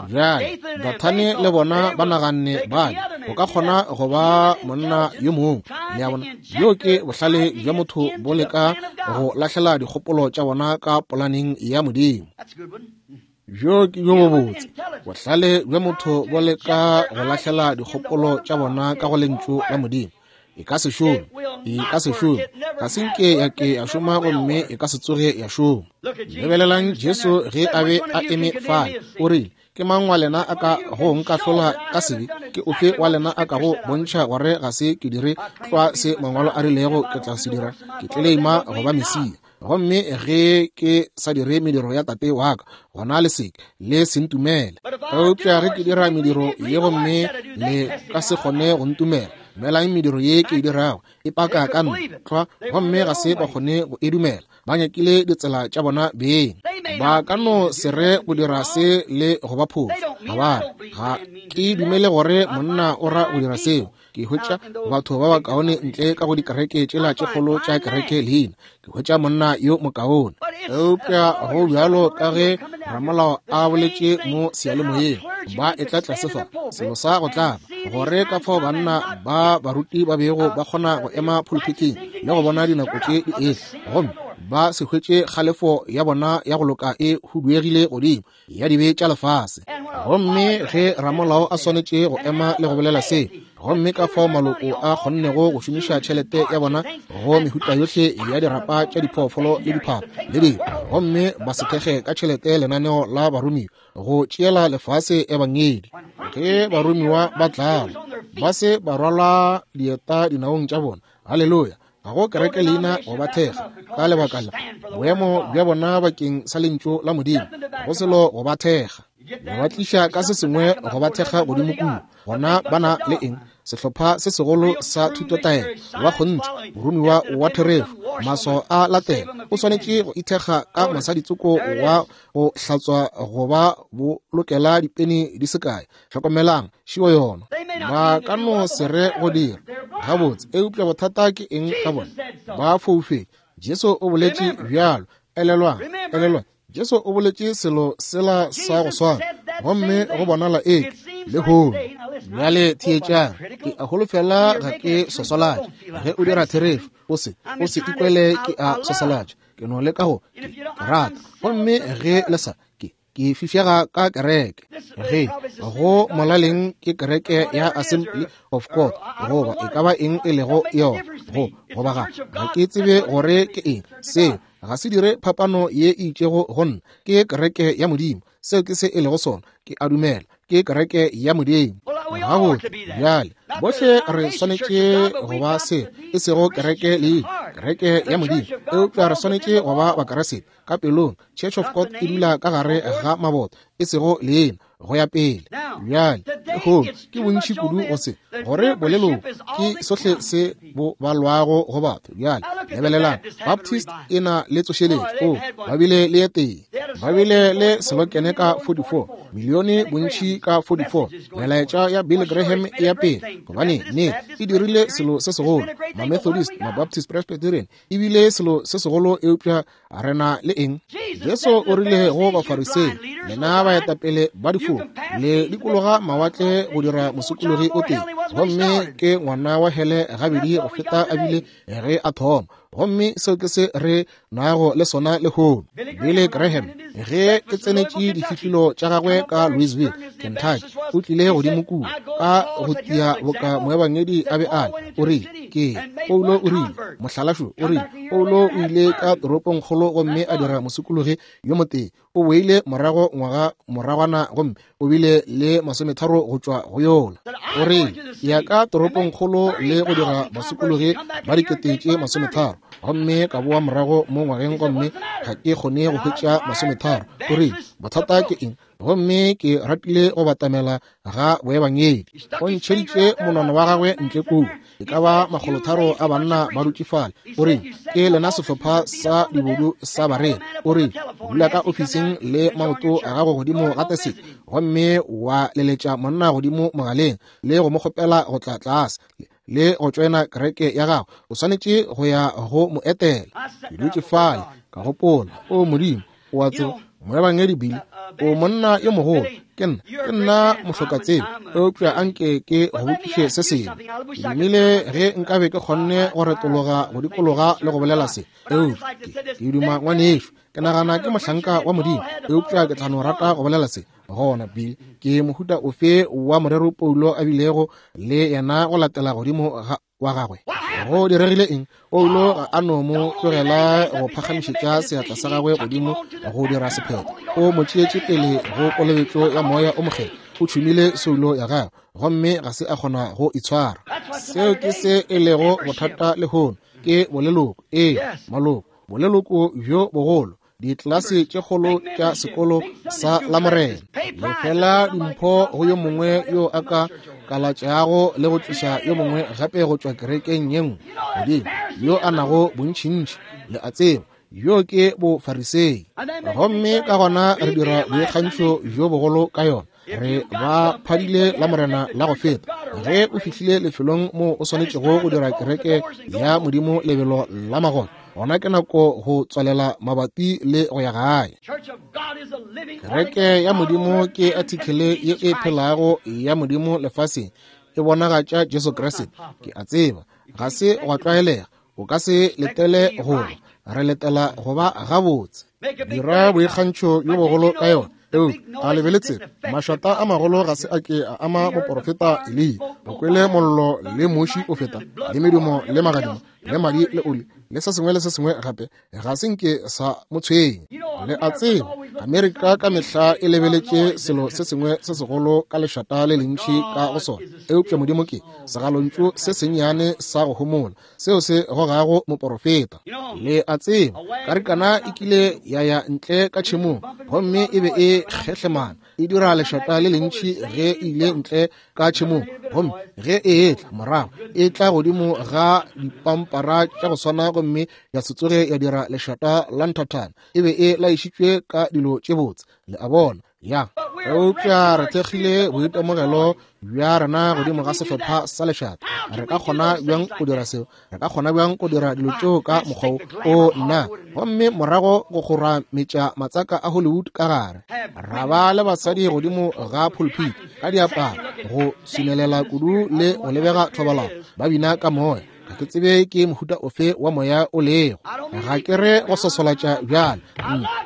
Bjale, Dathane le bona ba naganne ba go ka kgona go ba monna yo mongwe. Le a bona, bjo ke bohlale bja motho bo leka go lahlela dikgopolo tša bona ka polaneng ya Modimo. Bjo ke bjo bobotse. Bohlale bja motho bo leka go lahlela dikgopolo tša bona ka go Lentšu la Modimo. E ka se šome, e ka se šome, ga se nke ya ke ya šoma gomme e ka se tsoge ya šoma. Lebelelang Jesu ge a be a eme fale, o rile, Ke mang wa lena a ka go nkahlola ka sebe? Ke ofe wa lena a ka go bontšha gore ga se ke dire tlwa se Mangwalo a rilego ke tla se dira? Ke tleleima go ba Mesia. Gomme ge ke sa dire mediro ya Tate wa ka, gona le seke le se ntumele. Eupša ge ke dira mediro ye gomme le ka se kgone go ntumela, dumelang mediro ye ke e dirago, e paka ka nna tlwa. Gomme ga se ba kgone go e dumela. Ba nyakile ditsela tša bona beng. Ba ka no se re go dira se le go ba phošo. Ga ba re, ga ke dumele gore monna o ra go dira seo. Ke hwetša batho ba bakaone ntle ka go dikereke tšela tše kgolo tša kereke leina. Ke hwetša monna yo mokaone. Eupša go bjalo ka ge ramolao a boletše mo seyalemoyeng, ba etla tlase fa, selo sa go tlaba, gore ka fao banna ba baruti ba bego ba kgona go ema phuluphithing le go bona dinako tše di etla, gomme ba se hwetše kgalefo ya bona ya go loka e huduegile godimo ya dibe tša lefase. Gomme ge ramolao a swanetše go ema le go bolela se, gomme ka fao maloko a kgonnego go šomiša tšhelete ya bona go mehuta yohle ya dirapa tša diphoofolo le diphapho le dilo, gomme ba se thekge ka tšhelete lenaneo la baromiwa go tšeela lefase ebangedi. Ge baromiwa ba tlala, ba se ba rwala dieta dinaong tša bona. Haleluya! Ga go kereke leina go ba thekga ka lebaka la boemo bja bona bakeng sa lentšu la Modimo, go selo go ba thekga. Ba tliša ka se sengwe go ba thekga godimo kua. Gona ba na le eng? Sehlopha se segolo sa thutotaelo wa kgonthe, moromiwa wa therešo, maswao a latela. O swanetše go ithekga ka mosaditsoko wa go hlatswa go ba bolokela dipeni di se kae. Hlokomelang, šio yona. Ba ka no se re go dira gabotse, eupša bothata ke eng ka bona? Ba foufetše. Jesu o boletše bjalo. Elelwang, elelwang, Jesu o boletše selo sela sa go swana, gomme go bonala eke lehono. Bjale theetšang, ke a holofela ga ke swaswalatše. Ge o dira therešo, o se, o se ikwele ke a swaswalatša. Ke no leka go, ke, ke rata. Gomme ge le sa, ke, ke fišega ka kereke. Ge go molaleng ke kereke ya Assembly of God, goba e ka ba eng e lego yona, go, goba ga, ga ke tsebe gore ke eng. Seo ga se dire phapano ye e itšego go nna. Ke kereke ya Modimo. Seo ke se e lego sona. Ke a dumela ke kereke ya Modimo. Gabotse, bjale bohle re swanetše go ba se, e sego kereke leina, kereke ya Modimo, eupša re swanetše go ba Bakriste ka pelong. Church of God e dula ka gare ga maboto, e sego leina, go ya pele. Bjale lehono ke bontši kudu go se gore boleloko ke sohle se bo balwago go batho. Bjale lebelelang, Baptist e na le tsošeletšo. O, ba bile le ye tee, ba bile le selokene ka 44 milione, bontši ka 44. Melaetša ya Billy Graham e ya pele, gobane ne e dirile selo se segolo. Ma-Methodist, ma-Baptist, Presbyterian e bile selo se segolo, eupša re na le eng? Jesu o rile go Bafarisei, lena baetapele ba difofu, le dikologa mawatle go dira mosokologi o tee, gomme ke ngwana wa hele gabedi go feta a bile ge a thoma. Gomme seo ke se re nago le sona lehono. Billy Graham, ge ke tsenetše difihlilo tša gagwe ka Louisville, Kentucky, o tlile godimo kua ka go tia boka moebangedi a be a le. O rile, ke Paulo o rile, mohlalašo o rile, Paulo o ile ka toropongkgolo gomme a dira mosokologi yo motee. O boile morago ngwaga moragwana gomme o bile le 30 go tšwa go yola. O rile, ya ka toropongkgolo le go dira basokologi ba 30,000, gomme ka boa morago mo ngwageng gomme ga ke kgone go hwetša 30. O rile, bothata ke eng? Gomme ke ratile go batamela ga boebangedi. O ntšheditše monwana wa gagwe ntle kua, e ka ba 300 a banna ba dutše fale. O rile, ke lena sehlopha sa dibodu sa bareri. O rile, dula ka ofising le maoto a gago godimo ga teseke, gomme wa leletša monna godimo mogaleng le go mo kgopela go tla tlase le go tšoena kereke ya gago. O swanetše go ya go mo etela. Ke dutše fale. Ka gopola, O Modimo, o a tseba, moebangedi Billy, o monna yo mogolo, ke nna, ke nna mohlokatsebe, eupša anke ke go botšiše se sengwe. Ke dumile ge nkabe ke kgonne go retologa go dikologa le go bolela se, eupša ke, ke duma ngwanešu, ke nagana ke mohlanka wa Modimo, eupša ke tla no rata go bolela se. Gona Bill, ke mohuta ofe wa morero Paulo a bilego le yena go latela godimo ga wa gagwe? Go diregile eng? Paulo ga a no mo tlogela go phagamišetša seatla sa gagwe godimo go dira sephetho. O mo tšeetše pele go kolobetšo ya Moya o Mokgethwa. O tšhumile soulo ya gagwe gomme ga se a kgona go itshwara. Seo ke se e lego bothata lehono, ke boleloko. Ee, maloko, boleloko bjo bogolo, ditlelase tše kgolo tša sekolo sa Lamorena. Lefela dimpho go yo mongwe yo a ka kalatšago le go tliša yo mongwe gape go tšwa kerekeng ye nngwe godimo, yo a nago bontšintši, le a tseba, yo ke Bofarisei. Gomme ka gona re dira boikgantšho bjo bogolo ka yona. Re ba phadile Lamorena la go feta. Ge o fihlile lefelong moo o swanetšego go dira kereke ya Modimo lebelo la magolo, gona ke nako go tswalela mabati le go ya gae. Kereke ya Modimo ke athikele ye e phelago ya Modimo lefaseng, e bonagatša Jesu Kriste. Ke a tseba ga se gwa tlwaelega, o ka se letele go ba, re letela go ba gabotse. Dira boikgantšho bjo bogolo ka yona, eupša a lebeletse mašata a magolo ga se a ke a ama moporofeta Eliya. O kwele mollo le muši o feta, le medumo le magadimo le madi le oli le se sengwe le se sengwe gape, ga se nke sa mo tshwenya. Le a tseba, Amerika ka mehla e lebeletše selo se sengwe se segolo ka lešata le lentši ka go sona, eupša Modimo ke segalontšu se sennyane sa go homola seo se gogago moporofeta. Le a tseba, karikana e kile ya ya ntle ka tšhemong gomme e be e kgehlemana, e dira lešata le lentši ge e ile ntle ka tšhemong, gomme ge e etla morago e tla godimo ga dipampara tša go swana gomme ya se tsoge ya dira lešata la nthathana. E be e laišitšwe ka dilo tše botse, le a bona. Ya, eupša re thekgile boitemogelo bja rena godimo ga sehlopha sa lešata. Re ka kgona bjang go dira seo? Re ka kgona bjang go dira dilo tšeo ka mokgwa wo? O nna, gomme morago go kgorametša matsaka a Hollywood ka gare, ra ba le basadi godimo ga pulpit ka diaparo go swinelela kudu le go lebega thobalano, ba bina ka moya. Ga ke tsebe ke mohuta ofe wa moya o lego. Ga ke re go sosolatša bjale.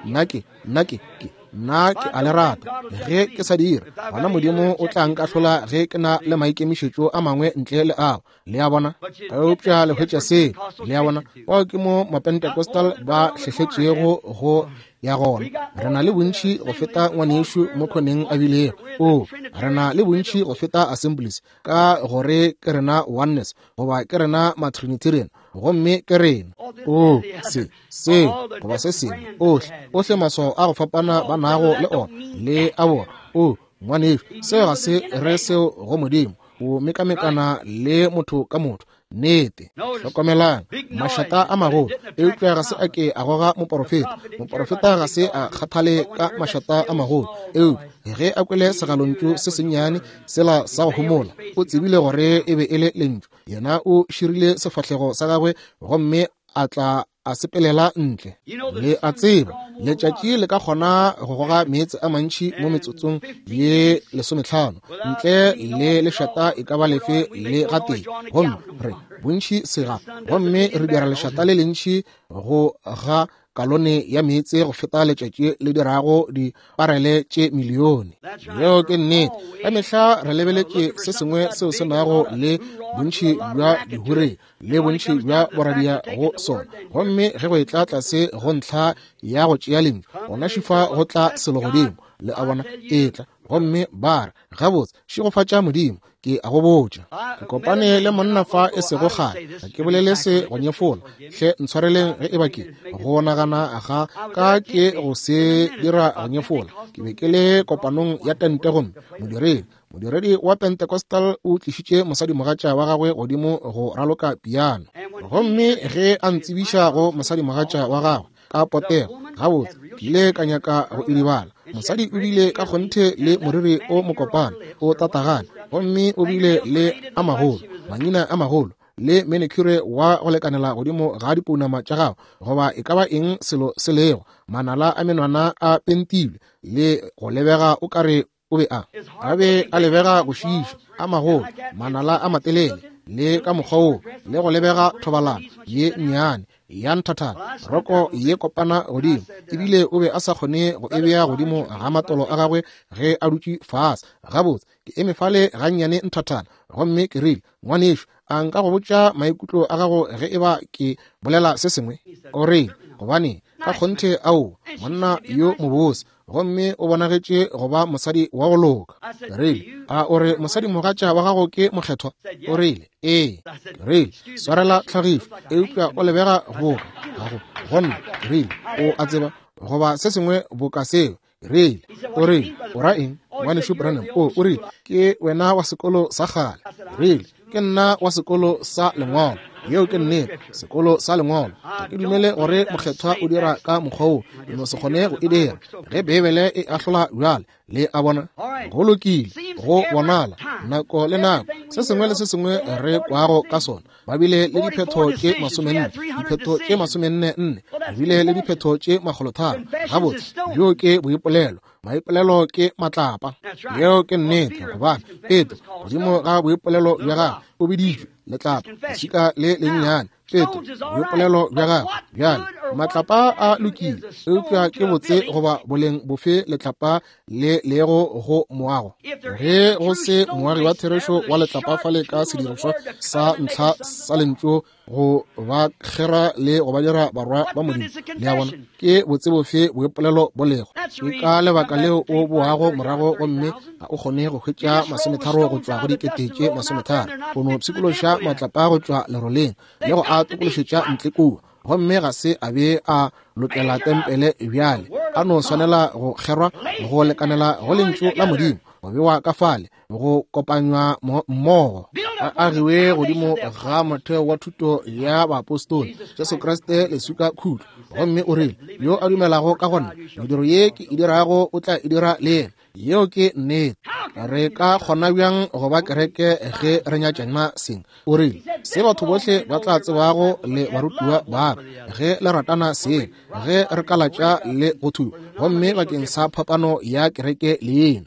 Nna ke, nna ke, ke. Nna ke a le rata. Ge ke sa dira, gona Modimo o tla nkahlola ge ke na le maikemišetšo a mangwe ntle le ao. Le a bona? Eupša le hwetša se. Le a bona? Bao ke mo Mapentecostal ba hlehletšego go ya gona. Re na le bontši go feta ngwanešu mo khoneng a bilego. O, re na le bontši go feta Assemblies, ka gore ke rena Oneness, goba ke rena Matrinitarian, gomme ke rena. O, se, seo, goba se sengwe, ohle, ohle maswao a go fapana ba nago le ona, le a bona. O, ngwanešu, seo ga se re seo go Modimo. O mekamekana le motho ka motho. Nnete. Hlokomelang, mašata a magolo, eupša ga se a ke a goga moporofeta. Moporofeta ga se a kgathale ka mašata a magolo, eupša ge a kwele segalontšu se sennyane sela sa go homola, o tsebile gore e be e le lentšu. Yena o širile sefahlego sa gagwe gomme a tla a sepelela ntle. Le a tseba, letšatši le ka kgona go goga meetse a mantši mo metsotsong ye 15 ntle le lešata e ka ba lefe le gatee. Gomme re bontši sega, gomme re dira lešata le lentši go ga kalone ya meetse go feta letšatši le dirago diparele tše milione. Yeo ke nnete. Ka mehla re lebeletše se sengwe seo se nago le bontši bja dihure le bontši bja boradia go sona, gomme ge go etla tlase go ntlha ya go tšea lentšu, gona šifa go tla selo godimo. Le a bona, etla gomme ba re, gabotse, šegofatša Modimo, ke a go botša. Ke kopane le monna fa e sego kgale. Ga ke bolele se go nyefola, hle ntshwareleng ge e ba ke go nagana ga ka ke go se dira go nyefola. Ke be ke le kopanong ya tente gomme modiredi, modiredi wa Pentecostal o tlišitše mosadimogatša wa gagwe godimo go raloka piano. Gomme ge a ntsebiša go mosadimogatša wa gagwe ka potego, gabotse, ke ile ka nyaka go idibala. Mosadi o bile ka kgonthe le moriri o mokopana o tatagane, gomme o bile le a magolo, mangina a magolo. le manicure wa go lekanela godimo ga dipounama tša gago, goba e ka ba eng selo se lego, manala a menwana a pentilwe, le go lebega o kare o be a be a lebega go šiiša, a magolo, manala a matelele, le ka mokgwa wo, le go lebega thobalano ye nnyane ya nthathana, roko ye kopana godimo, ebile o be a sa kgone go e bea godimo ga matolo a gagwe ge a dutše fase. Gabotse, ke eme fale gannyane nthathana, gomme ke rile, ngwanešu, a nka go botša maikutlo a gago ge e ba ke bolela se sengwe? O rile, gobane ka kgonthe ao, monna yo mobose, gomme o bonagetše go ba mosadi wa go loka. Ke rile, a o re mosadimogatša wa gago ke mokgethwa? O rile, ee. Ke rile, swarela tlhagišo, eupša o lebega boka gago go nna. Ke rile, o a tseba, goba se sengwe boka seo. Ke rile, o rile, o ra eng, ngwanešu Branham? O rile, ke wena wa sekolo sa kgale. Ke rile, ke nna wa sekolo sa lengwalo. Yeo ke nnete, sekolo sa lengwalo. Ga ke dumele gore mokgethwa o dira ka mokgwa wo, ke no se kgone go e dira. Ge Beibele e ahlola bjale, le a bona, go lokile, go bonala, nako le nako, se sengwe le se sengwe re kwago ka sona. Ba bile le diphetho tše 44, diphetho tše 44, re bile le diphetho tše 300. Gabotse, bjo ke boipolelo. Maipolelo ke matlapa. Yeo ke nnete, gobane Petro, godimo ga boipolelo bja gagwe, o biditšwe letlapa, leswika le lennyane. Petro, boipolelo bja gagwe. Bjale, matlapa a lokile, eupša ke botse goba boleng bofe letlapa le lego go moago? Ge go se moagi wa therešo wa letlapa fale ka sedirišwa sa ntlha sa lentšu go ba kgera le go ba dira barwa ba Modimo. Le a bona, ke botse bofe boipolelo bo lego? Ke ka lebaka leo o boago morago gomme ga o kgone go hwetša 30 go tšwa go 30,000. O no pshikološa matlapa go tšwa leroleng le go a tokološetša ntle kua, gomme ga se a be a lokela tempele bjale, a no swanela go kgerwa go lekanela go lentšu la Modimo, go bewa ka fale, go kopanywa mmogo, a agiwe godimo ga motheo wa thuto ya baapostola, Jesu Kriste leswika khutlo. Gomme o rile, yo a dumelago ka gona, mediro ye ke e dirago o tla e dira le yena. Yeo ke nnete. Re ka kgona bjang go ba kereke ge re nyatšana seng? O rile, se batho bohle ba tla tsebago le barutiwa ba ka, ge le ratana seng, ge re ka latša le go thuba, gomme bakeng sa phapano ya kereke le yena.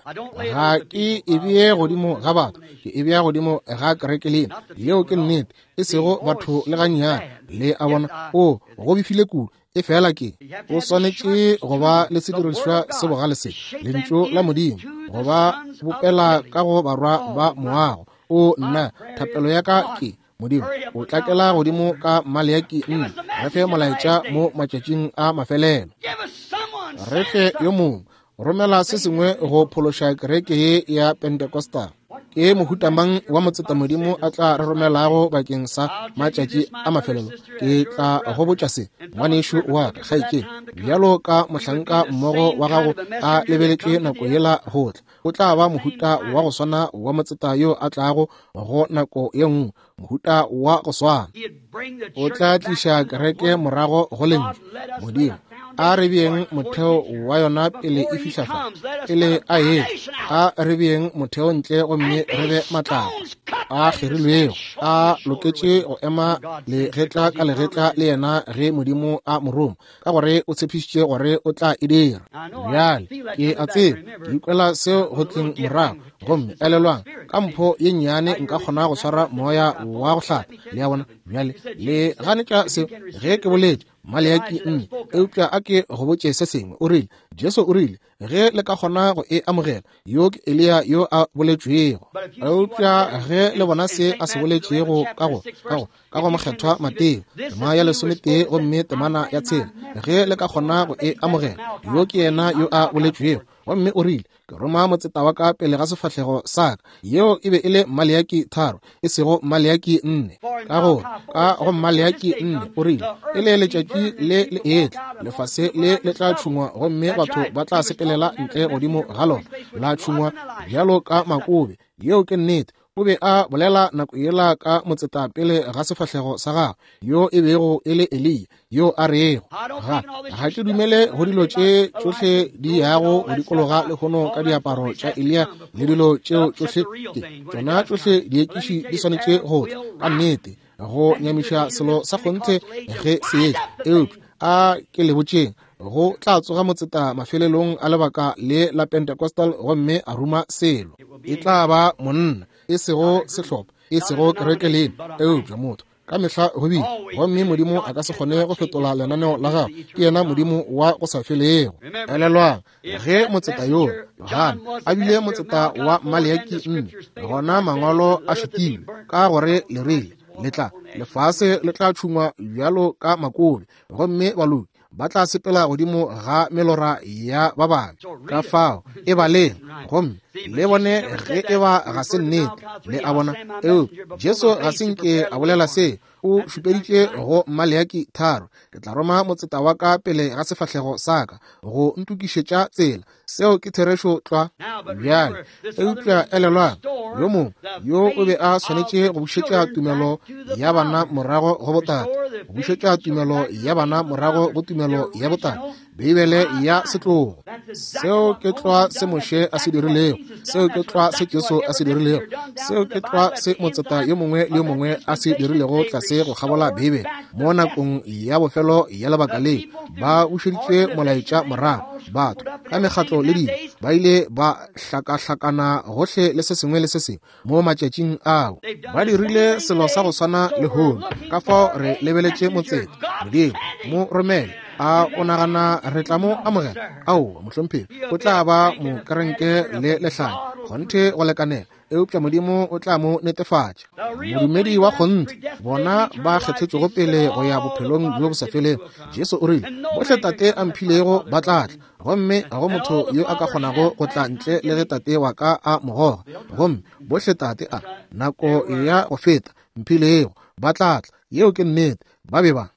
Ga ke e bee godimo ga batho, ke e bea godimo ga kereke le yena. Yeo ke nnete, e sego batho le gannyane. Le a bona? O go befile kudu. E fela ke o swanetše go ba le sedirišwa se bogale se, lentšu la Modimo, go ba bopela ka go barwa ba moago. O nna, thapelo ya ka ke, Modimo, o tlakela godimo ka Maleaki 4, re fe molaetša mo matšatšing a mafelelo. Re fe yo mongwe, romela se sengwe go phološa kereke ye ya Pentecostal. Ke mohuta mang wa motseta Modimo a tla re romelago bakeng sa matšatši a mafelelo? Ke tla go botša se, ngwanešu wa ka, kgaetšedi, bjalo ka mohlanka mmogo wa gago a lebeletše nako yela go tla. O tla ba mohuta wa go swana wa motseta yo a tlago go nako ye nngwe, mohuta wa go swana. O tla tliša kereke morago go lentšu. Modimo, a re beeng motheo wa yona pele e fihla fa, pele a etla. A re beeng motheo ntle gomme re be matlapa a kgerilwego, a loketše go ema legetla ka legetla le yena ge Modimo a mo roma, ka gore o tshepišitše gore o tla e dira. Bjale ke a tseba, ke ikwela seo go tleng morago. Gomme elelwang, ka mpho ye nnyane nka kgona go swara moya wa go hlapa. Le a bona? Bjale le ganetša seo ge ke boletše Maleaki 4, eupša a ke go botše se sengwe. O rile, Jesu o rile, ge le ka kgona go e amogela, yo ke Eliya yo a boletšwego. Eupša ge le bona se a se boletšego ka go, ka go, ka go mokgethwa Mateo, tema ya 11 gomme temana ya 6, ge le ka kgona go e amogela, yo ke yena yo a boletšwego. Gomme o rile, ke roma motseta wa ka pele ga sefahlego sa ka. Yeo e be e le Maleaki 3, e sego Maleaki 4. Ka gore ka go Maleaki 4 o rile, e le letšatši le le etla, lefase le le tla tšhungwa gomme batho ba tla sepelela ntle godimo ga lona, la tšhungwa bjalo ka makobe. Yeo ke nnete. O be a bolela nako yela ka motseta pele ga sefahlego sa gagwe, yo e bego e le Eliya, yo a rego, ga ke dumele go dilo tše tšohle di yago go dikologa lehono ka diaparo tša Eliya le dilo tšeo tšohle, ke tšona tšohle diekiši di swanetše go tla ka nnete. Go nyamiša selo sa kgonthe ge se etla. Eupša a ke le botšeng, go tla tsoga motseta mafelelong a lebaka le la Pentecostal gomme a ruma selo. E tla ba monna, e sego sehlopha, e sego kereke lena, eupša motho. Ka mehla go bile, gomme Modimo a ka se kgone go fetola lenaneo la gagwe. Ke yena Modimo wa go sa felego. Elelwang, ge motseta yoo Johane a bile motseta wa Maleaki 4, gona mangwalo a šutilwe ka gore le rile le tla lefase le tla tšhungwa bjalo ka makobe, gomme baloki ba tla sepela godimo ga melora ya ba babe. Ka fao e baleng gomme le bone ge e ba ga se nnete. Le a bona? Eupša Jesu ga se nke a bolela se. O šupeditše go Maleaki 3, ke tla roma motseta wa ka pele ga sefahlego sa ka go ntokišetša tsela. Seo ke therešo tlwa. Bjale, eupša elelwang, yo mongwe yo o be a swanetše go bušetša tumelo ya bana morago go botate, go bušetša tumelo ya bana morago go tumelo ya botate, Beibele ya setlogo. Seo ke tlwa se Moshe a se dirilego, seo ke tlwa se Jesu a se dirilego, seo ke tlwa se motseta yo mongwe le yo mongwe a se dirilego tlase go kgabola Beibele. Mo nakong ya bofelo ya lebaka le, ba bušeditše molaetša morago. Batho ka mekgatlo le dilo ba ile ba hlakahlakana gohle le se sengwe le se sengwe mo matšatšing ao. Ba dirile selo sa go swana lehono. Ka fao re lebeletše motseta. Modimo mo romele. A o nagana re tla mo amogela? Aowa, mohlomphegi. O tla ba mokerenke le lehlanya, kgonthe go lekanela, eupša Modimo o tla mo netefatša. Modumedi wa kgonthe, bona ba kgethetšwego pele go ya bophelong bjo bo sa felego. Jesu o rile, bohle Tate a mphilego ba tla tla, gomme ga go motho yo a ka kgonago go tla ntle le ge Tate wa ka a mo goga. Gomme bohle Tate a, nako ya go feta, mphilego ba tla tla. Yeo ke nnete. Ba be ba.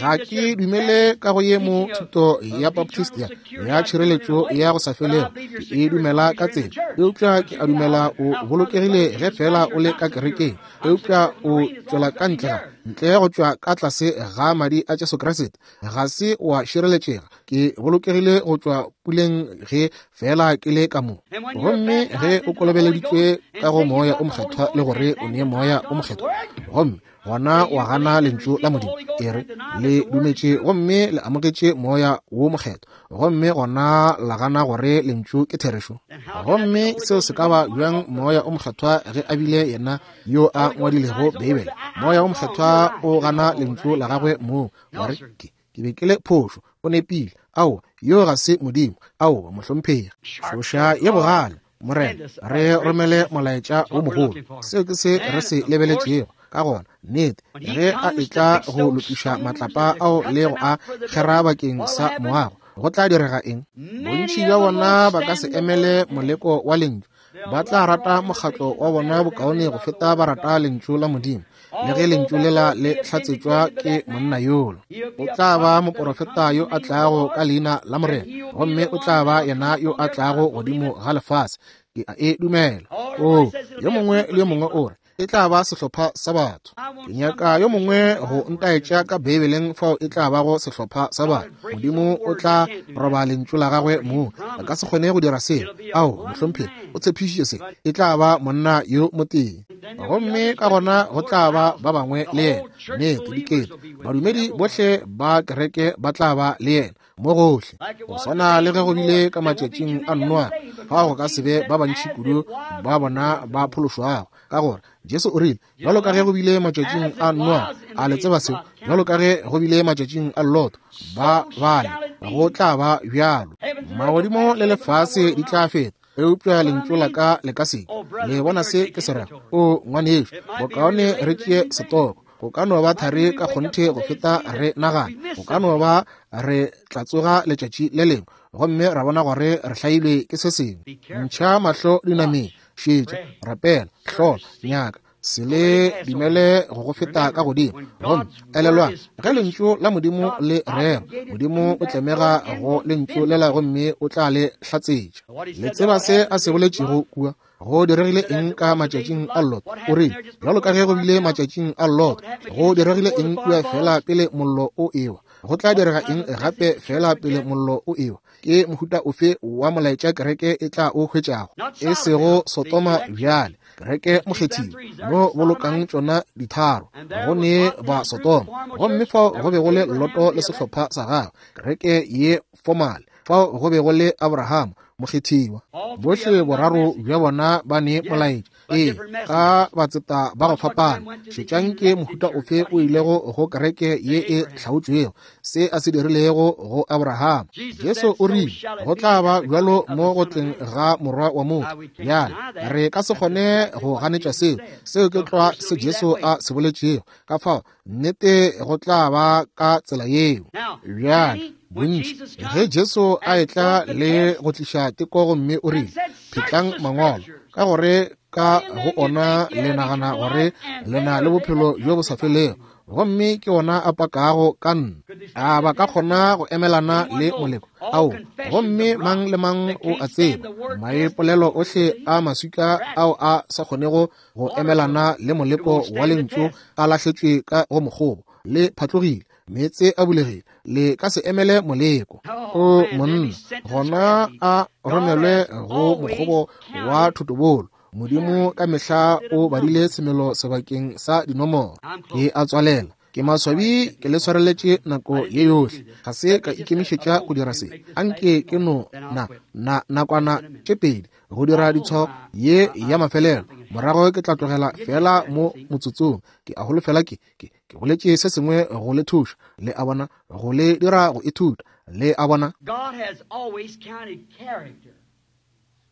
Ga ke dumele ka go ye mo thuto ya Baptist ya, ya tšhireletšo ya go sa felego. Ke e dumela ka tsela, eupša ke a dumela o bolokegile ge fela o le ka kerekeng, eupša o tšwela ka ntle ga, ntle go tšwa ka tlase ga madi a Jesu Kriste, ga se wa šireletšega. Ke bolokegile go tšwa puleng ge fela ke le ka mo. Gomme ge o kolobeleditšwe ka go Moya o Mokgethwa le gore o ne Moya o Mokgethwa, gomme gona wa gana lentšu la Modimo, e re le dumetše gomme le amogetše Moya wo Mokgethwa, gomme gona la gana gore lentšu ke therešo. Gomme seo se ka ba bjang Moya o Mokgethwa ge a bile yena yo a ngwadilego Beibele? Moya o Mokgethwa o gana lentšu la gagwe moo, wa re ke be ke le phošo, o nepile. Aowa, yo ga se Modimo. Aowa, mohlomphegi. Tšhoša ye bogale, Morena, re romele molaetša wo mogolo. Seo ke se re se lebeletšego. Ka gona, nnete, ge a etla go lokiša matlapa ao le go a kgera bakeng sa moago, go tla direga eng? Bontši bja bona ba ka se emele moleko wa lentšu. Ba tla rata mokgatlo wa bona bokaone go feta ba rata lentšu la Modimo, le ge lentšu lela le hlatsetšwa ke monna yola. O tla ba moporofeta yo a tlago ka leina la Morena, gomme o tla ba yena yo a tlago godimo ga lefase. Ke a e dumela. Oo, yo mongwe le yo mongwe o re, e tla ba sehlopha sa batho. Ke nyaka yo mongwe go ntaetša ka Beibeleng fao e tla bago sehlopha sa batho. Modimo o tla roba lentšu la gagwe moo. A ka se kgone go dira seo. Ao, mohlomphegi, o tshepišitše se. E tla ba monna yo motee. Gomme ka gona go tla ba ba bangwe le yena. Nnete, dikete. Badumedi bohle ba kereke ba tla ba le yena mo gohle. Go swana le ge go bile ka matšatšing a Noa, fao go ka se be ba bantši kudu ba bona ba phološwago, ka gore Jesu o rile, bjalo ka ge go bile matšatšing a Noa, a le tseba seo, bjalo ka ge go bile matšatšing a Lot, ba bale, go tla ba bjalo. Magodimo le lefase di tla feta, eupša lentšu la ka le ka se ke. Le bona se ke se rago? O ngwanešu, bokaone re tšee setoko. Go ka no ba thari ka kgonthe go feta re nagana. Go ka no ba re tla tsoga letšatši le lengwe gomme ra bona gore re hlailwe ke se sengwe. Ntšha mahlo dinameng, šetša, rapela, hlola, nyaka, se le dumele go go feta ka godimo. Gomme elelwang, ge lentšu la Modimo le rerwa, Modimo o tlemega go lentšu lela gomme o tla le hlatsetša. Le tseba se a se boletšego kua? Go diregile eng ka matšatšing a Lot? O rile, bjalo ka ge go bile matšatšing a Lot, go diregile eng kua fela pele mollo o ewa? Go tla direga eng gape fela pele mollo o ewa? Ke mohuta ofe wa molaetša kereke e tla o hwetšago? E sego Sodoma bjale. Kereke mokgethiwa, mo bolokang tšona ditharo, go ne ba Sodoma, gomme fao go be go le Loto le sehlopha sa gagwe, kereke ye fomale, fao go be go le Abraham mokgethiwa. Bohle boraro bja bona ba ne molaetša, ee, ka batseta ba go fapana. Šetšang ke mohuta ofe o ilego go kereke ye e hlaotšwego, se a se dirilego go Abraham. Jesu o rile go tla ba bjalo mo go tleng ga Morwa wa motho. Bjale re ka se kgone go ganetša seo, seo ke tlwa se Jesu a se boletšego. Ka fao nnete go tla ba ka tsela yeo. Bjale bontši ge Jesu a etla le go tliša teko gomme o rile, phetlang mangwalo, ka gore ka go ona le nagana gore le na le bophelo bjo bo sa felego, gomme ke ona a pakago ka nna. A ba ka kgona go emelana le moleko? Ao, gomme mang le mang o a tseba maipolelo ohle a maswika ao a sa kgonego go emelana le moleko wa lentšu a lahletšwe ka go mokgobo, le phatlogile, meetse a bulegile, le ka se emele moleko. O monna, gona a romelwe go mokgobo wa thotobolo. Modimo ka mehla o badile semelo sebakeng sa dinomoro. Ke a tswalela. Ke maswabi ke le swareletše nako ye yohle. Ga se ka ikemišetša go dira se. Anke ke no na na nakwana tše pedi go dira ditshwao ye ya mafelelo, morago ke tla tlogela fela mo motsotsong. Ke a holofela ke ke ke boletše se sengwe go le thuša, le a bona, go le dira go ithuta, le a bona. God has always counted character,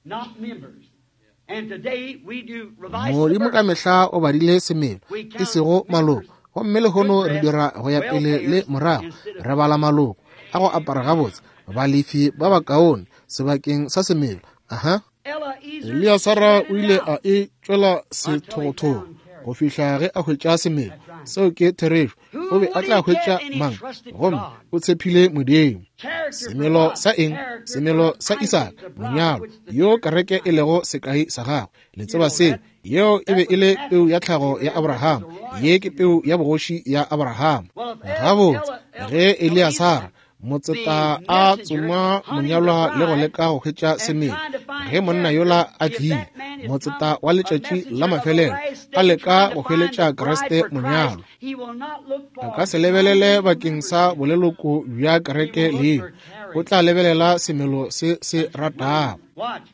not members. And today we do revise the Modimo ka verse. mehla o badile semelo, e sego maloko. Gomme lehono re dira go ya pele le morago, re bala maloko a go apara gabotse, balefi ba bakaone sebakeng sa semelo. Aha. Eliezer Eliasara spit o it ile out a e tšwela until he sethogothogo found character. go fihla ge a hwetša semelo. Seo ke therešo. O Who be a would tla he get? hwetša And he mang? trusted Gomme God. o tshepile Modimo. Character for Semelo what? sa eng? Character Semelo for sa Isaac, Isaka, the bride monyalo, which the yo church kereke e is. lego sekai sa gagwe. Le You tseba know seo. that. Yeo e That be e was le natural. peu ya tlhago ya Abraham was Abraham. a royal Ye ke seed. peu ya bogoši ya Abraham. Well, if Gabotse, ge Eliasara Eliezer, motseta the a messenger tsoma hunting the monyalwa le go bride leka go hwetša and semelo, trying to find ge monna character, yola a if tlile, that man is come motseta wa a letšatši la messenger of the mafelelo last a day leka trying to go find the hweletša bride Kriste for Christ, monyalwa, he will not look a for ka se lebelele nominal bakeng sa membership. boleloko bja He kereke will look leo, for o character. tla lebelela semelo se se ratago. Watch.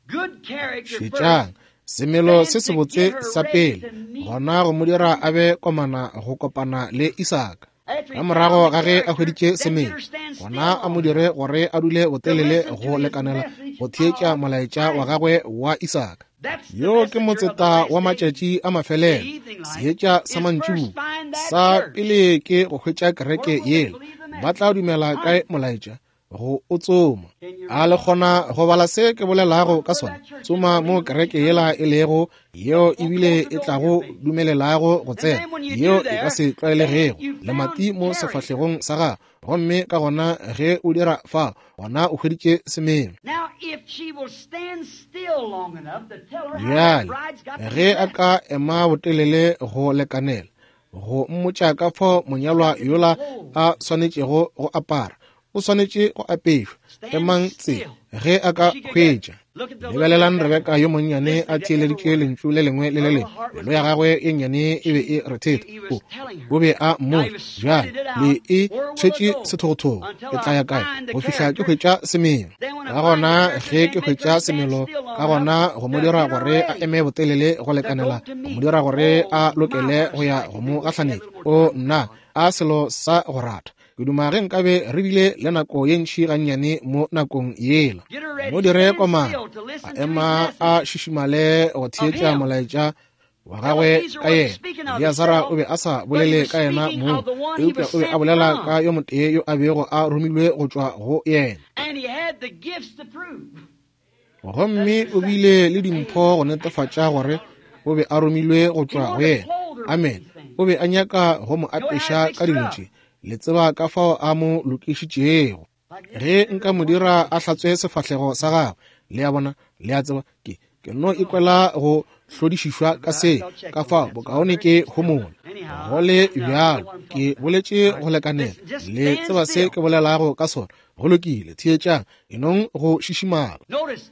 Good character first, Šetšang, semelo then se to get sebotse her sa ready pele, to meet gona go mo dira a be komana go kopana le Isaka. After Ka he morago found the ga ge a character, hweditše then get semelo, her stand still gona a mo long dire enough gore a dule to botelele listen to go his lekanela message go theetša of molaetša wa Isaac. gagwe wa Isaka. That's the Yo ke messenger of the motseta last wa day. matšatši a The mafelelo, evening light seetša sa is first mantšiboa. find that Sa church. pele ke go hwetša Where kereke will they yela. believe the Ba message? tla dumela kae Hunt. molaetša? Go o tsoma. Can you A read le that? kgona go bala se ke bolelago Look ka where sona? that church is Tsoma mo believe what kereke you come yela to. e lego, yeo What ebile close e the door in your tlago face. dumelelago go And tsena, then when you yeo do e ka there, se then tlwaelegego, you found lemati mo character. sefahlegong sa gago. Gomme ka gona ge o dira fa, gona o hweditše semelo. Now, if she will stand still long enough to tell her how that Bjale, bride's got to be ge a dressed, ka ema botelele go lekanela, go mmotša ka fao monyalwa got to be yola clothed. a swanetšego go apara, o swanetše go apešwa. Stand Emang tse, still. ge a ka She could get. hwetša. Look at the little Lebelelang Rebecca Rebeka yo monnyane a listening to every theeleditše word. lentšu le lengwe le Her le little lengwe. heart was Pelo ya glad. gagwe ye nnyane e be She, e rethetha. he O was telling her. o be a Now he mmotša, was bjale spreading it le out. e Where will I tshwetše go sethogothogo, until ke tla I ya kae find the go fihla ke character? hwetša semelo? Then when I Ka find the gona character, ge then ke make her hwetša stand semelo, still long ka enough gona go mo to dira get her gore a ready eme botelele go to go lekanela, to go mo meet. dira gore Oh a my, lokele what a go ya sight go to mo be. Wish we had a gahlanetša. little more O time with nna, God. a selo sa go rata. Ke duma ge nkabe re bile le nako ye ntši gannyane mo nakong yela. Get her Mo ready. dire Stand komana, still to a listen to his ema a message šišimale go of theetša him. molaetša wa gagwe Eliezer ka wasn't yena. speaking of Eliasara o himself, be a sa but he bolele was ka yena speaking mong, of the one he eupša was o be a sent bolela ka from. yo motee yo a bego a romilwe go tšwa go yena. And he had the gifts to prove. That's Gomme the o same. bile le dimpho go netefatša gore o be a romilwe go He tšwa go wanted to yena. clothe her with Amen. these things. O be a nyaka go mo Know how to apeša fix ka her dilo up. tše. Le tseba ka fao a mo lokišitšego. Like this Ge sister nka mo this dira morning. a hlatswe sefahlego sa gagwe, le a bona, le a tseba, ke ke no ikwela go hlodišišwa ka But I se, shall check ka on fao that. So I'm bokaone very ke still. homola. Anyhow, Go I le don't know bjalo, what I'm ke talking about. boletše All go right. lekanela. Listen, just Le stand tseba se ke still. bolelago ka sona. Go lokile, theetšang, enong go šišimala. Notice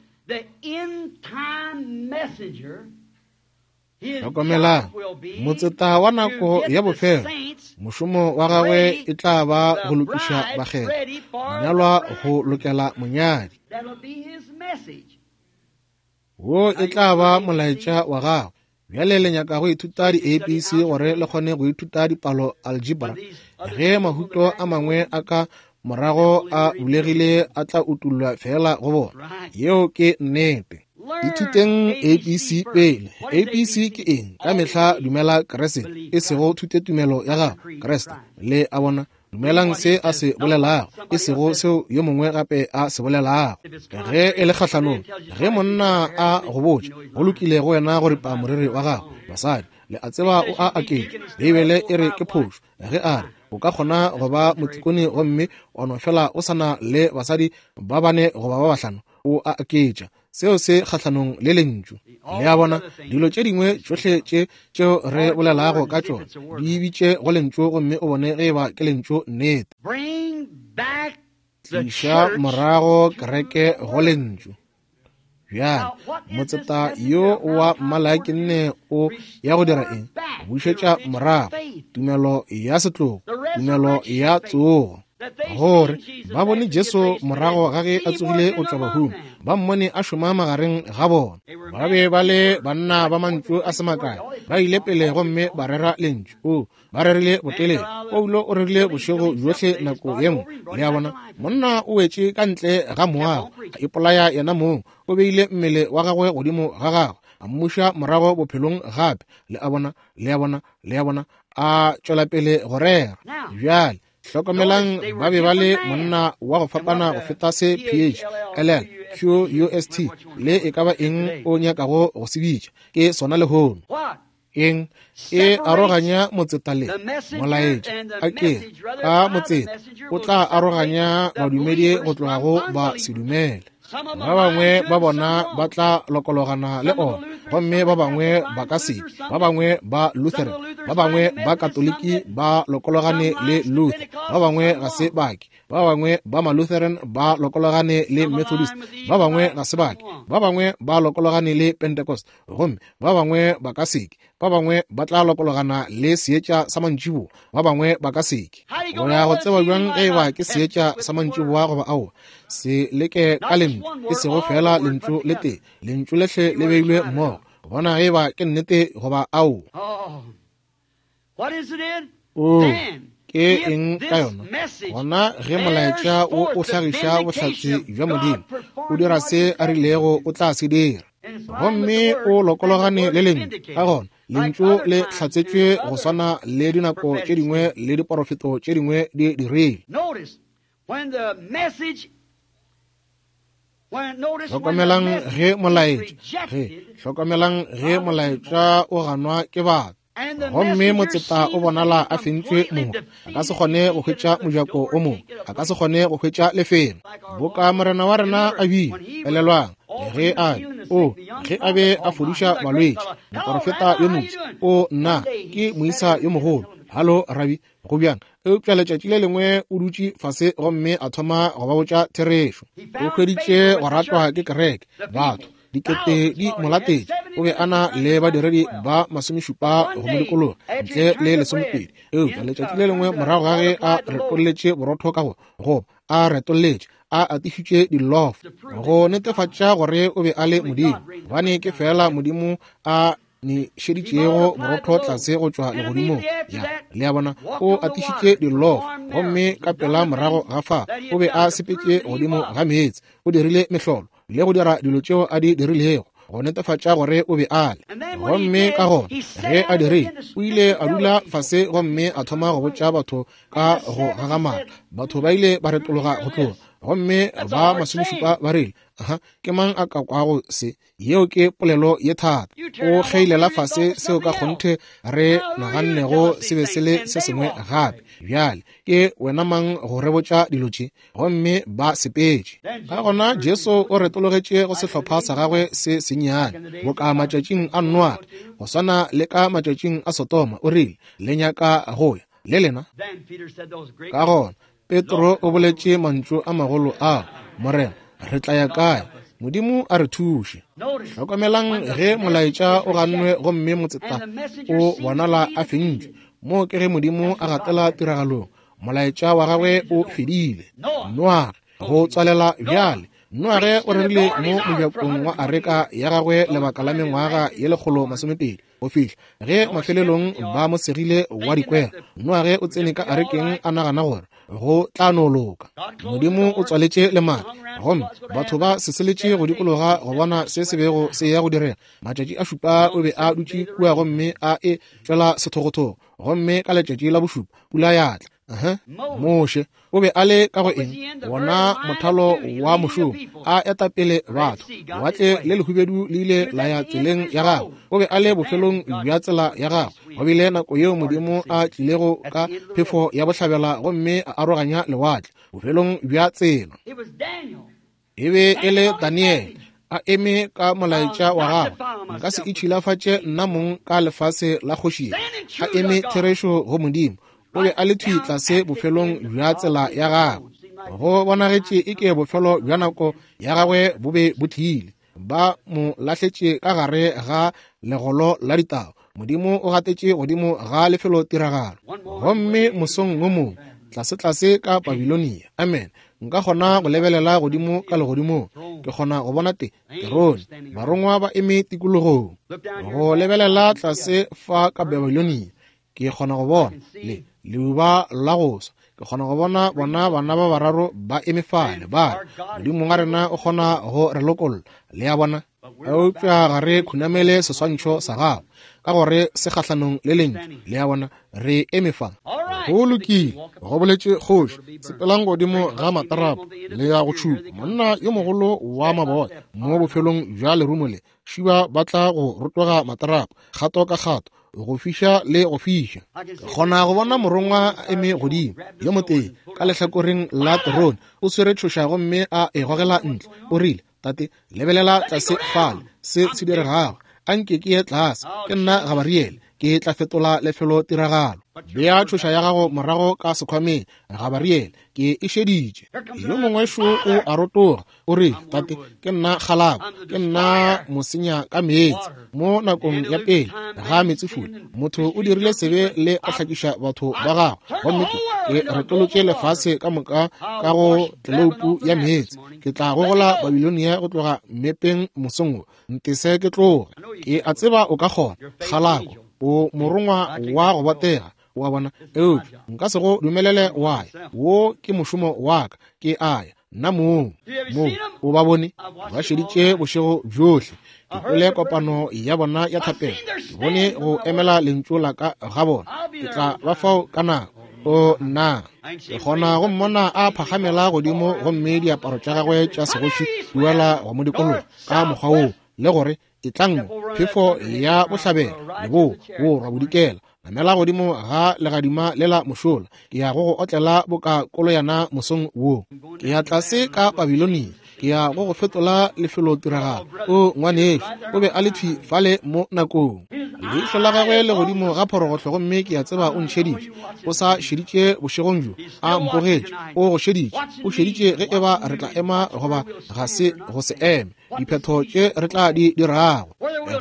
Hlokomelang, motseta wa nako ya bofelo, mošomo wa gagwe e tla ba go lokiša bakgethwa, monyalwa go lokela monyadi. Wo e tla ba molaetša wa gagwe. Bjale le nyaka go ithuta di-ABC gore le kgone go ithuta dipalo algebra. Ge mahuto a mangwe a ka morago a bulegile a tla utullwa fela go bona. Yeo ke nnete. Ithuteng ABC pele. ABC ke eng? Ka mehla dumela Kriste, e sego thutetumelo ya gago, Kriste. Le a bona? Dumelang se a se bolelago, e sego seo yo mongwe gape a se bolelago. Ge e le kgahlanong, ge monna a go botša, go lokile go wena go ripa moriri wa gago, basadi, le a tseba o a aketša. Beibele e re ke phošo. Ge a re, o ka kgona go ba motikone gomme wa no fela o sa na le basadi ba bane goba ba bahlano, o a aketša. Seo se kgahlanong le lentšu. Le a bona, dilo tše dingwe tšohle tše tšeo re bolelago ka tšona di bitše go lentšu gomme o bone ge eba ke lentšu nnete. Tliša morago kereke go lentšu. Bjale, motseta yo wa mmalakinne o ya go dira eng? Bušetša morago tumelo ya setlogo, tumelo ya tsogo. Gore ba bone Jesu morago ga ge a tsogile go tšwa bahung, ba mmone a šoma magareng ga bona. Ba be ba le banna ba mantšu a se makae, ba ile pele gomme ba rera lentšu. O, ba rerile botelele. Paulo o rerile bošego bjohle nako ye nngwe. Le a bona, monna o wetše ka ntle ga moago, a ipolaya yena mong, o beile mmele wa gagwe godimo ga gagwe, a mmuša morago bophelong gape. Le a bona, le a bona, le a bona, a tšwela pele go rera. Bjale hlokomelang, ba be ba le monna wa go fapana go feta se P H L L Q U S T le e ka ba eng o nyakago go se bitša, ke sona lehono. Eng e aroganya motseta le molaetša? A ke ka motseta o tla aroganya badumedi go tloga go ba sedumele. Ba bangwe ba bona ba tla lokologana le ona, gomme ba bangwe ba ka se. Ba bangwe ba Lutheran, ba bangwe ba Katoliki ba lokologane le Luther, ba bangwe ga se bake. Ba bangwe ba ma-Lutheran ba lokologane le Methodist, ba bangwe ga se bake. Ba bangwe ba lokologane le Pentecost, gomme ba bangwe ba ka seke. Ba bangwe ba tla lokologana le seetša sa mantšiboa, ba bangwe ba ka seke. O ya go tseba bjang ge eba ke seetša sa mantšiboa goba aowa? Se leke ka lentšu, e sego fela lentšu le tee, lentšu lehle le beilwe mmogo, bona ge eba ke nnete goba aowa. O, ke eng ka yona? Gona ge molaetša wo o hlagiša bohlatse bja Modimo, o dira se a rilego o tla se dira, gomme o lokologane le lentšu. Ka gona lentšu le hlatsetšwe go swana le dinako tše dingwe le diporofeto tše dingwe di dirile. Hlokomelang ge molaetša, ge, hlokomelang ge molaetša o ganwa ke batho, gomme motseta o bonala a fentšwe moka, a ka se kgone go hwetša mojako o mongwe, a ka se kgone go hwetša lefelo boka Morena wa rena a bile. Elelwang, ge a o ge a be a fodiša balwetši, moporofeta yo mofsa, o nna ke moisa yo mogolo, halo rabi, go bjang? Eupša letšatši le lengwe o dutše fase gomme a thoma go ba botša therešo. O hweditše go ratwa ke kereke, batho dikete di mo latetše. O be a na le badiredi ba 70 go mo dikologa, ntle le 20. Eupša letšatši le lengwe morago ga ge a retolletše borotho ka go goba a retolletše, a atišitše dilofo go netefatša gore o be a le Modimo, gobane ke fela Modimo a nešeditšego borotho tlase go tšwa legodimong. Ya, le a bona, o atišitše dilofo, gomme ka pela morago ga fa o be a sepetše godimo ga meetse, o dirile mehlolo le go dira dilo tšeo a di dirilego go netefatša gore o be a le. Gomme ka gona ge a dirile, o ile a dula fase gomme a thoma go botša batho ka go gagamala. Batho ba ile ba retologa go tloga, gomme ba 70 ba rile, aha, ke mang a ka kwago se? Yeo ke polelo ye thata. O kgeilela fase seo ka kgonthe re nagannego se be se le se sengwe gape. Bjale ke wena mang go re botša dilo tše? Gomme ba sepetše. Ka gona Jesu o retologetše go sehlopha sa gagwe se sennyane, boka matšatšing a Noage, go swana le ka matšatšing a Sodoma, o rile, Le nyaka go ya le lena? Ka gona Petro o boletše mantšu a magolo a, Morena, re tla ya kae? Modimo a re thuše. Hlokomelang ge molaetša o gannwe gomme motseta o bonala a fentšwe. Moo ke ge Modimo a gatela tiragalong. Molaetša wa gagwe o fedile. Noage, go tswalela bjale. Noage o rerile mo mojakong wa areka ya gagwe lebaka la mengwaga ye 120 go fihla ge mafelelong ba mo segile wa dikwero. Noage o tsene ka arekeng a nagana gore go tla no loka. Modimo o tswaletše lemati gomme batho ba seseletše go dikologa go bona se se bego se ya go direga. Matšatši a 7 o be a dutše kua gomme a e tšwela sethogothogo, gomme ka letšatši la bošupa pula ya tla. Moshe o be a le ka go eng? Wona mothalo wa mošomo, a eta pele batho. Lewatle le lehubedu le ile la ya tseleng ya gagwe. O be a le bofelong bja tsela ya gagwe. Go bile nako yeo Modimo a tlilego ka phefo ya bohlabela gomme a aroganya lewatle bofelong bja tsela. E be e le Daniele a eme ka molaetša wa gagwe. Nka se itšhilafatše nna mong ka lefase la kgoši, a eme therešo go Modimo. O be a le thwi tlase bofelong bja tsela ya gagwe. Go bonagetše e ke bofelo bja nako ya gagwe bo be bo tlile. Ba mo lahletše ka gare ga legolo la ditau. Modimo o gatetše godimo ga lefelo tiragalo. Gomme mosong wo mongwe, tlase-tlase ka Babilonia, amen, nka kgona go lebelela godimo ka legodimong, ke kgona go bona te terone, barongwa ba eme tikologong. Go lebelela tlase fa ka Babilonia, ke kgona go bona le leuba la go swa. Ke kgona go bona bona bana ba bararo ba eme fale, ba re, Modimo wa rena o kgona go re lokolla. Le a bona? Eupša ga re khunamele seswantšho sa gago, ka gore se kgahlanong le lentšu. Le a bona? Re eme fa. Go lokile, go boletše kgoši, sepelang godimo ga matarapo le ya go tšhupa monna yo mogolo wa maboya mo bofelong bja lerumo le. Šiba ba tla go rotoga matarapo kgato ka kgato, go fiša le go fiša. Ke kgona go bona morongwa a eme godimo yo motee ka lehlakoreng la terone, o swere tšhoša gomme a e gogela ntle. O rile, Tate, lebelela tlase fale se se diregago. A nke ke ye tlase, ke nna Gabariele, ke tla fetola lefelo tiragalo. Bea tšhoša ya gago morago ka sekhwameng, Gabariele, ke e šeditše. Yo mongwe šo o a rotoga, o re, Tate, ke nna kgalako, ke nna mosenya ka meetse. Mo nakong ya pele ga meetsefula, motho o dirile sebe le go hlakiša batho ba gagwe, gomme ke retolotše lefase ka moka ka go tleloupu ya meetse. Ke tla gogola Babilonia go tloga mmepeng mosong wo. Ntese ke tloge. Ke a tseba o ka kgona, kgalako, o morongwa wa go botega, wa bona, eupša nka se go dumelele wa ya. Wo ke mošomo wa ka, ke a ya nna mong. Mo o ba bone ba šeditše bošego bjohle. Ke kwele kopano ya bona ya thapelo, ke bone go emela lentšu la ka ga bona. Ke tla ba fao ka nako. O nna, ke kgona go mmona a phagamela godimo gomme diaparo tša gagwe tša segoši di wela go mo dikologa ka mokgwa woo, le gore etlang mo, phefo ya bohlabela, leboa, borwa, bodikela, namela godimo ga legadima lela mošola. Ke ya go go otlela boka koloyana mosong wo. Ke ya tlase ka Babilonia, ke ya go go fetola lefelotiragalo. O ngwanešu, o be a le thwi fale mo nakong. Leihlo la gagwe le godimo ga phorogohlo, gomme ke a tseba o ntšheditše. O sa šeditše bošegong bjo, a mpogetše. O go šeditše, o šeditše ge eba re tla ema goba ga se go se eme, diphetho tše re tla di dirago,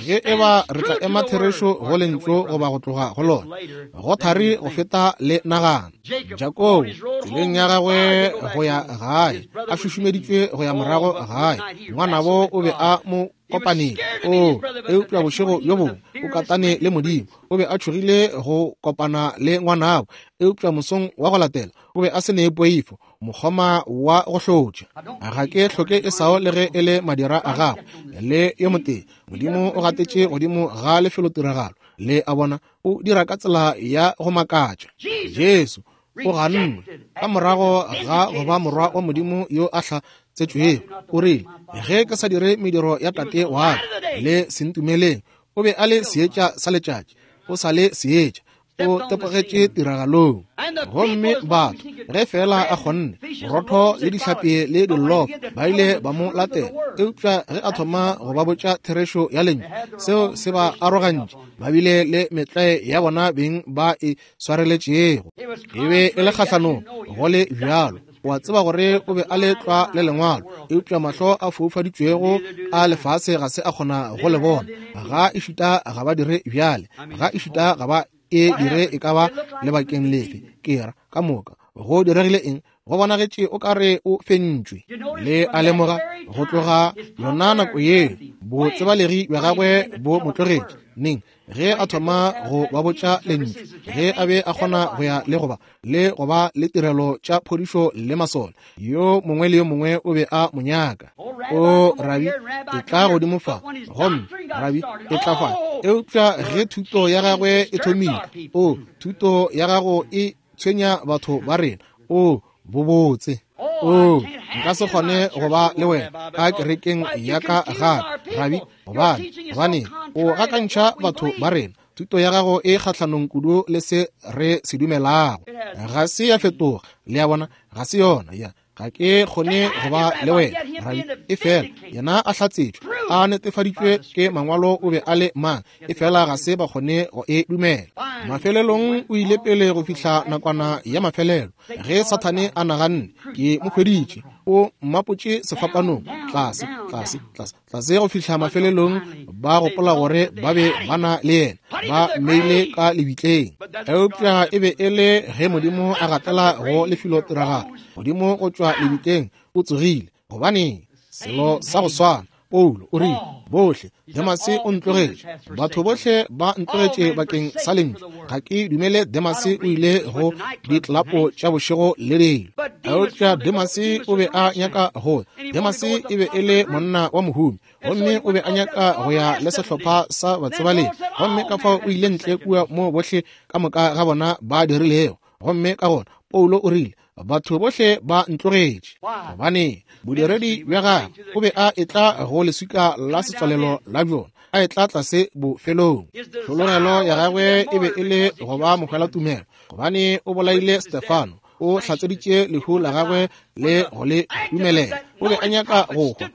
ge eba re tla ema therešo go lentšu goba go tloga go lona. Go thari go feta le nagana. Jakobo tseleng ya gagwe go ya gae, a šušumeditšwe go ya morago gae, ngwanabo o be a mo kopaneng. O, eupša bošego bjo bongwe o katane le Modimo. O be a tšhogile go kopana le ngwanabo, eupša mosong wa go latela o be a se ne poifo, mokgoma wa go hlotša. Ga ke hloke Esau le ge e le madira a gagwe le yo motee. Modimo o gatetše godimo ga lefelotiragalo, le a bona, o dira ka tsela ya go makatša. Jesu o gannwe ka morago ga go ba morwa wa Modimo yo a hlatsetšwego. O rile, ge ke sa dire mediro ya Tate wa ka, le se ntumeleng. O be a le seetša sa letšatši, o sa le seetša, o tepogetše tiragalong. Gomme batho, ge fela a kgonne, borotho le dihlapi le dillofo, ba ile ba mo latela. Eupša ge a thoma go ba botša therešo ya lentšu, seo se ba arogantše. Ba bile le metlae ya bona beng ba e swareletšego. E be e le kgahlanong go le bjalo. O a tseba gore o be a le tlwa le Lengwalo, eupša mahlo a foufaditšwego a lefase ga se a kgona go le bona. Ga ešita ga ba dire bjale, ga ešita ga ba e dire e ka ba lebakeng lefe. Ke ra, ka moka go diregile eng? Go bonagetše o ka re o fentšwe. Le a lemoga, go tloga yona nako yeo botsebalegi bja gagwe bo mo tlogetše. Neng? Ge a thoma go ba botša lentšu, ge a be a kgona go ya le go ba le go ba le tirelo tša phodišo le masole, yo mongwe le yo mongwe o be a mo nyaka. O rabi, e tla godimo fa, gomme rabi, e tla fa. Eupša ge thuto ya gagwe e thomile, o thuto ya gago e tshwenya batho ba rena. O bobotse. O nka se kgone go ba le wena ka kerekeng ya ka gape, rabi, gobane gobane o gakantšha batho ba rena. Thuto ya gago e kgahlanong kudu le se re se dumelago. Ga se ya fetoga, le a bona, ga se yona ya. Ga ke kgone go ba le wena, rabi. Efela yena a hlatsetšwe, a netefaditšwe ke mangwalo o be a le mang, efela ga se ba kgone go e dumela. Mafelelong o ile pele go fihla nakwana ya mafelelo, ge Sathane a naganne, ke mo hweditše, o mmapotše sefapanong, tlase, tlase, tlase, tlase go fihla mafelelong ba gopola gore ba be ba na le yena, ba mmeile ka lebitleng. Eupša e be e le ge Modimo a gatela go lefelotiragalo, Modimo go tšwa lebitleng o tsogile. Gobaneng? Selo sa go swana. Paulo o rile, bohle, Demase o ntlogetše, batho bohle ba ntlogetše bakeng sa lentšu. Ga ke dumele Demase o ile go ditlelapo tša bošego le dilo. Eupša Demase o be a nyaka go. Demase e be e le monna wa mohumi, gomme o be a nyaka go ya le sehlopha sa batsebalegi, gomme ka fao o ile ntle kua mo bohle ka moka ga bona ba dirilego. Gomme ka gona Paulo o rile, batho bohle ba ntlogetše. Gobane bodiredi bja gagwe o be a etla go leswika la setswalelo la bjona, a etla tlase bofelong. Tlhologelo ya gagwe e be e le go ba mohwelatumelo, gobane o bolaile Stefano, o hlatseditše lehu la gagwe le go le dumelela. O be a nyaka go hwa.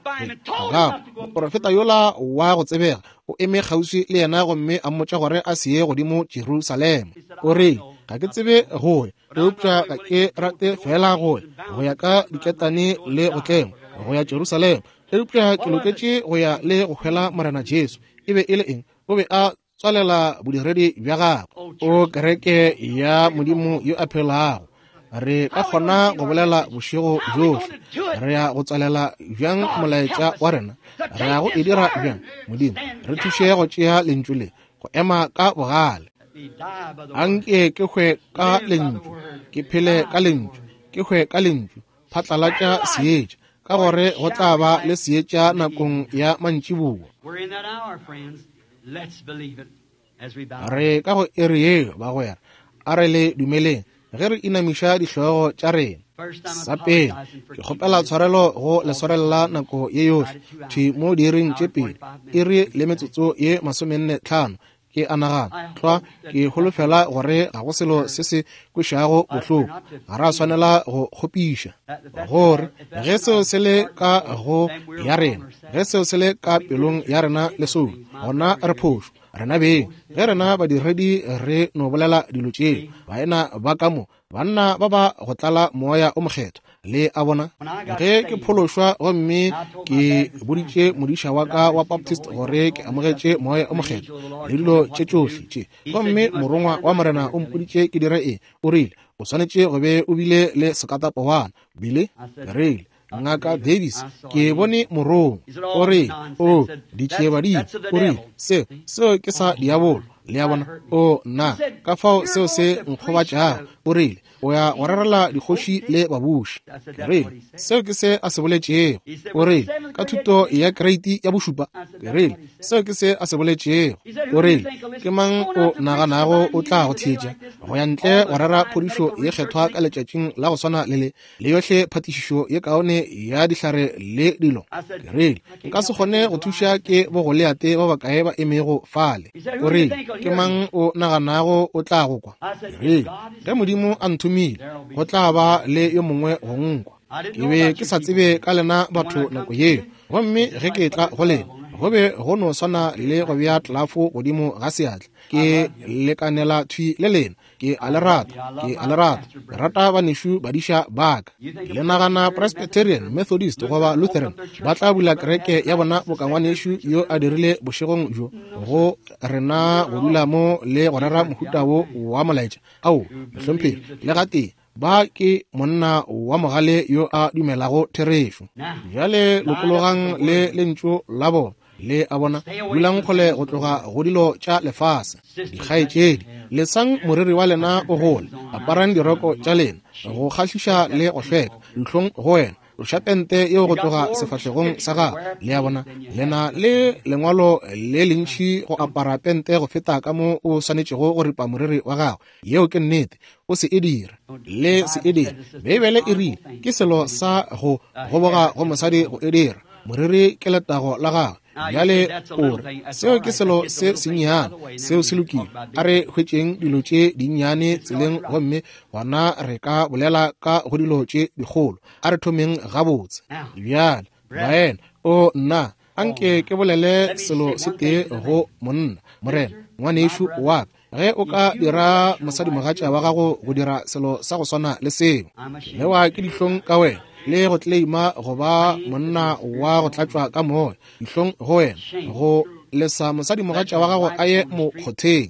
Gagwe moprofeta yola wa go tsebega o eme kgauswi le yena gomme a mmotša gore a se ye godimo Jerusalema. O rile, ga ke tsebe go ya, eupša ga ke rate fela go ya go ya ka diketane le go tlengwa go ya Jerusalema, eupša ke loketše go ya le go hwela Morena Jesu. E be e le eng? O be a tswalela bodiredi bja gagwe. O kereke ya Modimo yo a phelago, re ka kgona go bolela bošego bjohle. Re ya go tswalela bjang molaetša wa rena? Re ya go e dira bjang? Modimo, re thuše go tšea lentšu le, go ema ka bogale. Anke ke hwe ka lentšu, ke phele ka lentšu, ke hwe ka lentšu. Phatlalatša seetša, ka gore go tla ba le seetša nakong ya mantšiboa. Re ka go iri yeo, bagwera, a re le dumeleng ge re inamiša dihlogo tša rena. Sa pele, ke kgopela tshwarelo go le swarelela nako ye yohle, thwi mo diiring tše pedi, iri le metsotso ye 45, ke a nagana tlwa. Ke holofela gore ga go selo se se kwešago bohloko. Ga ra swanela go kgopiša gore ge seo se le ka go ya rena, ge seo se le ka pelong ya rena le soulo, gona re phošo rena beng. Ge rena badiredi re no bolela dilo tšeo, baena ba ka mo, banna ba ba go tlala Moya o Mokgethwa, le a bona. Ge ke phološwa gomme ke boditše modiša wa ka wa Baptist gore ke amogetše Moya o Mokgethwa le dilo tše tšohle tše, gomme morongwa wa Morena o mpoditše ke dire eng, o rile, o swanetše go be o bile le sekatapowana. Bile ke rile, Ngaka Davis, ke bone morongwa. O re, o ditšiebadimo. O rile, seo, seo ke sa diabolo. Le a bona? O nna, ka fao seo se nkgobatšago. O rile, o ya go rerela dikgoši le babuši. Ke rile, seo ke se a se boletšego. O rile, ka thuto ya kreiti ya bošupa. Ke rile, seo ke se a se boletšego. O rile, ke mang o naganago o tla go theetša go ya ntle go rera phodišo ye kgethwa ka letšatšing la go swana le le, le yohle phatišišo ye kaone ya dihlare le dilo? Ke rile, nka se kgone go thuša ke bogoleate ba bakae ba emego fale. O rile, ke mang o naganago o tla go kwa? Ke rile, ge Modimo a nthomile, go tla ba le yo mongwe go nkwa. Ke be ke sa tsebe ka lena batho nako yeo, gomme ge ke tla go lena, Go be go no swana le go bea tlelafo godimo ga seatla. Ke lekanela thwi le lena. Ke a le rata. Ke a le rata. Ke rata banešu badiša ba ka. Le nagana Presbyterian, Methodist goba Lutheran ba tla bula kereke ya bona boka ngwanešu yo a dirile bošegong bjo go rena go dula mo le go rera mohuta wo wa molaetša? Ao, mohlomphegi, le gatee. Ba ke monna wa mogale yo a dumelago therešo. Bjale lokologang le lentšu la bona. Le a bona, dulang kgole go tloga go dilo tša lefase. Dikgaetšedi, lesang moriri wa lena o gole, aparang diroko tša lena go kgahliša le go hlweka. Dihlong go wena, tloša pente yeo go tloga sefahlegong sa gago. Le a bona, le na le lengwalo le lentši go apara pente go feta ka mo o swanetšego go ripa moriri wa gago. Yeo ke nnete. O se e dira. Le se e dira. Beibele e rile ke selo sa go goboga go mosadi go e dira. Moriri ke letago la gagwe. Bjale o re, seo ke selo se sennyane, seo se lokile. A re hwetšeng dilo tše dinnyane tseleng gomme gona re ka bolela ka go dilo tše dikgolo. A re thomeng gabotse. Bjale, baena, o nna, anke ke bolele selo se tee go monna, morena, ngwanešu wa ka. Ge o ka dira mosadimogatša wa gago go dira selo sa go swana le seo, lewa ke dihlong ka wena le go tleleima go ba monna wa go tlatšwa ka moya. Dihlong go wena go lesa mosadimogatša wa gago a ye mokgotheng,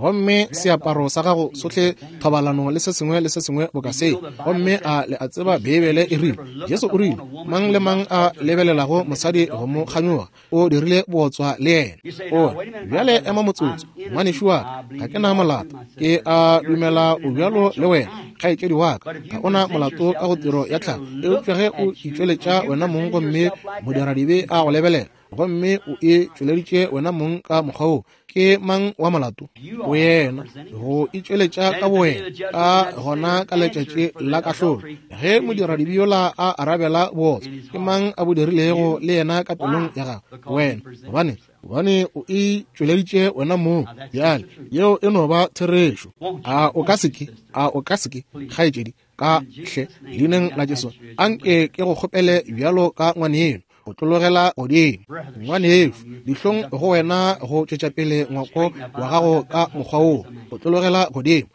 gomme seaparo sa gago sohle thobalano le se sengwe le se sengwe boka seo. Gomme a le a tseba Beibele e rile, Jesu o rile, mang le mang a lebelelago mosadi go mo kganyoga o dirile bootswa le yena. O re, bjale ema motsotso, ngwanešu wa ka, ga ke na molato. Ke a dumela o bjalo le wena, kgaetšedi wa ka. Ga o na molato ka go tiro ya tlhago. Eupša ge o itšweletša wena mong gomme modiradibe a go lebelela, gomme o e tšweleditše wena mong ka mokgwa wo, ke mang wa molato? O yena go itšweletša ka bowena. Ka gona ka letšatši la kahlolo, ge modiradibe yola a arabela bootswa, ke mang a bo dirilego le yena ka pelong ya gagwe? Wena. Gobane, gobane o itšweleditše wena mong. Bjale, yeo e no ba therešo. A o ka se ke, a o ka se ke, kgaetšedi, ka hle, leineng la Jesu, anke ke go kgopele bjalo ka ngwaneno, go tlologela godimo. Ngwanešu, dihlong go wena go tšwetša pele ngwako wa gago ka mokgwa wo, go tlologela godimo.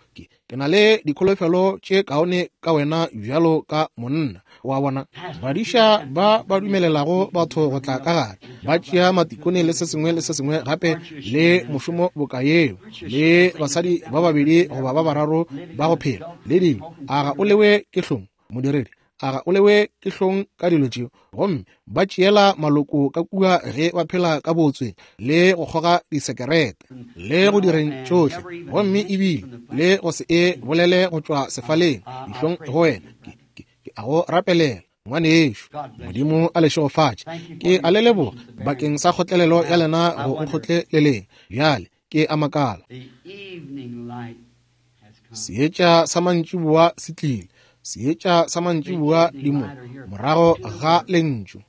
Ke na le dikholofelo tše kaone ka wena bjalo ka monna. Wa bona, badiša ba ba dumelelago batho go tla ka gare, ba tšea matikone le se sengwe le se sengwe gape le mošomo boka yeo, le basadi ba babedi goba ba bararo ba go phela le dilo. A ga o lewe ke hlong, modiredi? A ga o lewe ke hlong ka dilo tšeo? Gomme ba tšeela maloko ka kua ge ba phela ka bootsweng le go kgoga disekerete le go direng tšohle, gomme ebile le go se e bolele go tšwa sefaleng. Dihlong go wena. Ke a go rapelela, ngwanešu. Modimo a le šegofatše. Ke a le leboga bakeng sa kgotlelelo ya lena go nkgotleleleng. Bjale ke a makala. Seetša sa mantšiboa se tlile. Seetša sa mantšiboa di mo morago ga lentšu.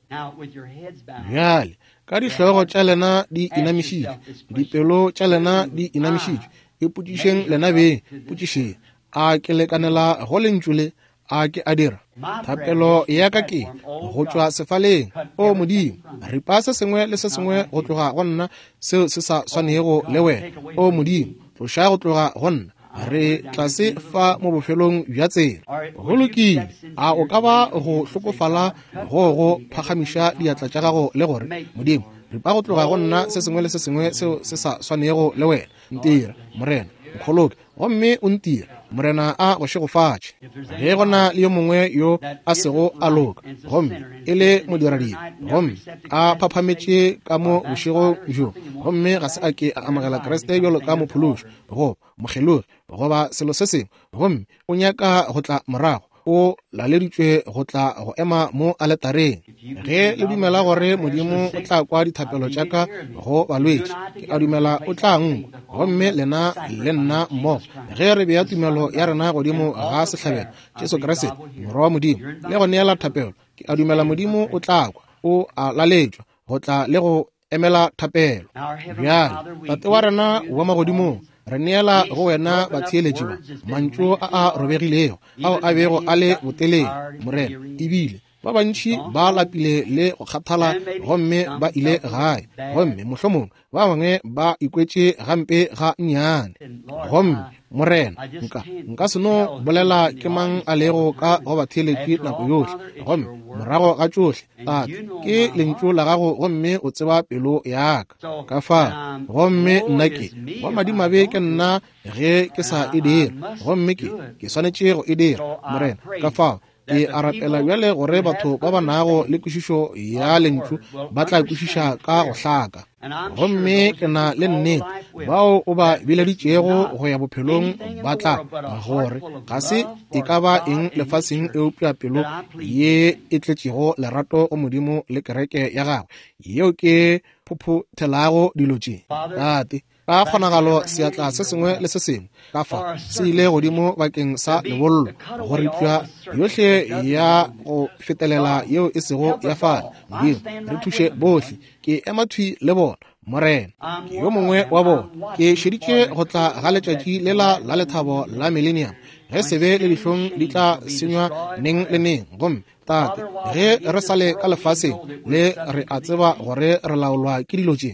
Bjale ka dihlogo tša lena di inamišitšwe, dipelo tša lena di inamišitšwe, ipotšišeng lena beng, potšišeng, a ke lekanela go lentšu le? A ke a dira? Thapelo ya ka ke go tšwa sefaleng, O Modimo, ripa se sengwe le se sengwe go tloga go nna seo se sa swanego le wena. O Modimo, tloša go tloga go nna. Re tlase fa mo bofelong bja tsela. Go lokile. A o ka ba go hlokofala go go phagamiša diatla tša gago le gore, Modimo, ripa go tloga go nna se sengwe le se sengwe seo se sa swanego le wena. Ntira, Morena, nkgoloke, gomme o ntira. Morena a go šegofatše. Ge go na le yo mongwe yo a sego a loka gomme e le modiradibe gomme a phaphametše ka mo bošego bjo gomme ga se a ke a amogela Kriste bjalo ka mophološi goba mokgelogi goba selo se sengwe, gomme o nyaka go tla morago, o laleditšwe go tla go ema mo aletareng. Ge le dumela gore Modimo o tla kwa dithapelo tša ka go balwetši, ke a dumela o tla nkwa, gomme lena le nna mmogo, ge re bea tumelo ya rena godimo ga sehlabelo, Jesu Kriste, Morwa wa Modimo, le go neela thapelo, ke a dumela Modimo o tla kwa. O a laletšwa go tla le go emela thapelo. Bjale, Tate wa rena wa magodimong, re neela go wena batheeletši ba mantšu a a robegilego ao a bego a le botelele, Morena, ebile Ba bantši ba lapile le go kgathala gomme ba ile gae, gomme mohlomongwe ba bangwe ba ikwetše gampe ga nnyane. Gomme Morena, nka se no bolela ke mang a lego ka go ba theeletše nako yohle. Gomme morago ga tšohle, Tate, ke lentšu la gago gomme o tseba pelo ya ka. Ka fao, gomme nna ke wa madimabe ke nna ge ke sa e dira, gomme ke swanetše go e dira, Morena. Ka fao, ke a rapela bjale gore batho ba ba nago le kwešišo ya lentšu ba tla kwešiša ka go hlaka. Gomme ke na le nnete bao o ba bileditšego go ya bophelong ba tla gore ga se e ka ba eng lefaseng eupša pelo ye e tletšego lerato go Modimo le kereke ya gagwe, yeo ke phophothelago dilo tše. Tate, ka kgonagalo seatla se sengwe le se sengwe ka fa se ile godimo bakeng sa lebollo, go ripša yohle ya go fetelela yeo e sego ya fale. Modimo, re thuše bohle. Ke ema thwi le bona, Morena. Ke yo mongwe wa bona. Ke šeditše go tla ga letšatši lela la lethabo la millennium, ge sebe le dihlong di tla senywa neng le neng. Gomme Tate, ge re sa le ka lefaseng le, re a tseba gore re laolwa ke dilo tše.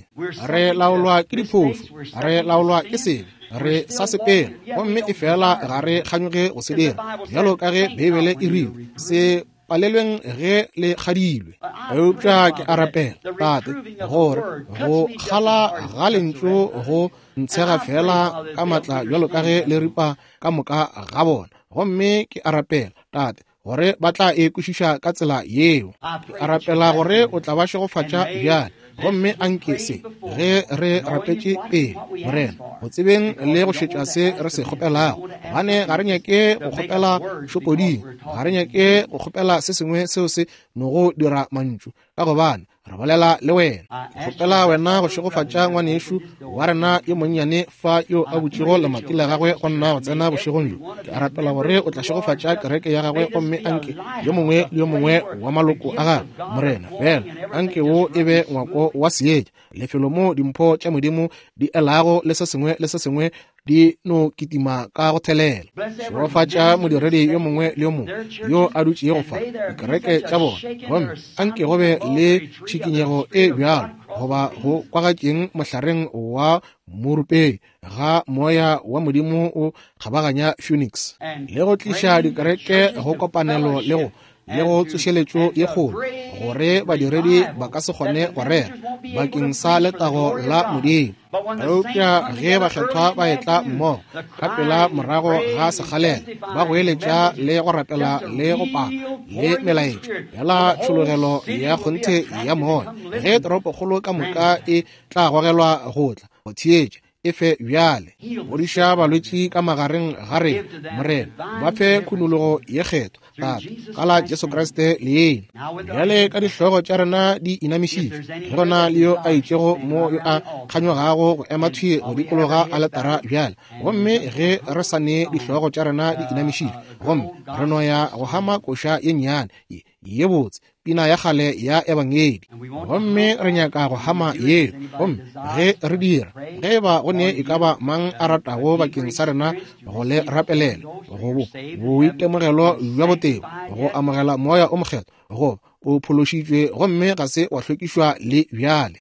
Re laolwa ke diphošo, re laolwa ke sebe, re sa sepela, gomme efela ga re kganyoge go se dira, bjalo ka ge Beibele e rile, se palelweng ge le kgadilwe. Eupša ke a rapela, Tate, gore go kgala ga lentšu go ntshega fela ka matla bjalo ka ge le ripa ka moka ga bona. Gomme ke a rapela, Tate, gore ba tla e kwešiša ka tsela yeo. Ke a rapela gore o tla ba šegofatša bjale. Gomme anke se, ge re rapetše pele, Morena, go tsebeng le go šetša se re se kgopelago, gobane ga re nyake go kgopela šopoding, ga re nyake go kgopela se sengwe seo se nogo dira mantšu, ka gobane re bolela le wena. Ke kgopela wena go šegofatša ngwanešu wa rena yo monnyane fa yo a butšego lemati la gagwe go nna go tsena bošegong bjo. Ke a rapela gore o tla šegofatša kereke ya gagwe, gomme anke yo mongwe le yo mongwe wa maloko a gagwe, Morena, fela anke wo e be ngwako wa seetša, lefelo mo dimpho tša Modimo di elago le se sengwe le se sengwe di no kitima ka go thelela. Šegofatša modiredi yo mongwe le yo mongwe yo a dutšego fa, dikereke tša bona, gomme anke go be le tšhikinyego e bjalo goba go kwagatšeng mohlareng wa morupei ga moya wa Modimo o kgabaganya Phoenix le go tliša dikereke go kopanelo le go le go tsošeletšo ye kgolo, gore badiredi ba ka se kgone go rera bakeng sa letago la Modimo. Eupša ge bakgethwa ba etla mmogo ka pela morago ga sekgalela, ba goeletša le go rapela le go paka le melaetša yala tšhologelo ya kgonthe ya moya, ge toropokgolo ka moka e tla gogelwa go tla go theetša, e fe bjale. Fodiša balwetši ka magareng ga rena, Morena. Ba fe khunologo ye kgethwa, Tate, ka la Jesu Kriste leina. Bjale ka dihlogo tša rena di inamišitšwe, ge go na le yo a itšego mo yo a kganyogago go ema thwi go dikologa aletara bjale, gomme ge re sa ne dihlogo tša rena di inamišitšwe, gomme re no ya go hama koša ye nnyane ye ye botse, pina ya kgale ya ebangedi, gomme re nyaka go hama yeo. Gomme ge re dira, ge e ba go ne e ka ba mang a ratago bakeng sa rena go le rapelela, go boitemogelo bja botebo, go amogela Moya o Mokgethwa, goba o phološitšwe gomme ga se wa hlwekišwa le bjale,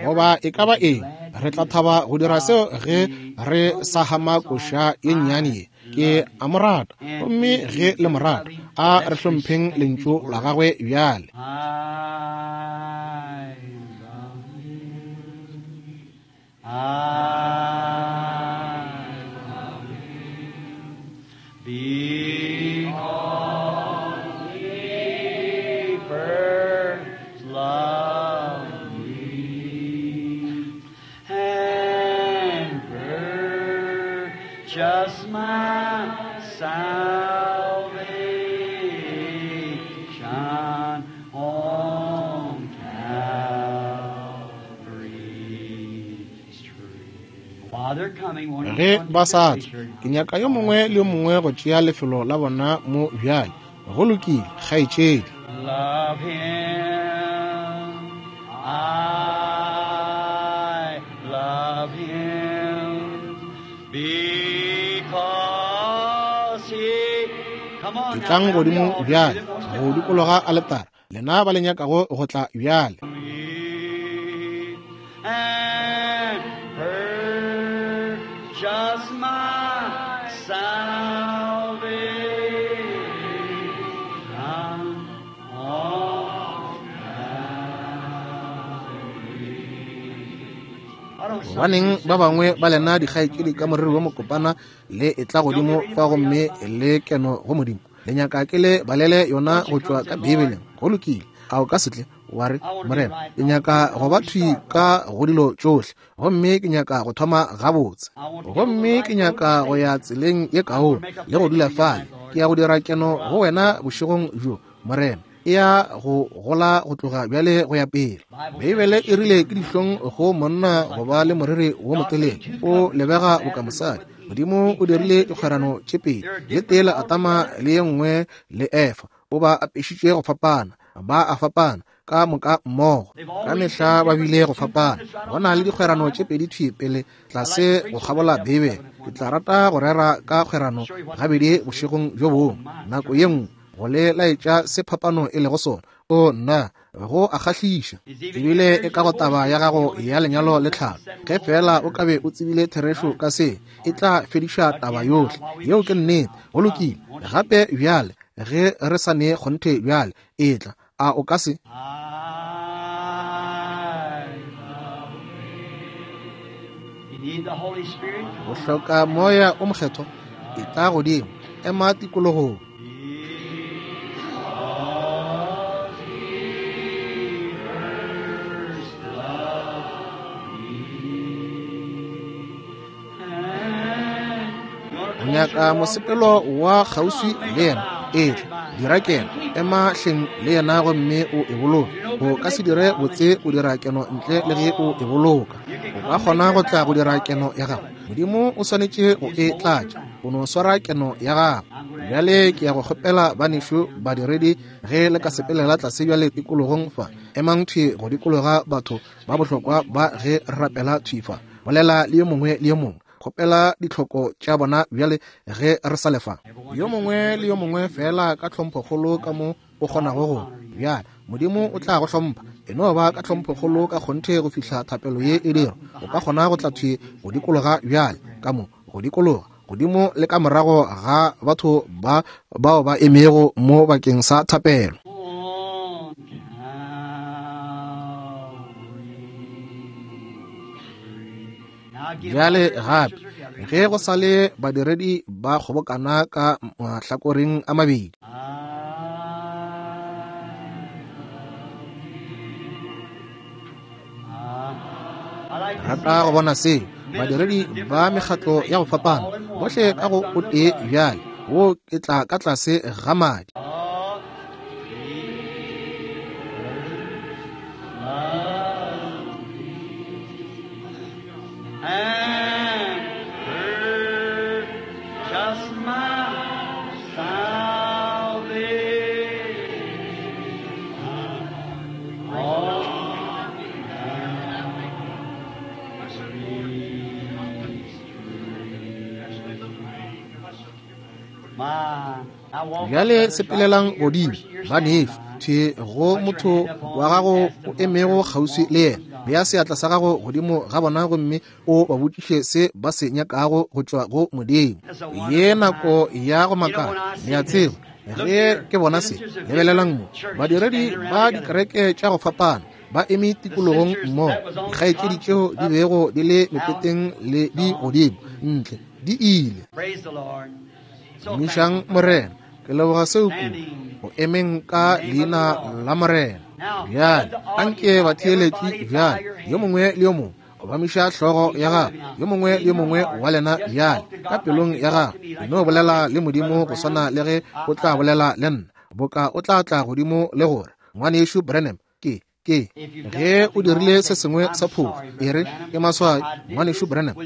goba e ka ba eng, re tla thaba go dira seo ge re sa hama koša ye nnyane ye. Ke a mo rata, gomme ge le mo rata, a re hlompheng lentšu la gagwe bjale. Because he first loved me and purchased my salvation on Calvary's tree. While they're coming, won't you Ge come ba to sa the tla, church? ke nyaka yo mongwe le yo mongwe go tšea lefelo la bona mo bjale. Go lokile, kgaetšedi. Love him, I love him, because he. Come on, Etlang now, godimo round the bjale altar. go dikologa aletara. Lena ba le nyakago go tla bjale. And purchase my salvation on Calvary. Gobaneng ba bangwe ba lena dikgaetšedi ka moriri wo mokopana le etla godimo fa gomme le keno go Modimo? Le nyaka ke le balele yona go tšwa ka Beibeleng. Go lokile. A o ka se tle wa re, Morena, ke nyaka go ba thwi ka go dilo tšohle, gomme ke nyaka go thoma gabotse, gomme ke nyaka go ya tseleng ye kaone le go dula fale. Ke ya go dira keno go wena bošegong bjo, Morena. E ya go gola go tloga bjale go ya pele. Beibele e rile ke dihlong go monna go ba le moriri wo motelele, o lebega boka mosadi. Modimo o dirile dikgwerano tše pedi, le tee le Adama le ye nngwe le Efa. O ba apešitše go fapana, ba a fapana ka moka mmogo. Ka mehla ba bile go fapana. Go na le dikgwerano tše pedi thwi pele tlase go kgabola Beibele. Ke tla rata go rera ka kgwerano gabedi bošegong bjo bongwe, nako ye nngwe, go le laetša se phapano e lego sona. O nna, go a kgahliša. Ebile e ka go taba ya gago ya lenyalo le tlhalo, ge feela o ka be o tsebile therešo ka se, e tla fediša taba yohle. Yeo ke nnete. Go lokile. Gape bjale, ge re sa ne kgonthe bjale, etla. A o ka se? O hloka Moya o Mokgethwa? Etla godimo, ema tikologong. O nyaka mosepelo wa kgauswi le yena? Etla, dira keno, ema hleng le yena gomme o e boloke. O ka se dire botse o dira keno ntle le ge o e boloka. O ka kgona go tla go dira keno ya gago. Modimo o swanetše go e tlatša. O no swara keno ya gago. Bjale ke ya go kgopela banešu badiredi ge le ka sepelela tlase bjale tikologong fa. Emang thwi go dikologa batho ba bohlokwa ba ge re rapela thwi fa. Bolela le yo mongwe le yo mongwe. Kgopela ditlhoko tša bona bjale ge re sa lefa. Yo mongwe le yo mongwe feela ka tlhomphokgolo ka mo o kgonago go. Bjale Modimo o tla go hlompha. E no ba ka tlhomphokgolo ka kgonthe go fihla thapelo ye e dirwa. O ka kgona go tla thwi go dikologa bjale ka mo go dikologa godimo le ka morago ga batho ba bao ba emego mo bakeng sa thapelo. Bjale gape ge go sa le badiredi ba kgobokana ka mahlakoreng a mabedi. Rata go bona seo badiredi ba mekgatlo ya go fapana bohle ka go o tee bjale, wo ke tla ka tlase ga madi. And purchase my salvation on Bjale sepelelang godimo, banešu, thwi go motho wa gago o emego kgauswi le yena. Bea seatla sa gago godimo ga bona gomme o ba botšiše se ba se nyakago go tšwa go Modimo. Ye nako ya go makala, le a tseba, ge ke bona se. Lebelelang mo, badiredi ba dikereke tša go fapana ba eme tikologong mmogo, dikgaetšedi tšeo di bego di le mepeteng le di godimo ntle di ile. Tumišang Morena. Ke leboga seo kudu, go emeng ka leina la Morena. Bjale anke batheeletši bjale, yo mongwe le yo mongwe obamiša hlogo ya gago, yo mongwe le yo mongwe wa lena bjale ka pelong ya gago, e no bolela le Modimo go swana le ge o tla bolela le nna, boka o tla tla godimo le gore, Ngwanešu Branham, ke ke ge o dirile se sengwe sa phofu, e re, ke maswabi, Ngwanešu Branham,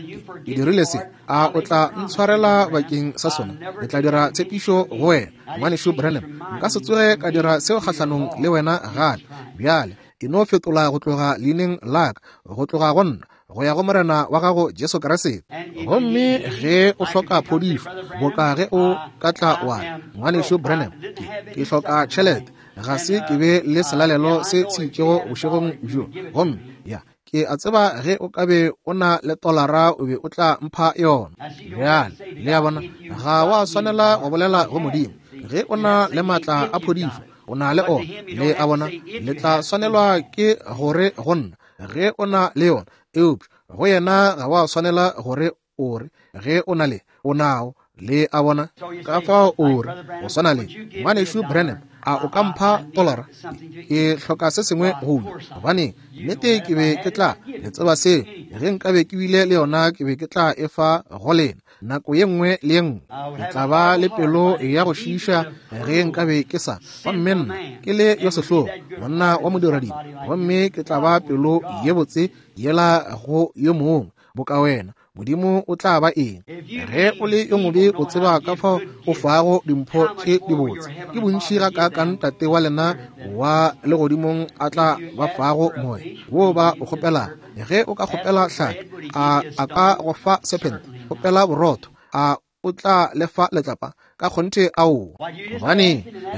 ke dirile se, a o tla ntshwarela bakeng sa sona? Ke tla dira tshepišo go wena, Ngwanešu Branham, nka se tsoge ka dira seo kgahlanong le wena gape. Bjale e no fetola go tloga leineng la ka, go tloga go nna, go ya go Morena wa gago Jesu Kriste. Gomme ge o hloka phodišo, boka ge o ka tla wa re, Ngwanešu Branham, ke hloka tšhelete. Ga se ke be le selalelo se se itšego bošegong bjo. Gomme, ya, ke a tseba ge o ka be o na le tolara o be o tla mpha yona. Bjale, le a bona, ga wa swanela go bolela go Modimo. Ge o na le maatla a phodišo, o na le ona. Le a bona, le tla swanelwa ke gore go nna ge o na le yona, eupša go yena ga wa swanela gore o re ge o na le o nao. Le a bona, ka fao o re go swana le ngwanešu Branham, a o ka mpha tolara? Ke hloka se sengwe go ja. Gobane nnete ke be ke tla le tseba seo, ge nkabe ke bile le yona ke be ke tla e fa go lena nako ye nngwe le ye nngwe. Ke tla ba le pelo ya go šiiša ge nkabe ke sa, gomme nna ke le yo sehlogo, monna wa modiradibe, gomme ke tla ba pelo ye botse yela go yo mongwe boka wena. Modimo o tla ba eng? Ge o le yo mobe, o tseba ka fao o fago dimpho tše dibotse. Ke bontši gakaakang Tate wa lena wa legodimong a tla ba fago moya wo ba o kgopelago. Ge o ka kgopela hlapi, a a ka go fa serpent? Kgopela borotho, a o tla le fa letlapa? Ka kgonthe aowa. Gobane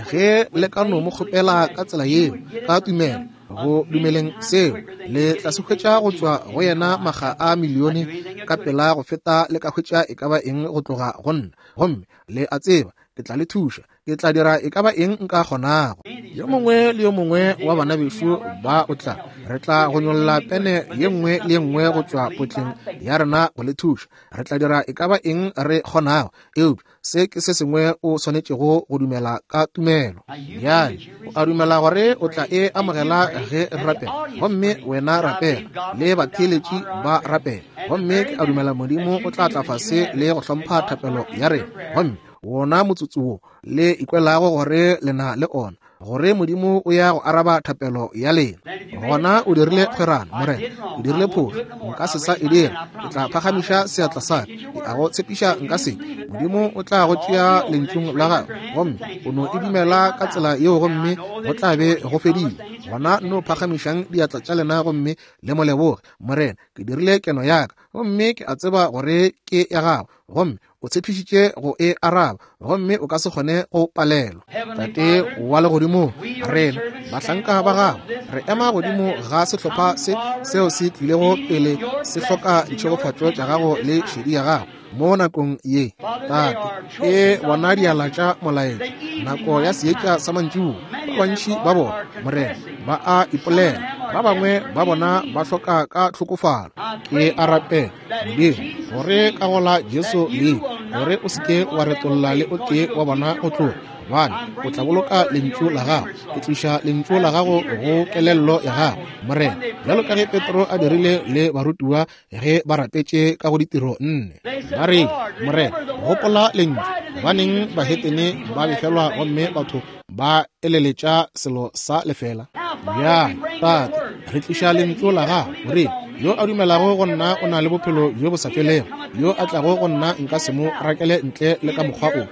ge le ka no mo kgopela ka tsela yeo, ka tumelo, go dumeleng seo, le tla se hwetša go tšwa go yena makga a milione ka pela go feta le ka hwetša e ka ba eng go tloga go nna. Gomme le a tseba ke tla le thuša, ke tla dira e ka ba eng nka kgonago. Yo mongwe le yo mongwe wa bana bešo ba o tla, re tla go nyolla pene ye nngwe le ye nngwe go tšwa potleng ya rena go le thuša. Re tla dira e ka ba eng re kgonago, eupša se ke se sengwe o swanetšego go dumela ka tumelo. Bjale o a dumela gore o tla e amogela ge re rapela, gomme wena rapela le batheeletši ba rapela, gomme ke a dumela Modimo o tla tla fase le go hlompha thapelo ya rena. Gomme wona motsotso wo le ikwelago gore le na le ona, gore Modimo o ya go araba thapelo ya lena, gona o dirile kgwerano. Morena, o dirile phošo, nka se sa e dira. Ke tla phagamiša seatla sa ka, ke a go tshepiša nka se. Modimo o tla go tšea lentšung la gagwe, gomme o no e dumela ka tsela yeo, gomme go tla be go fedile. Gona no phagamišang diatla tša lena gomme le mo leboge. Morena, ke dirile keno ya ka, gomme ke a tseba gore ke ya gago, gomme o tshepišitše go e araba, gomme o ka se kgone go palelwa. Tate wa legodimong, rena bahlanka ba gago re ema godimo ga sehlopha se seo se tlilego pele se hloka ditšhegofatšo tša gago le šedi ya gago mo nakong ye. Tate, ke bona diala tša molaetša, nako ya seetša sa mantšiboa. Ba bantši ba bona, Morena, ba a ipolela, ba bangwe ba bona ba hloka ka tlhokofalo. Ke a rapela, Modimo, gore ka go la Jesu leina, gore o se ke wa retolla le o tee wa bona go tloga, gobane o tla boloka lentšu la gago. Ke tliša lentšu la gago go kelello ya gago, Morena, bjalo ka ge Petro a dirile le barutiwa ge ba rapetše ka go ditiro 4. Ba re, Morena, gopola lentšu, gobaneng bahetene ba befelwa gomme batho ba eleletša selo sa lefela? Bjale, Tate, re tliša lentšu la gago, gore yo a dumelago go nna o na le bophelo bjo bo sa felego, yo a tlago go nna nka se mo rakele ntle le ka mokgwa o.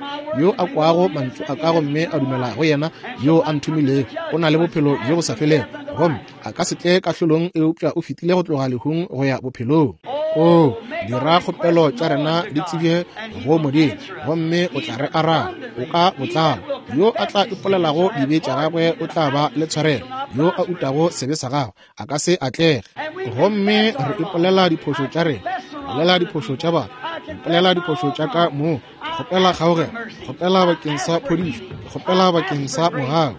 Yo a kwago mantšu a ka gomme a dumela go yena yo a nthomilego, o na le bophelo bjo bo sa felego, gomme a ka se tle kahlolong, eupša o fetile go tloga lehung go ya bophelong. O dira kgopelo tša rena di tsebje go Modimo, gomme o tla re araba. O ka botlalo. Yo a tla ipolelago dibe tša gagwe o tla ba le tshwarelo, yo a utago sebe sa gagwe a ka se atlege. Gomme re ipolela diphošo tša rena, bolela diphošo tša batho, ipolela diphošo tša ka moo, kgopela kgaogelo, kgopela bakeng sa phodišo, kgopela bakeng sa mogau,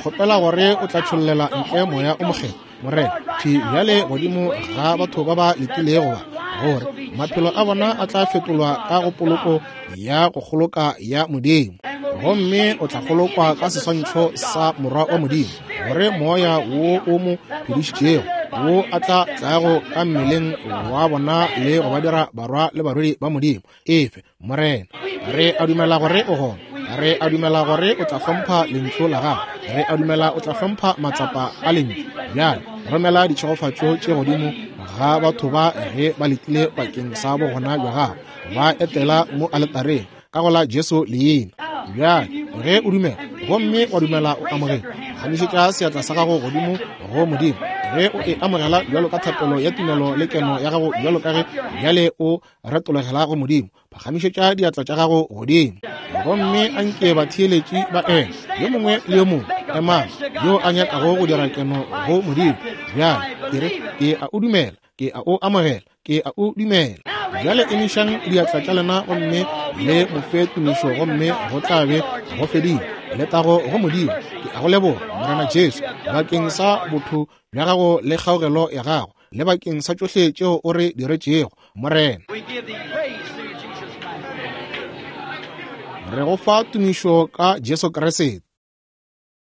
kgopela gore o tla tšhollela ntle moya o mokgethwa, Morena, thwi bjale godimo ga batho ba ba letilego ba, gore maphelo a bona a tla fetolwa ka go poloko ya go kgoloka ya Modimo, gomme o tla kgolokwa ka seswantšho sa Morwa wa Modimo, gore moya wo o mo phedišitšego wo a tla tlago ka mmeleng wa bona le go ba dira barwa le barwedi ba Modimo. Efe, Morena. Re a dumela gore o gona. Re a dumela gore o tla hlompha lentšu la gago. Re a dumela o tla hlompha matsapa a lentšu. Bjale romela ditšhegofatšo tše godimo ga batho ba ge ba letile bakeng sa bogona bja gago, ba etela mo aletareng ka go la Jesu leina. Bjale ge o dumela gomme wa dumela o amogela, gamišetša seatla sa gago godimo go Modimo ge o e amogela bjalo ka thapelo ya tumelo le keno ya gago, bjalo ka ge bjale o retologela go Modimo. Phagamišetša diatla tša gago godimo, gomme a nke batheeletši ba eme, yo mongwe le yo mongwe. Emang, yo a nyakago go dira keno go Modimo. Bjale, ke re, ke a o dumela, ke a o amogela, ke a o dumela. Bjale emišang diatla tša lena gomme le mo fe tumišo, gomme go tla be go fedile. Letago go Modimo. Ke a go leboga, Morena Jesu, bakeng sa botho bja gago le kgaogelo ya gago, le bakeng sa tšohle tšeo o re diretšego, Morena. Re go fa tumišo ka Jesu Kriste.